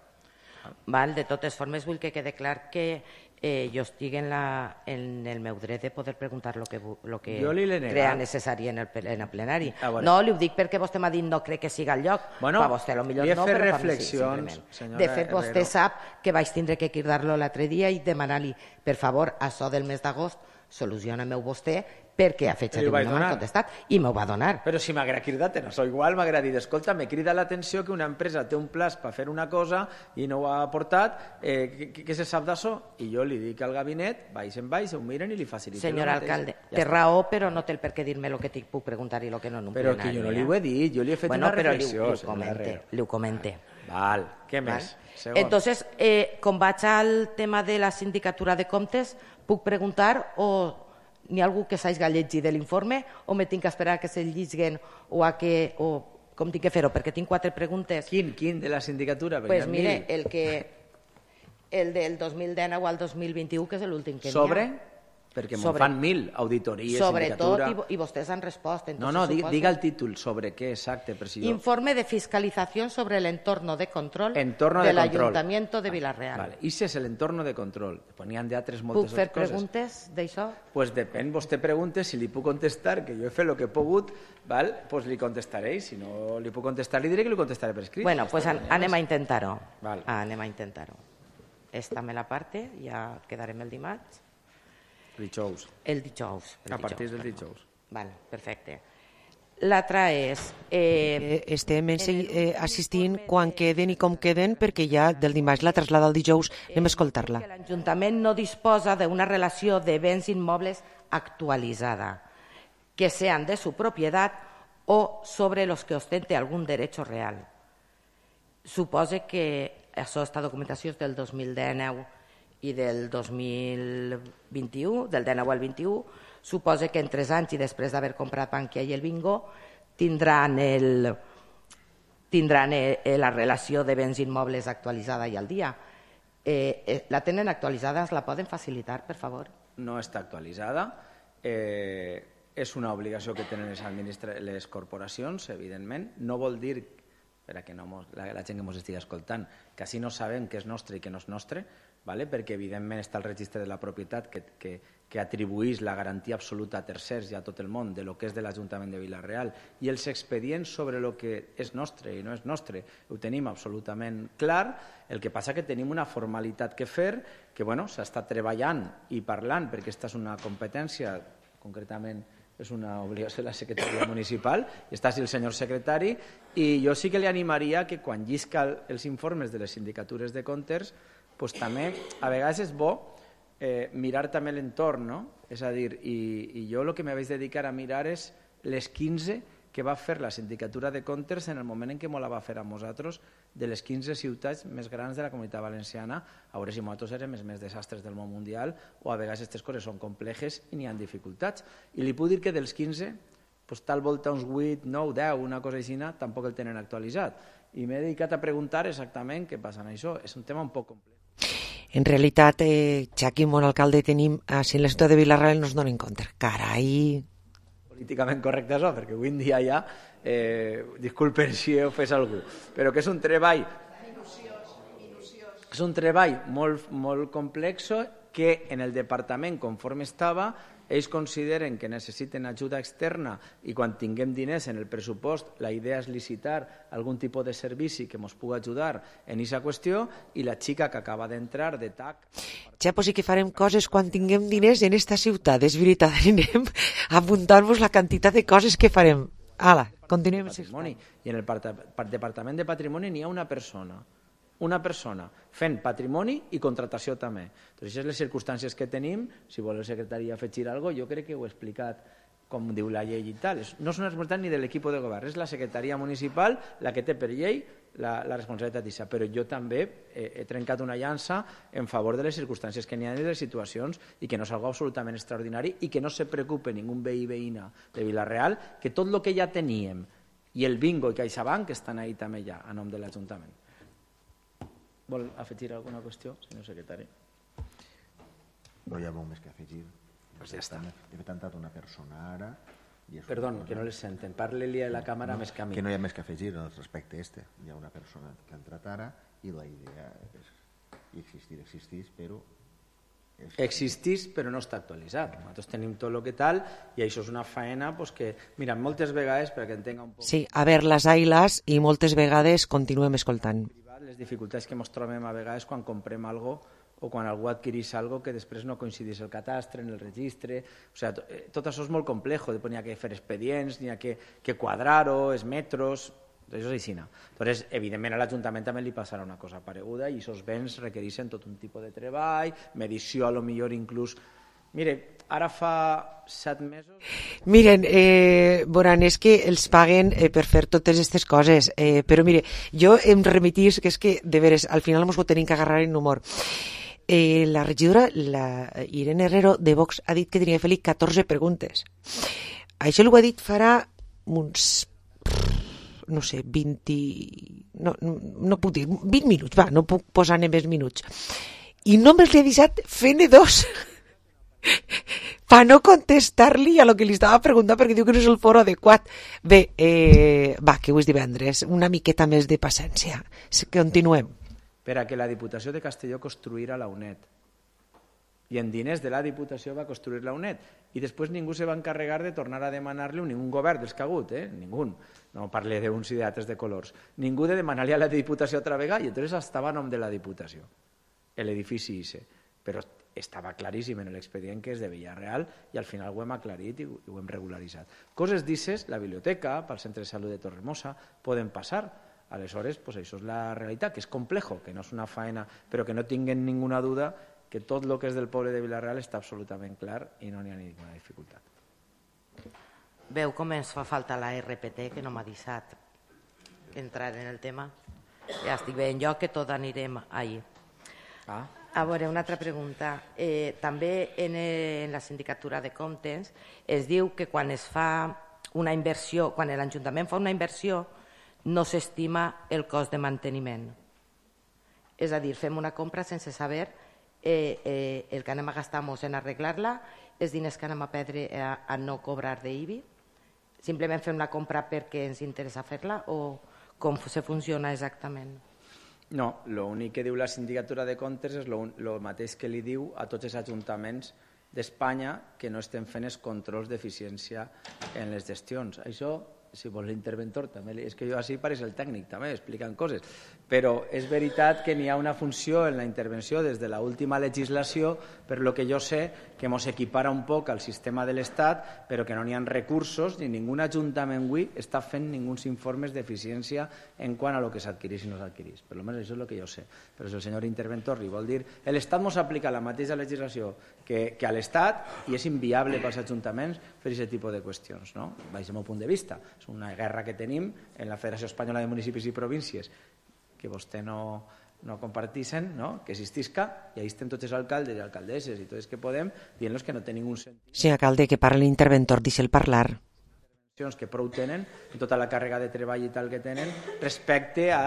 Val, de totes formes vull que quede clar que eh, jo estic en, la, en el meu dret de poder preguntar el que, lo que crea necessari en el, en el plenari. Ah, bueno. No, li ho dic perquè vostè m'ha dit no crec que siga el lloc, bueno, per vostè potser no, però reflexions, sí, de fet vostè Herrero sap que vaig tindre que cridar-lo l'altre dia i demanar-li, per favor, això del mes d'agost soluciona-m'ho vostè perquè ha fet servir una m'ha contestat i m'ho va donar. Però si m'agrada cridar-te, no, igual m'agrada dir, escolta, me crida l'atenció que una empresa té un pla per fer una cosa i no ho ha aportat, eh, què se sap d'això? I jo li dic al gabinet, baix en baix, ho miren i li faciliten. Senyor alcalde, té raó, però no té el per què dir-me el que t'hi puc preguntar i el que no en un plenari. Però que jo no li ho he dit, jo li he fet una reflexió. Li ho comente. Val, què més? Entonces, com vaig al tema de la sindicatura de comptes, puc preguntar o n'hi ha algú que s'hagi llegit de l'informe o me tinc que esperar que se'l lliguen o a que... o com tinc que fer-ho? Perquè tinc quatre preguntes. Quin? Quin de la sindicatura? Doncs mire, el que... el del dos mil dinou al dos mil vint-i-u, que és l'últim que n'hi ha. Sobre? Perquè me'n fan mil, auditories, sindicatura... Sobretot, i vostès han respost. No, no, diga el títol, sobre què exacte. Informe de fiscalización sobre el entorno de control del Ayuntamiento de Vila-real. I si és l'entorno de control? N'hi ha d'altres moltes coses. Puc fer preguntes d'això? Doncs depèn, vostè pregunta, si li puc contestar, que jo he fet el que he pogut, doncs li contestaré, si no li puc contestar, li diré que li contestaré per escrit. Bueno, doncs anem a intentar-ho. Anem a intentar-ho. Esta me la parte, ja quedarem el dimarts. Dijous. El dijous. A partir del dijous. Vale, perfecte. L'altra és... Eh, estem eh, assistint quan queden i com queden, perquè ja del dimarts la traslada al dijous, anem a escoltar-la. L'Ajuntament no disposa d'una relació de béns immobles actualitzada, que sean de su propiedad o sobre los que ostente algún derecho real. Supose que aquesta documentació és del dos mil dinou i del dos mil vint-i-u, del dinou al vint-i-u, suposa que en tres anys i després d'haver comprat Bankia i el Bingo tindran, el, tindran la relació de béns immobles actualitzada i al dia. Eh, la tenen actualitzada? Es la poden facilitar, per favor? No està actualitzada. Eh, és una obligació que tenen les, les corporacions, evidentment. No vol dir, per a que no mos, la, la gent que ens estigui escoltant, que així no sabem què és nostre i què no és nostre, vale? Perquè evidentment està el registre de la propietat que, que, que atribueix la garantia absoluta a tercers i a tot el món de lo que és de l'Ajuntament de Vila-real, i els expedients sobre el que és nostre i no és nostre ho tenim absolutament clar. El que passa que tenim una formalitat que fer, que bueno, s'està treballant i parlant, perquè aquesta és una competència, concretament és una obligació de la secretaria municipal, i està el senyor secretari, i jo sí que li animaria que quan llisca els informes de les sindicatures de comptes, pues també a vegades és bo eh, mirar també l'entorn, no? És a dir, i, i jo el que me vaig dedicar a mirar és les quinze que va fer la sindicatura de comptes en el moment en què me la va fer a nosaltres, de les quinze ciutats més grans de la Comunitat Valenciana, a veure si nosaltres érem els més desastres del món mundial o a vegades aquestes coses són complejes i n'hi ha dificultats. I li puc dir que dels quinze, pues, tal volta uns vuit, nou, deu, una cosa així, tampoc el tenen actualitzat. I m'he dedicat a preguntar exactament què passa en això. És un tema un poc complex. En realitat, eh, Xaqui, bon alcalde, tenim, si en la ciutat de Vila-real no es donen compte. Carai! Políticament correcte això, perquè avui en dia ja, eh, disculpen si he ofès algú, però que és un treball, és un treball molt, molt complex que en el departament, conforme estava, ells consideren que necessiten ajuda externa i quan tinguem diners en el pressupost la idea és licitar algun tipus de servici que ens pugui ajudar en aquesta qüestió, i la xica que acaba d'entrar de T A C... Ja, pues sí que farem coses quan tinguem diners en esta ciutat, és veritat, anem a apuntar-vos la quantitat de coses que farem. Ala, continuem. I en el Departament de Patrimoni n'hi ha una persona una persona fent patrimoni i contratació també. Doncs aquestes les circumstàncies que tenim. Si vol el secretari afegir alguna cosa, jo crec que ho he explicat com diu la llei i tal. No és una responsabilitat ni de l'equip de govern, és la secretaria municipal la que té per llei la, la responsabilitat d'això. Però jo també he, he trencat una llança en favor de les circumstàncies que n'hi ha i de les situacions, i que no és algo absolutament extraordinari, i que no se preocupe ningú veí veïna de Vila-real, que tot el que ja teníem i el Bingo i CaixaBank estan ahí també ja a nom de l'Ajuntament. Vol afegir alguna qüestió, senyor secretari? No hi ha molt més que afegir. Pues ja està. He tantat una persona ara... Perdó, que no les senten. Parli-li a la càmera més que a mi. Que no hi ha més que afegir respecte a este. Hi ha una persona que ha entrat ara i la idea és... I existir, existís, però... Existís, però no està actualitzat. Nosaltres tenim tot el que tal, i això és una faena pues, que, mira, moltes vegades, perquè entenga un poc... Sí, a ver, las ailas, i moltes vegades continuem escoltant. Les dificultats que ens trobem a vegades quan comprem alguna cosa o quan algú adquirís algo que després no coincidís el catastre, en el registre. O sigui, tot això és molt complejo, n'hi ha que fer expedients, n'hi ha que, que quadrar-ho, els metros, això és així. Entonces, evidentment, a l'Ajuntament també li passarà una cosa pareguda i aquests béns requereixen tot un tipus de treball, medició, a lo millor inclús... Mire, ara fa set mesos... Miren, eh, veuran, és que els paguen eh, per fer totes aquestes coses, eh, però mire, jo em remetís, que és que, de veres, al final ens ho tenim que agarrar en humor. Eh, la regidora, la Irene Herrero, de Vox, ha dit que tenia que fer-li catorze preguntes. Això ho ha dit farà uns... no sé, vint... No, no, no puc dir, vint minuts, va, no puc posar-ne més minuts. I només li ha avisat fent-ne dos... per no contestar-li a lo que li estava preguntant perquè diu que no és el foro adequat. Bé, eh, va, que avui és divendres, una miqueta més de paciència. Continuem. Per a que la Diputació de Castelló construïra la U N E D. I en diners de la Diputació va construir la U N E D. I després ningú se va encarregar de tornar a demanar-li, ningú govern dels que ha hagut, eh? Ningú. No parle d'uns i d'altres de colors. Ningú de demanar-li a la Diputació altra vegada, i llavors estava a nom de la Diputació. L'edifici I C E. Però estava claríssim en l'expedient que és de Villarreal i al final ho hem aclarit i ho hem regularitzat. Coses d'I C E S, la biblioteca, pel centre de salut de Torremosa, poden passar. Aleshores, pues això és la realitat, que és complejo, que no és una faena, però que no tinguen ninguna duda que tot el que és del poble de Villarreal està absolutament clar i no n'hi ha ninguna dificultat. Veu com ens fa falta la R P T, que no m'ha deixat entrar en el tema. Ja estic veient jo que tot anirem ahir. Ah. A veure, una altra pregunta. Eh, també en, en la sindicatura de comptes es diu que quan es fa una inversió, quan l'Ajuntament fa una inversió, no s'estima el cost de manteniment. És a dir, fem una compra sense saber eh, eh, el que anem a gastar-nos en arreglar-la, els diners que anem a perdre a, a no cobrar d'I B I. Simplement fem la compra perquè ens interessa fer-la o com se funciona exactament? No, l'únic que diu la sindicatura de comptes és el mateix que li diu a tots els ajuntaments d'Espanya que no estem fent els controls d'eficiència en les gestions. Això, si vols l'interventor, també, és que jo així pareix el tècnic, també, explicant coses. Però és veritat que n'hi ha una funció en la intervenció des de l'última legislació, per lo que jo sé, que ens equipara un poc al sistema de l'Estat, però que no n'hi ha recursos, ni ningú ajuntament avui està fent ninguns informes d'eficiència en quant a lo que s'adquirís i no s'adquirís. Per almenys això és el que jo sé. Però si el senyor interventor li vol dir l'Estat ens aplica la mateixa legislació que, que a l'Estat i és inviable pels ajuntaments fer aquest tipus de qüestions, no? Baix el meu punt de vista. És una guerra que tenim en la Federació Espanyola de Municipis i Províncies que vostè no, no comparteixen, no? Que existisca, i ahí estem tots els alcaldes i alcaldesses i tots els que podem dient-los que no té ningú sentit. Sí, alcalde, que parli l'interventor, deixa'l parlar. Que prou tenen, tota la càrrega de treball i tal que tenen, respecte a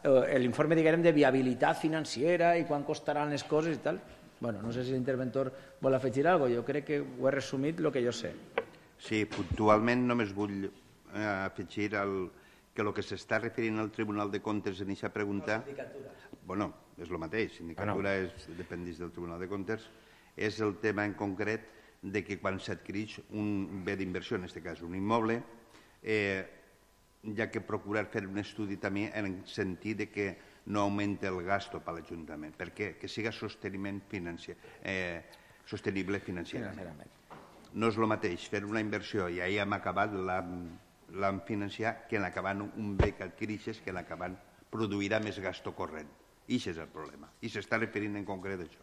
eh, l'informe, diguem, de viabilitat financera i quan costaran les coses i tal. Bueno, no sé si l'interventor vol afegir alguna cosa, jo crec que ho he resumit el que jo sé. Sí, puntualment només vull eh, afegir el que el que s'està referint al Tribunal de Comptes en aquesta pregunta... Bueno, és el mateix, sindicatura és, dependeix del Tribunal de Comptes, és el tema en concret de que quan s'adquireix un bé d'inversió, en aquest cas un immoble, eh, hi ha que procurar fer un estudi també en el sentit de que no augmenti el gasto per l'Ajuntament. Per què? Que siga sosteniment financer, eh, sostenible financerament. No és el mateix fer una inversió i ahir hem acabat la... l'han financiat que en acabant un bé que adquireixes que en acabant produirà més gasto corrent. I això és el problema. I s'està referint en concret a això.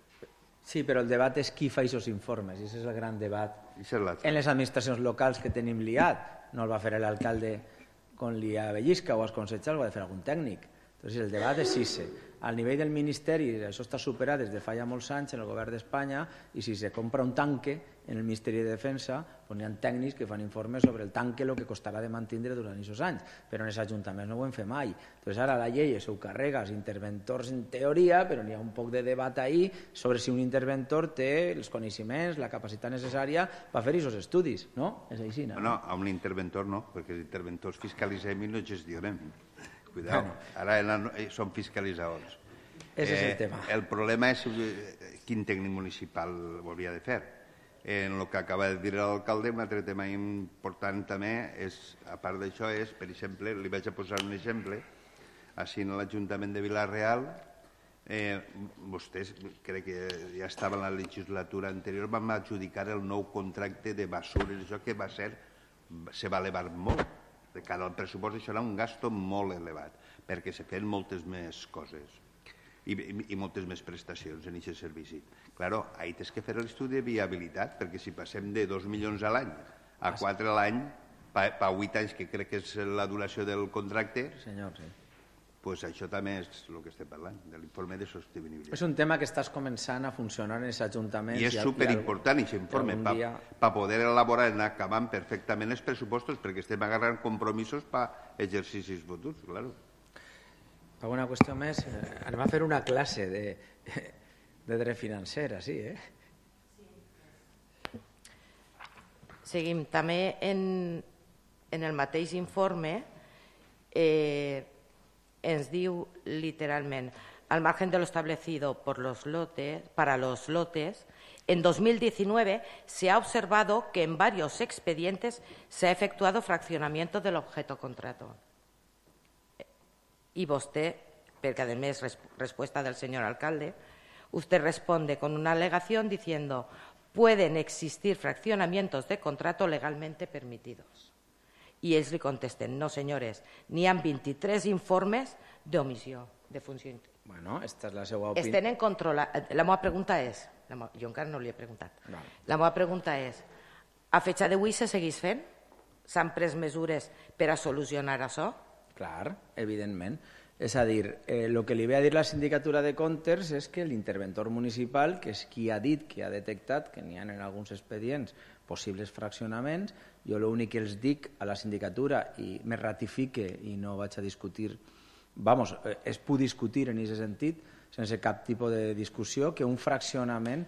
Sí, però el debat és qui fa aquests informes. I aquest és el gran debat en les administracions locals que tenim liat. No el va fer l'alcalde quan li avellisca o els consellers, ho ha de fer algun tècnic. Entonces, el debat és si al nivell del Ministeri, això està superat des de fa ja molts anys en el govern d'Espanya, i si se compra un tanque en el Ministeri de Defensa, doncs hi ha tècnics que fan informes sobre el tanque, el que costarà de mantenir durant aquests anys, però en els ajuntaments no ho hem fet mai. Entonces, ara la llei s'ho carrega als interventors en teoria, però n'hi ha un poc de debat ahí sobre si un interventor té els coneixements, la capacitat necessària per fer aquests estudis, no? És així, no? No, a un interventor no, perquè els interventors fiscalitzem i no gestionem. Cuidao, ara són fiscalitzadors. Ese és el tema. El problema és quin tècnic municipal ho hauria de fer. En el que acaba de dir l'alcalde, un altre tema important també, és, a part d'això, és, per exemple, li vaig a posar un exemple, així en l'Ajuntament de Vila-real Eh, vostès, crec que ja estava en la legislatura anterior, vam adjudicar el nou contracte de basures, això que va ser, se va elevar molt. De cara al pressupost això era un gasto molt elevat, perquè se feien moltes més coses i, i, i moltes més prestacions en aquest servici. Claro, ahí tens que fer l'estudi de viabilitat, perquè si passem de dos milions a l'any a quatre a l'any, per vuit anys, que crec que és la duració del contracte, senyor, sí. Pues això també és el que estem parlant, de l'informe de sostenibilitat. És un tema que estàs començant a funcionar en els ajuntaments. I és superimportant, aquest informe, per dia... pa poder elaborar i anar acabant perfectament els pressupostos, perquè estem agarrant compromisos per exercicis futurs, claro. Alguna qüestió més? Anem a fer una classe de, de dret financer, sí, eh? Seguim. També en, en el mateix informe eh, ens diu literalment, al margen de lo establecido por los lotes, para los lotes, en dos mil diecinueve se ha observado que en varios expedientes se ha efectuado fraccionamiento del objeto contrato. Y usted, porque además es respuesta del señor alcalde, usted responde con una alegación diciendo pueden existir fraccionamientos de contrato legalmente permitidos. Y ells li contesten, no senyores, n'hi ha vint-i-tres informes d'omissió de funció. Bueno, esta és la seva opinió. Es tenen controlat. La meva pregunta és, la meva, jo encara no li he preguntat, vale. La meva pregunta és, a fecha d'avui se segueix fent? S'han pres mesures per a solucionar això? Clar, evidentment. És a dir, eh, el que li ve a dir la sindicatura de comptes és que l'interventor municipal, que és qui ha dit que ha detectat que n'hi ha en alguns expedients possibles fraccionaments, jo l'únic que els dic a la sindicatura i me ratifique i no vaig a discutir, vamos, es puc discutir en aquest sentit, sense cap tipus de discussió, que un fraccionament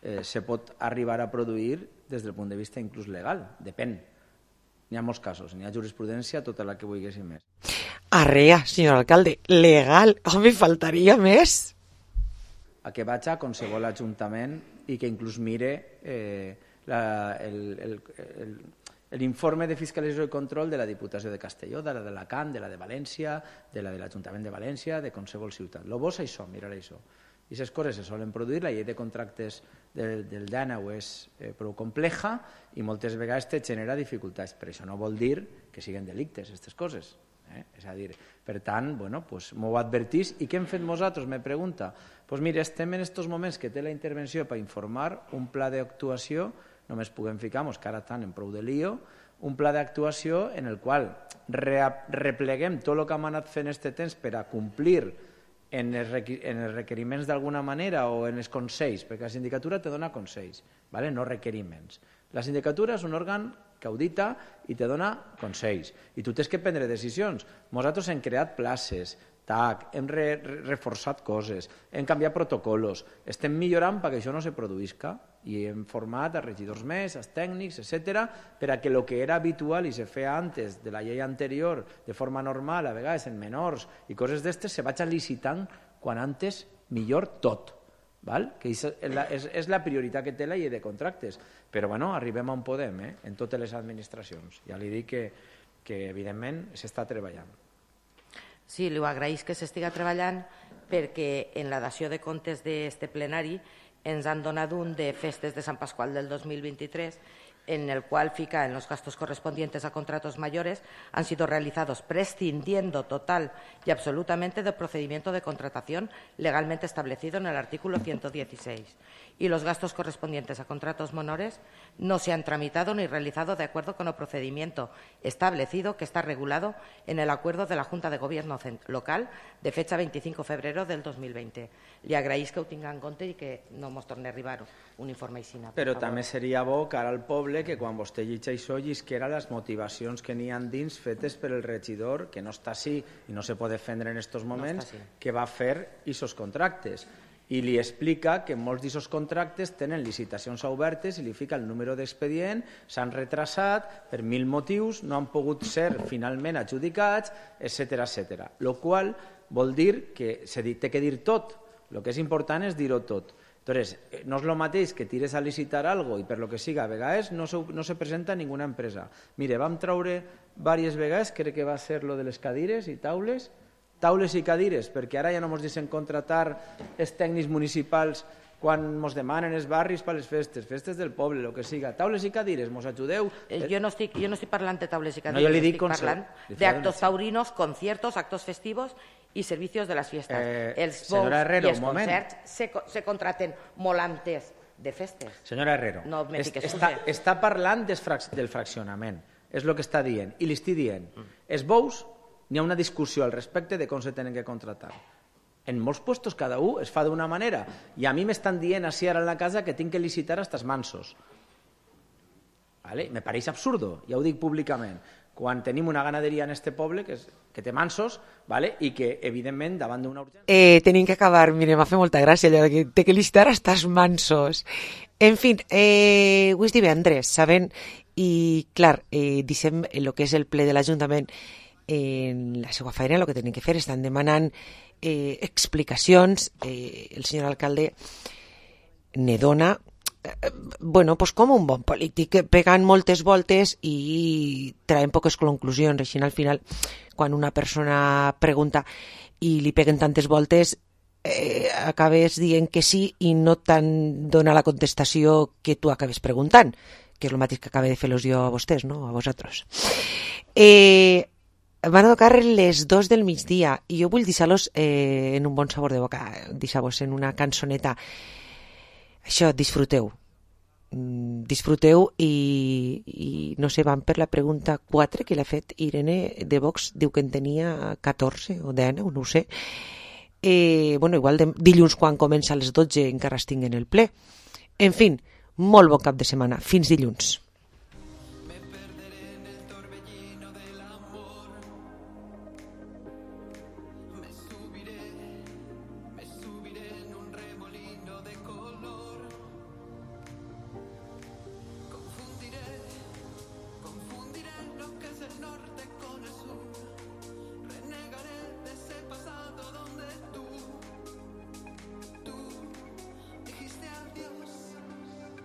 eh, se pot arribar a produir des del punt de vista inclús legal, depèn. N'hi ha molts casos, n'hi ha jurisprudència, tota la que vulguéssim més. Arrea, senyor alcalde, legal, home, faltaria més. A que vaig a qualsevol ajuntament i que inclús mire eh, la, el, el, el, l'informe de fiscalització i control de la Diputació de Castelló, de la d'Alacant, de la de València, de la de l'Ajuntament de València, de qualsevol ciutat. Lo bo és això, mirar això. I aquestes coses se solen produir, la llei de contractes del, del D A N A és eh, prou compleja i moltes vegades te genera dificultats, però això no vol dir que siguin delictes, aquestes coses. Eh? És a dir, per tant, bueno, pues, m'ho advertís. I què hem fet nosaltres? Me pregunta. Pues mira, estem en aquests moments que té la intervenció per informar un pla d'actuació, només puguem ficar, que ara estan en prou de lío, un pla d'actuació en el qual re repleguem tot el que hem anat fent aquest temps per a complir en els, en els requeriments d'alguna manera o en els consells, perquè la sindicatura te dona consells, ¿vale? No requeriments. La sindicatura és un òrgan que audita i te dona consells. I tu tens que prendre decisions. Nosaltres hem creat places, tac, hem re reforçat coses, hem canviat protocols, estem millorant perquè això no se produïsca i hem format a regidors més, als tècnics, etcètera, per a que el que era habitual i se feia antes de la llei anterior de forma normal, a vegades en menors i coses d'estes, se vaig licitant quan antes millor tot. Val? Que és la, és, és la prioritat que té la llei de contractes. Però bueno, arribem on podem, eh? En totes les administracions. Ja li dic que, que evidentment s'està treballant. Sí, li ho agraïs que s'estiga treballant perquè en la dació de comptes d'este plenari ens han donat un de festes de Sant Pasqual del dos mil vint-i-tres en el cual fica en los gastos correspondientes a contratos mayores han sido realizados prescindiendo total y absolutamente del procedimiento de contratación legalmente establecido en el artículo ciento dieciséis. Y los gastos correspondientes a contratos menores no se han tramitado ni realizado de acuerdo con el procedimiento establecido que está regulado en el acuerdo de la Junta de Gobierno local de fecha veinticinco de febrero del dos mil veinte. Li agraïs que ho tinga en compte i que no ens torni a arribar un informe així. Però també seria bo cara al poble que quan vostè llegeix això llisquera les motivacions que n'hi ha dins fetes per el regidor, que no està així i no se pot defendre en aquests moments, no que va fer aquests contractes. I li explica que molts d'aquests contractes tenen licitacions obertes i li fica el número d'expedient, s'han retrasat per mil motius, no han pogut ser finalment adjudicats, etcètera, etcètera. Lo qual vol dir que se té que dir tot. El que és important és dir-ho tot. Entonces, no és el mateix que tires a licitar algo i per lo que siga, a vegades no se, no se presenta ninguna empresa. Mire, vam traure diverses vegades, crec que va ser lo de les cadires i taules, taules i cadires, perquè ara ja no ens deixen contractar els tècnics municipals quan ens demanen els barris per les festes, festes del poble, el que siga. Taules i cadires, ens ajudeu? Jo no estic, jo no estic parlant de taules i cadires, no, jo li dic estic parlant de actos taurinos, conciertos, actos festivos y servicios de las fiestas. Eh, els bous i els concerts se, se contraten molt antes de festes. Senyora Herrero, no est, està, està parlant del, frac, del fraccionament, és el que està dient, i li estic dient. Mm. Els bous, n'hi ha una discussió al respecte de com se tenen que contractar. En molts puestos cada un es fa d'una manera, i a mi m'estan dient així ara en la casa que tinc que licitar hasta els mansos. Vale? Me pareix absurdo, ja ho dic públicament, quan tenim una ganaderia en este poble que, és, que té mansos, vale? I que, evidentment, davant d'una urgència... Eh, tenim que acabar, mire, m'ha fet molta gràcia allò que té que licitar hasta els mansos. En fi, eh, avui és divendres, saben? I, clar, eh, deixem el que és el ple de l'Ajuntament en la seva feina, el que tenen que fer, estan demanant eh, explicacions, eh, el senyor alcalde ne dona, eh, bueno, pues com un bon polític, pegant moltes voltes i traient poques conclusions. Així, al final, quan una persona pregunta i li peguen tantes voltes, eh, acabes dient que sí i no te'n dona la contestació que tu acabes preguntant, que és el mateix que acaba de fer-los jo a vostès, no? A vosaltres. Eh... Van a tocar les dos del migdia i jo vull deixar-los eh, en un bon sabor de boca, deixar-vos en una cançoneta. Això, disfruteu. Mm, disfruteu i, i no sé, van per la pregunta quatre que l'ha fet Irene de Vox, diu que en tenia catorze o deu, no ho sé. Eh, bueno, igual de, dilluns quan comença a les dotze encara estic en el ple. En fi, molt bon cap de setmana. Fins dilluns.